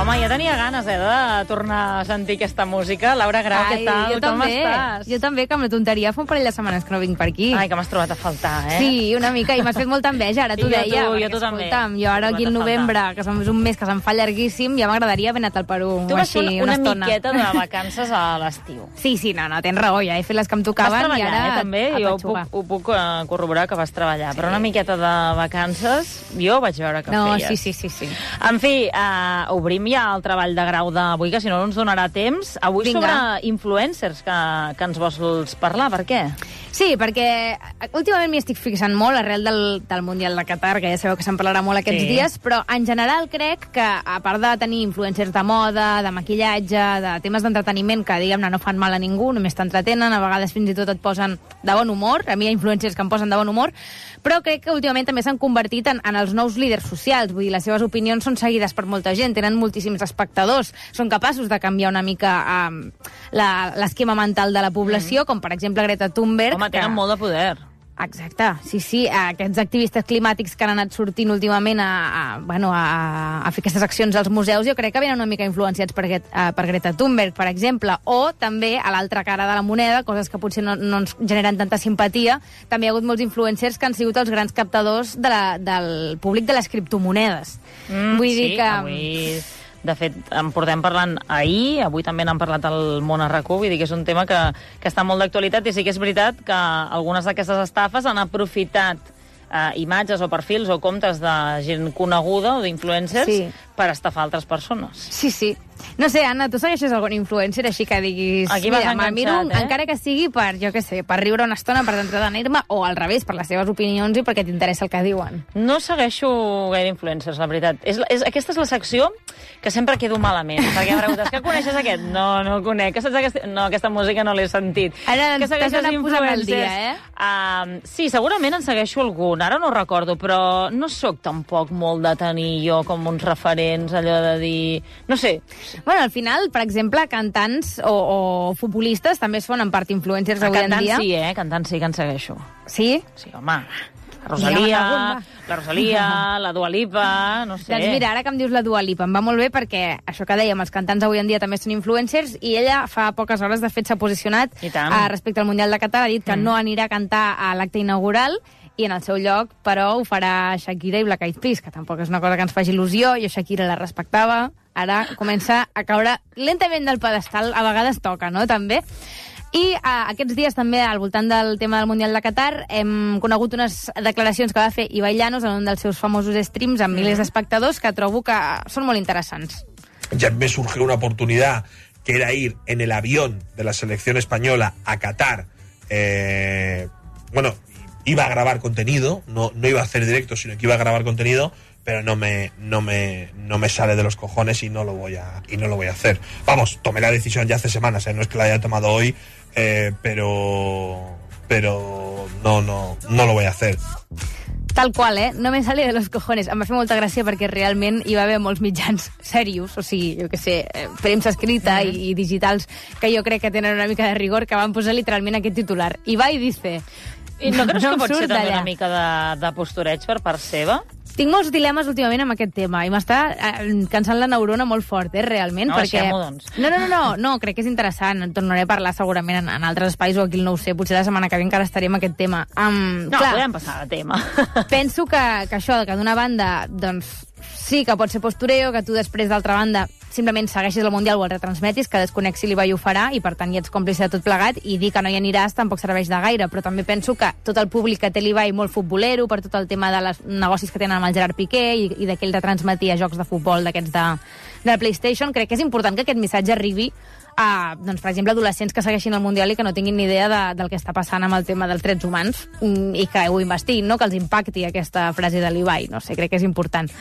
Home, ja tenia ganes, eh, de tornar a sentir aquesta música. Laura Grau, Ai, què tal? jo Com també. estàs? Jo també, que amb la tonteria fa un parell de setmanes que no vinc per aquí. Ai, que m'has trobat a faltar, eh? Sí, una mica, i m'has fet molta enveja, ara t'ho I jo deia. tu, perquè, jo tu també. escolta'm, jo ara aquí en novembre, que és un mes que se'm fa llarguíssim, ja m'agradaria haver anat al Perú. Tu vas fer així, una, una estona. miqueta de vacances a l'estiu. Sí, sí, no, no, tens raó, ja he fet les que em tocaven. Vas treballar, i ara eh, també? a Jo ho petxugar. puc, ho puc uh, corroborar que vas treballar. Sí. Però una miqueta de vacances, jo vaig veure que no, feies. sí, sí, sí, sí. En fi, uh, obrim ja el treball de grau d'avui, que si no, no ens donarà temps. Avui Vinga. sobre influencers, que, que ens vols parlar. Per què? Sí, perquè últimament m'hi estic fixant molt arrel del, del Mundial de Qatar, que ja sabeu que se'n parlarà molt aquests Sí. dies, però en general crec que, a part de tenir influencers de moda, de maquillatge, de temes d'entreteniment que, diguem-ne, no fan mal a ningú, només t'entretenen, a vegades fins i tot et posen de bon humor, a mi hi ha influencers que em posen de bon humor, però crec que últimament també s'han convertit en, en els nous líders socials, vull dir, les seves opinions són seguides per molta gent, tenen moltíssims espectadors, són capaços de canviar una mica um, l'esquema mental de la població, mm. com per exemple Greta Thunberg. Home, tenen que... molt de poder. Exacte, sí, sí, aquests activistes climàtics que han anat sortint últimament a, a, bueno, a, a fer aquestes accions als museus, jo crec que venen una mica influenciats per, aquest, uh, per Greta Thunberg, per exemple, o també a l'altra cara de la moneda, coses que potser no, no ens generen tanta simpatia, també hi ha hagut molts influencers que han sigut els grans captadors de la, del públic de les criptomonedes. Mm, Vull sí, dir que... avui... De fet, en portem parlant ahir, avui també n'han parlat al Món a RAC u, vull dir que és un tema que, que està molt d'actualitat, i sí que és veritat que algunes d'aquestes estafes han aprofitat eh, imatges o perfils o comptes de gent coneguda o d'influencers Sí. per estafar altres persones. Sí, sí. No sé, Anna, tu segueixes algun influencer així que diguis... Aquí vas mira, me'l miro, enganxat, eh? encara que sigui per, jo què sé, per riure una estona, per entretenir-me, o al revés, per les seves opinions i perquè t'interessa el que diuen. No segueixo gaire influencers, la veritat. És, és, aquesta és la secció que sempre quedo malament, perquè em preguntes, que coneixes aquest? No, no el conec. Que saps aquesta... No, aquesta música no l'he sentit. Ara que t'has anat posant al dia, eh? Uh, sí, segurament en segueixo algun, ara no recordo, però no sóc tampoc molt de tenir jo com uns referents, allò de dir... No sé. Bueno, al final, per exemple, cantants o, o futbolistes també es fan en part influencers A avui en cantant dia. sí, eh? Cantant sí que en segueixo. Sí? Sí, home. La Rosalia, la Rosalia, la Dua Lipa, no sé. Doncs mira, ara que em dius la Dua Lipa, em va molt bé perquè això que dèiem, els cantants avui en dia també són influencers, i ella fa poques hores, de fet, s'ha posicionat I tant. uh, respecte al Mundial de Qatar, ha dit que Mm. no anirà a cantar a l'acte inaugural, i en el seu lloc, però, ho farà Shakira i Black Eyed Peas, que tampoc és una cosa que ens faci il·lusió. Jo Shakira la respectava, ara comença a caure lentament del pedestal, a vegades toca, no?, també. I uh, aquests dies també, al voltant del tema del Mundial de Qatar, hem conegut unes declaracions que va fer Ibai Llanos en un dels seus famosos streams amb milers d'espectadors que trobo que són molt interessants. Ya me surgió una oportunidad que era ir en el avión de la selección española a Qatar. Eh, bueno, iba a grabar contenido, no, no iba a hacer directo, sino que iba a grabar contenido, pero no me, no me, no me sale de los cojones y no lo voy a, y no lo voy a hacer. Vamos, tomé la decisión ya hace semanas, ¿eh? No es que la haya tomado hoy, eh, pero, pero no, no, no lo voy a hacer. Tal qual, eh? No me sale de los cojones. Em va fer molta gràcia perquè realment hi va haver molts mitjans serios, o sigui, jo què sé, premsa escrita mm-hmm. i, i digitals, que jo crec que tenen una mica de rigor, que van posar literalment aquest titular. Ibai dice... I no creus no que pot ser també allà. una mica de, de postureig per part seva? Tinc molts dilemes últimament amb aquest tema i m'està eh, cansant la neurona molt fort, eh, realment. No, perquè... deixem-ho, doncs. No, no, no, no, no, crec que és interessant. En tornaré a parlar segurament en, en altres espais o aquí no ho sé. Potser la setmana que ve encara estaríem aquest tema. Um, no, clar, podem passar de tema. Penso que, que això, que d'una banda, doncs, sí que pot ser postureo, que tu després, d'altra banda, simplement segueixis el Mundial o el retransmetis, que desconexi l'Ibai ho farà i, per tant, hi ets còmplice de tot plegat, i dir que no hi aniràs tampoc serveix de gaire, però també penso que tot el públic que té l'Ibai molt futbolero, per tot el tema de les negocis que tenen amb el Gerard Piqué i, i d'aquell de transmetir a jocs de futbol d'aquests de, de la PlayStation, crec que és important que aquest missatge arribi a, doncs, per exemple, adolescents que segueixin el Mundial i que no tinguin ni idea de, del que està passant amb el tema dels drets humans i que ho investiguin, no? Que els impacti aquesta frase de l'Ibai. No sé, crec que és important.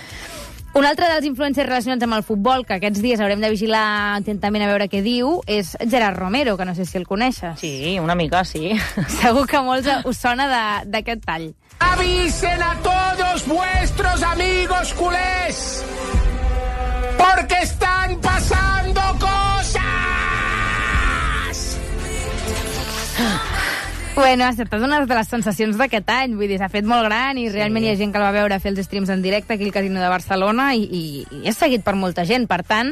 Un altre dels influencers relacionats amb el futbol, que aquests dies haurem de vigilar atentament a veure què diu, és Gerard Romero, que no sé si el coneixes. Sí, una mica, sí. Segur que a molts us sona d'aquest tall. Avisen a todos vuestros amigos culés, porque están pasando cosas. Bueno, ha estat una de les sensacions d'aquest any, vull dir, s'ha fet molt gran i realment sí. Hi ha gent que el va veure fer els streams en directe aquí al Casino de Barcelona i, i, i és seguit per molta gent. Per tant,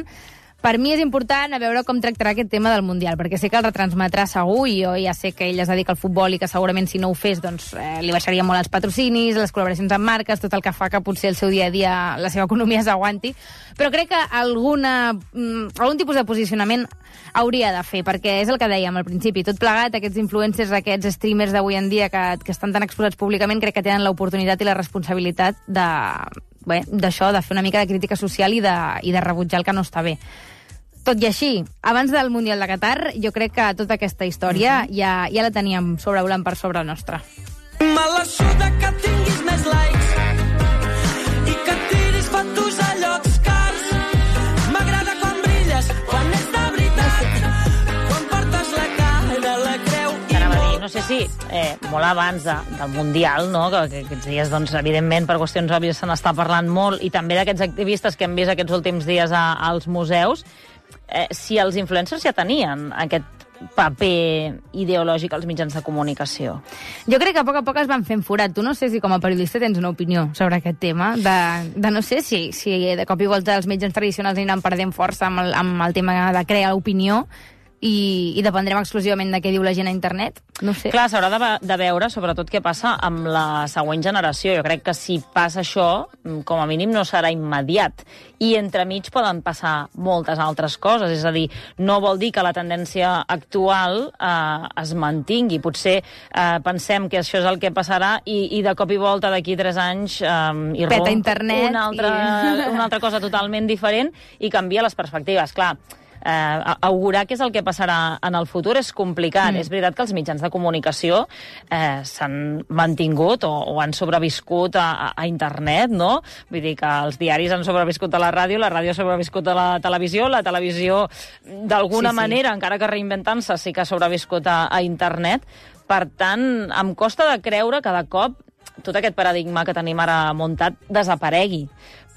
per mi és important a veure com tractarà aquest tema del Mundial, perquè sé que el retransmetrà segur i jo ja sé que ell es dedica al futbol i que segurament si no ho fes doncs, eh, li baixaria molt els patrocinis, les col·laboracions amb marques, tot el que fa que potser el seu dia a dia la seva economia s'aguanti, però crec que alguna, mm, algun tipus de posicionament hauria de fer, perquè és el que dèiem al principi, tot plegat, aquests influencers, aquests streamers d'avui en dia que, que estan tan exposats públicament, crec que tenen l'oportunitat i la responsabilitat de, bé, d'això, de fer una mica de crítica social i de, i de rebutjar el que no està bé. Tot i així, abans del Mundial de Qatar, jo crec que tota aquesta història uh-huh. ja, ja la teníem sobrevolant per sobre nostra. Me la suda que tinguis més likes i que tiris fotos a llocs cars. M'agrada quan brilles, quan és de veritat, quan portes la cara, la creu i dir, no sé si eh, molt abans de, del Mundial, no? que, que aquests dies, doncs, evidentment, per qüestions òbvies se n'està parlant molt, i també d'aquests activistes que hem vist aquests últims dies a, als museus, eh, si els influencers ja tenien aquest paper ideològic als mitjans de comunicació. Jo crec que a poc a poc es van fent forat. Tu no sé si com a periodista tens una opinió sobre aquest tema, de, de no sé si, si de cop i volta els mitjans tradicionals aniran perdent força amb el, amb el tema de crear opinió i, i dependrem exclusivament de què diu la gent a internet. No sé. Clar, s'haurà de, de veure sobretot què passa amb la següent generació. Jo crec que si passa això, com a mínim no serà immediat. I entremig poden passar moltes altres coses. És a dir, no vol dir que la tendència actual eh, es mantingui. Potser eh, pensem que això és el que passarà i, i de cop i volta d'aquí tres anys eh, peta internet una altra, i... una altra cosa totalment diferent i canvia les perspectives. Clar, Eh, augurar què és el que passarà en el futur és complicat. Mm. És veritat que els mitjans de comunicació eh, s'han mantingut o, o han sobreviscut a, a, a internet, no? Vull dir que els diaris han sobreviscut a la ràdio, la ràdio ha sobreviscut a la televisió, la televisió d'alguna sí, sí. manera, encara que reinventant-se, sí que ha sobreviscut a, a internet. Per tant, em costa de creure que de cop tot aquest paradigma que tenim ara muntat desaparegui.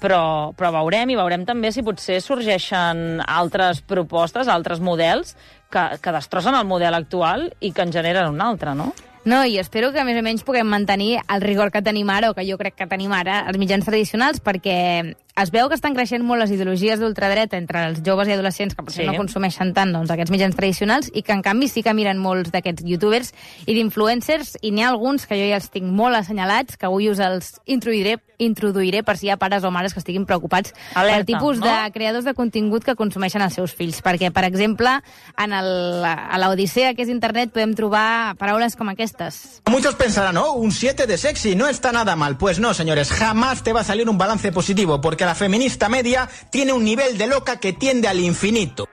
Però, però veurem, i veurem també si potser sorgeixen altres propostes, altres models que, que destrossen el model actual i que en generen un altre, no? No, i espero que més o menys puguem mantenir el rigor que tenim ara, o que jo crec que tenim ara, els mitjans tradicionals, perquè es veu que estan creixent molt les ideologies d'ultradreta entre els joves i adolescents que potser Sí. no consumeixen tant doncs, aquests mitjans tradicionals i que en canvi sí que miren molts d'aquests youtubers i d'influencers, i n'hi ha alguns que jo ja els tinc molt assenyalats, que avui us els introduiré, introduiré per si hi ha pares o mares que estiguin preocupats Alerta, pel tipus no? de creadors de contingut que consumeixen els seus fills. Perquè, per exemple, en el, a l'Odissea, que és internet, podem trobar paraules com aquestes. Muchos pensarán, oh, un siete de sexy, no está nada mal. Pues no, señores, jamás te va a salir un balance positivo, porque la feminista media tiene un nivel de loca que tiende al infinito.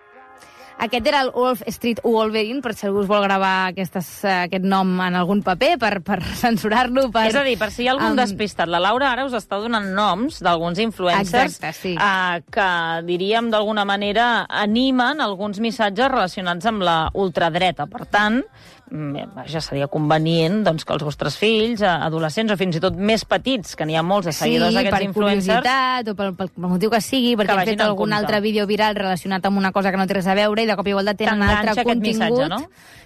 Aquest era el Wolf Street Wolverine, per si algú us vol gravar aquestes, aquest nom en algun paper, per, per censurar-lo. Per... És a dir, per si hi ha algun um... despistat, la Laura ara us està donant noms d'alguns influencers Exacte, sí. eh, que, diríem, d'alguna manera animen alguns missatges relacionats amb la ultradreta. Per tant, ja seria convenient doncs, que els vostres fills, adolescents o fins i tot més petits, que n'hi ha molts de seguidors sí, d'aquests per influencers... curiositat o pel, pel, pel motiu que sigui, perquè han fet algun altre vídeo viral relacionat amb una cosa que no té res a veure i de cop i volta tenen altre contingut. Missatge, no?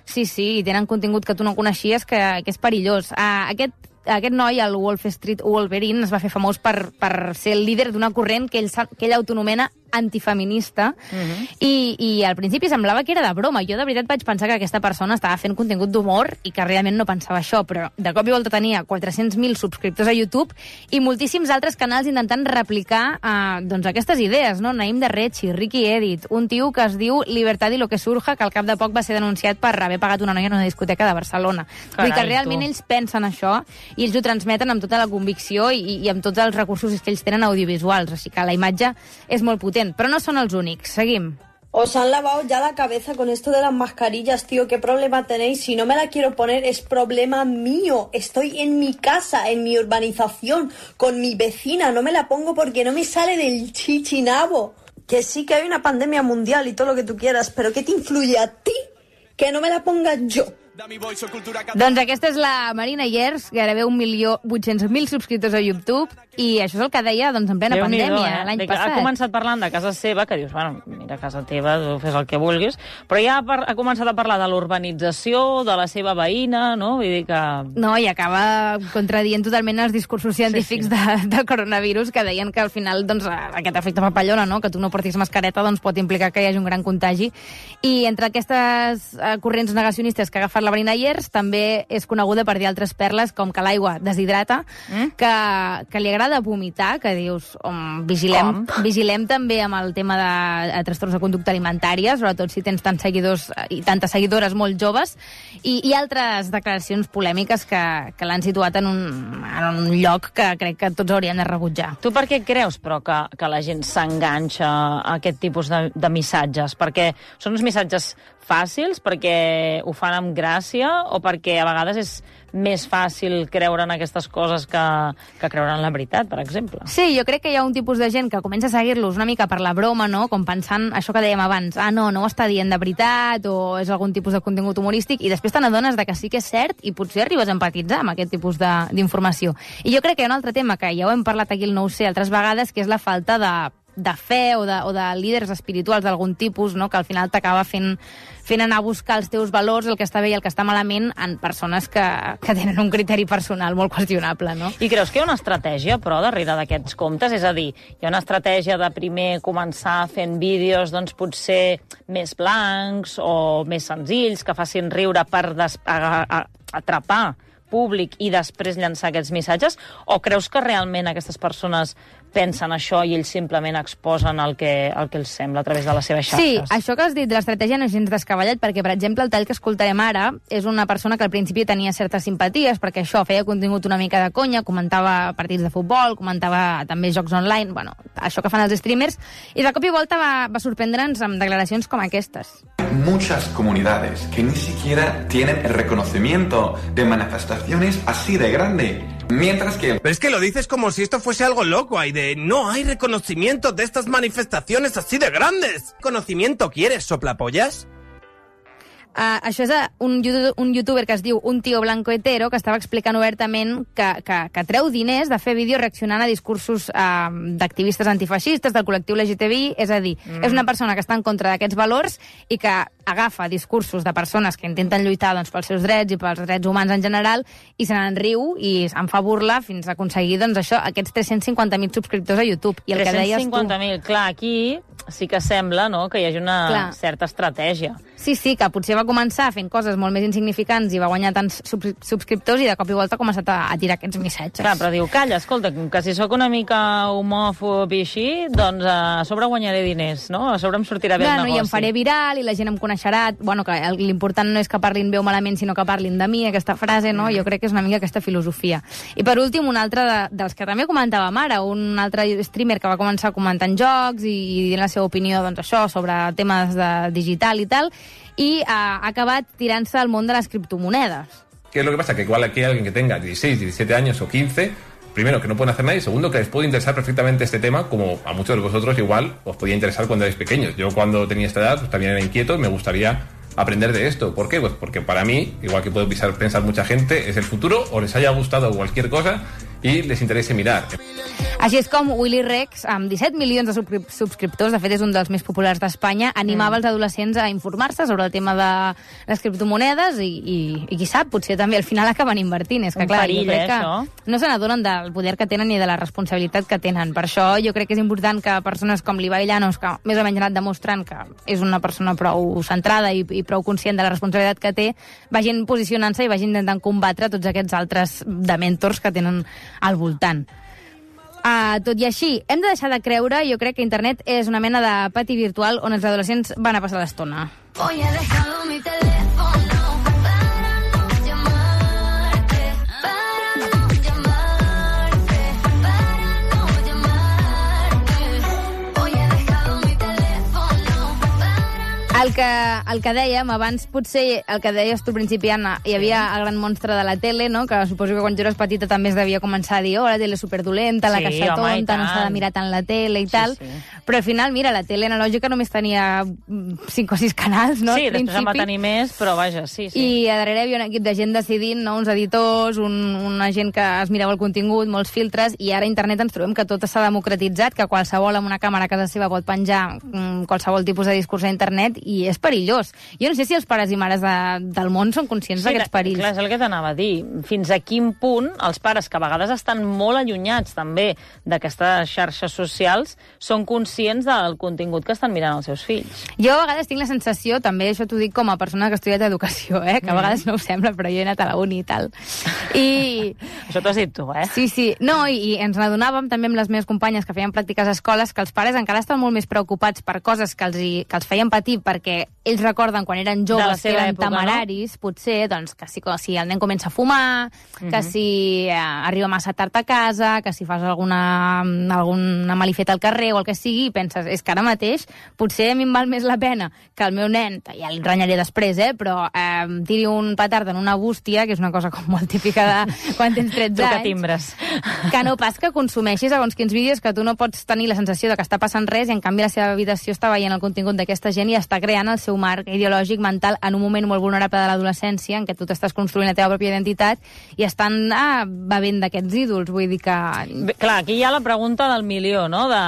Sí, sí, i tenen contingut que tu no coneixies que, que és perillós. Uh, aquest aquest noi, el Wolf Street Wolverine, es va fer famós per, per ser el líder d'una corrent que ell, que ell autonomena antifeminista, uh-huh. i, i al principi semblava que era de broma. Jo de veritat vaig pensar que aquesta persona estava fent contingut d'humor i que realment no pensava això, però de cop i volta tenia quatre-cents mil subscriptors a YouTube i moltíssims altres canals intentant replicar eh, doncs aquestes idees, no? Naim de Rechi, Ricky Edit, un tio que es diu Libertad y lo que surja, que al cap de poc va ser denunciat per haver pagat una noia en una discoteca de Barcelona. Carai, Vull dir que realment tu. ells pensen això i ells ho transmeten amb tota la convicció i, i amb tots els recursos que ells tenen audiovisuals, així que la imatge és molt potent. Pero no son los únicos. Seguim. Os han lavado ya la cabeza con esto de las mascarillas, tío. ¿Qué problema tenéis? Si no me la quiero poner, es problema mío. Estoy en mi casa, en mi urbanización, con mi vecina. No me la pongo porque no me sale del chichinabo. Que sí que hay una pandemia mundial y todo lo que tú quieras, pero ¿qué te influye a ti que no me la ponga yo? Doncs aquesta és la Marina Yers, gairebé un milió vuit-cents mil subscriptors a YouTube, i això és el que deia doncs, en plena Déu-n'hi-do, pandèmia, eh? l'any De, passat. ha començat parlant de casa seva, que dius, bueno, mira, casa teva, tu fes el que vulguis, però ja ha, ha començat a parlar de l'urbanització, de la seva veïna, no? Vull dir que... No, i acaba contradient totalment els discursos científics sí, sí. De, del coronavirus, que deien que al final doncs, aquest efecte papallona, no? Que tu no portis mascareta, doncs pot implicar que hi hagi un gran contagi. I entre aquestes uh, corrents negacionistes que ha agafat la Marina Yers, també és coneguda per dir altres perles, com que l'aigua deshidrata, mm? que, que li agrada vomitar, que dius, um, vigilem, vigilem també amb el tema de, de trastorns de conducta alimentària, sobretot si tens tants seguidors i tantes seguidores molt joves, i, i altres declaracions polèmiques que, que l'han situat en un, en un lloc que crec que tots hauríem de rebutjar. Tu per què creus, però, que, que la gent s'enganxa a aquest tipus de, de missatges? Perquè són uns missatges fàcils, perquè ho fan amb gràcia, o perquè a vegades és més fàcil creure en aquestes coses que, que creure en la veritat, per exemple? Sí, jo crec que hi ha un tipus de gent que comença a seguir-los una mica per la broma, no? Com pensant això que dèiem abans, ah, no, no ho està dient de veritat, o és algun tipus de contingut humorístic, i després te n'adones de que sí que és cert i potser arribes a empatitzar amb aquest tipus d'informació. I jo crec que hi ha un altre tema que ja ho hem parlat aquí al Nou C altres vegades, que és la falta de de fe o de, o de líders espirituals d'algun tipus, no? Que al final t'acaba fent, fent anar a buscar els teus valors, el que està bé i el que està malament, en persones que, que tenen un criteri personal molt qüestionable, no? I creus que hi ha una estratègia, però, darrere d'aquests comptes? És a dir, hi ha una estratègia de primer començar fent vídeos, doncs, potser més blancs o més senzills, que facin riure per des- a, a, atrapar públic i després llançar aquests missatges? O creus que realment aquestes persones pensen això i ells simplement exposen el que, el que els sembla a través de les seves xarxes? Sí, això que has dit de l'estratègia no és gens descabellat, perquè, per exemple, el tall que escoltarem ara és una persona que al principi tenia certes simpaties, perquè això feia contingut una mica de conya, comentava partits de futbol, comentava també jocs online, bueno, això que fan els streamers, i de cop i volta va, va sorprendre'ns amb declaracions com aquestes. Muchas comunidades que ni siquiera tienen el reconocimiento de manifestaciones así de grande. Mientras que... Pero es que lo dices como si esto fuese algo loco, Aide. No hay reconocimiento de estas manifestaciones así de grandes. ¿Conocimiento quieres, soplapollas? Uh, això és uh, un, un youtuber que es diu Un Tío Blanco Hetero, que estava explicant obertament que, que, que treu diners de fer vídeos reaccionant a discursos uh, d'activistes antifeixistes, del col·lectiu L G T B I, és a dir, mm. és una persona que està en contra d'aquests valors i que agafa discursos de persones que intenten lluitar doncs, pels seus drets i pels drets humans en general i se n'en riu i en fa burla fins a aconseguir doncs, això, aquests tres-cents cinquanta mil subscriptors a YouTube. I el que deies tu... tres-cents cinquanta mil, clar, aquí sí que sembla, no?, que hi hagi una clar. certa estratègia. Sí, sí, que potser va començar fent coses molt més insignificants i va guanyar tants sub subscriptors i de cop i volta ha començat a, a tirar aquests missatges. Clar, però diu, calla, escolta, que si sóc una mica homòfob i així, doncs a sobre guanyaré diners, no? A sobre em sortirà bé clar, el negoci. No, i em faré viral i la gent em coneixerà. Bueno, que l'important no és que parlin bé o malament, sinó que parlin de mi, aquesta frase, no? Jo crec que és una mica aquesta filosofia. I per últim, un altre de, dels que també comentàvem ara, un altre streamer que va començar comentant jocs i, i dient la seva opinió, doncs això, sobre temes de digital i tal, y ha acabat tirant-se al món de les criptomonedes. ¿Qué es lo que pasa? Que igual aquí hay alguien que tenga dieciséis, diecisiete años o quince, primero, que no pueden hacer nada, y segundo, que les puede interesar perfectamente este tema, como a muchos de vosotros igual os podía interesar cuando erais pequeños. Yo cuando tenía esta edad pues también era inquieto y me gustaría aprender de esto. ¿Por qué? Pues porque para mí, igual que puede pensar, pensar mucha gente, es el futuro, o les haya gustado cualquier cosa i les interessa mirar. Així és com Willy Rex, amb disset milions de subscriptors, de fet és un dels més populars d'Espanya, animava mm. els adolescents a informar-se sobre el tema de les criptomonedes i, i, i qui sap, potser també al final acaben invertint. És que, un clar, perill, jo crec eh, que això? no se n'adonen del poder que tenen ni de la responsabilitat que tenen. Per això jo crec que és important que persones com l'Ibai Llanos, que més o menys ha anat demostrant que és una persona prou centrada i, i prou conscient de la responsabilitat que té, vagin posicionant-se i vagin intentant combatre tots aquests altres dementors que tenen al voltant. Uh, tot i així, hem de deixar de creure, jo crec que internet és una mena de pati virtual on els adolescents van a passar l'estona. Hoy he dejado mi teléfono para no llamarte, para no llamarte, para no llamarte. Hoy he dejado mi teléfono para... El que, el que dèiem abans, potser el que deies tu al principi, Anna, hi havia el gran monstre de la tele, no? Que suposo que quan tu eres petita també es devia començar a dir oh, la tele és superdolenta, la sí, caixa home, tonta, no s'ha de mirar tant la tele i sí, tal. Sí. Però al final, mira, la tele analògica només tenia cinc o sis canals, no? Sí, després en va tenir més, però vaja, sí, sí. I a darrere hi havia un equip de gent decidint, no? Uns editors, un, una gent que es mirava el contingut, molts filtres, i ara a internet ens trobem que tot s'ha democratitzat, que qualsevol amb una càmera a casa seva pot penjar mm, qualsevol tipus de discurs a internet, i és perillós. Jo no sé si els pares i mares de, del món són conscients sí, d'aquests perills. Clar, és el que t'anava a dir. Fins a quin punt els pares, que a vegades estan molt allunyats també d'aquestes xarxes socials, són conscients del contingut que estan mirant els seus fills. Jo a vegades tinc la sensació, també això t'ho dic com a persona que ha estudiat educació, eh? que a vegades no ho sembla, però jo he anat a la uni i tal. I... Això t'ho has dit tu, eh? Sí, sí. No, i, i ens n'adonàvem també amb les meves companyes que feien pràctiques a escoles que els pares encara estan molt més preocupats per coses que els, hi, que els feien patir perquè ells recorden quan eren joves que eren època, temeraris, no? Potser, doncs, que si, si el nen comença a fumar, uh-huh. que si eh, arriba massa tard a casa, que si fas alguna, alguna malifeta al carrer o el que sigui, i penses, és que ara mateix potser a mi em val més la pena que el meu nen, ja el renyaré després, eh, però eh, tiri un petard en una bústia, que és una cosa com molt típica de quan tens tretze anys, timbres. Que no pas que consumeixis segons quins vídeos que tu no pots tenir la sensació de que està passant res i en canvi la seva habitació està veient el contingut d'aquesta gent i està creant el seu marc ideològic mental en un moment molt vulnerable de l'adolescència en què tu t'estàs construint la teva pròpia identitat i estan ah, bevent d'aquests ídols. Vull dir que... Bé, clar, aquí hi ha la pregunta del milió, no?, de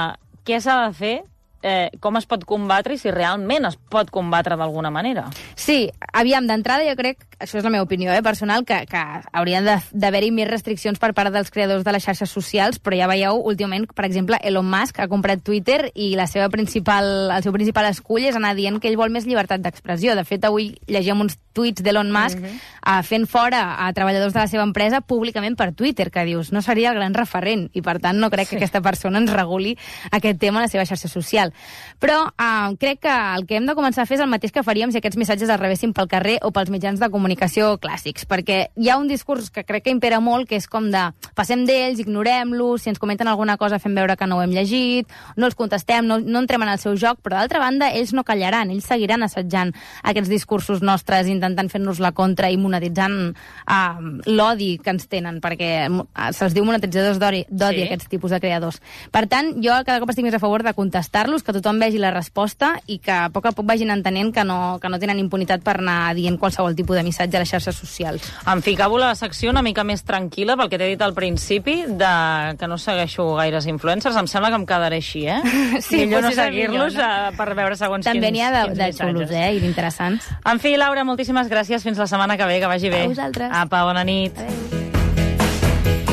què s'ha de fer, eh, com es pot combatre i si realment es pot combatre d'alguna manera. Sí, aviam, d'entrada jo crec, això és la meva opinió eh, personal, que, que haurien d'haver-hi més restriccions per part dels creadors de les xarxes socials, però ja veieu, últimament, per exemple, Elon Musk ha comprat Twitter i la seva principal, el seu principal escull és anar dient que ell vol més llibertat d'expressió. De fet, avui llegim uns tuits d'Elon Musk uh-huh. uh, fent fora a treballadors de la seva empresa públicament per Twitter, que dius, no seria el gran referent, i per tant no crec sí. que aquesta persona ens reguli aquest tema a la seva xarxa social. Però uh, crec que el que hem de començar a fer és el mateix que faríem si aquests missatges es rebessin pel carrer o pels mitjans de comunicació clàssics, perquè hi ha un discurs que crec que impera molt, que és com de passem d'ells, ignorem-los, si ens comenten alguna cosa fem veure que no ho hem llegit, no els contestem, no, no entrem en el seu joc, però d'altra banda ells no callaran, ells seguiran assetjant aquests discursos nostres, intentant fer-nos la contra i monetitzant uh, l'odi que ens tenen, perquè uh, se'ls diu monetitzadors d'odi, sí. aquests tipus de creadors. Per tant, jo cada cop estic més a favor de contestar-los explicar-los, que tothom vegi la resposta i que a poc a poc vagin entenent que no, que no tenen impunitat per anar dient qualsevol tipus de missatge a les xarxes socials. Em ficava la secció una mica més tranquil·la, pel que t'he dit al principi, de que no segueixo gaires influencers. Em sembla que em quedaré així, eh? Sí, millor no potser és seguir-los millor, no? per veure segons També quins n'hi ha de, quins de missatges. xulos, eh, i d'interessants. En fi, Laura, moltíssimes gràcies. Fins la setmana que ve, que vagi bé. A vosaltres. Apa, bona nit. Adéu.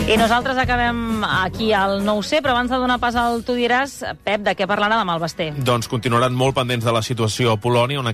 I nosaltres acabem aquí al Nou C, però abans de donar pas al Tu diràs, Pep, de què parlarà demà el Basté? Doncs continuaran molt pendents de la situació a Polònia, on aquest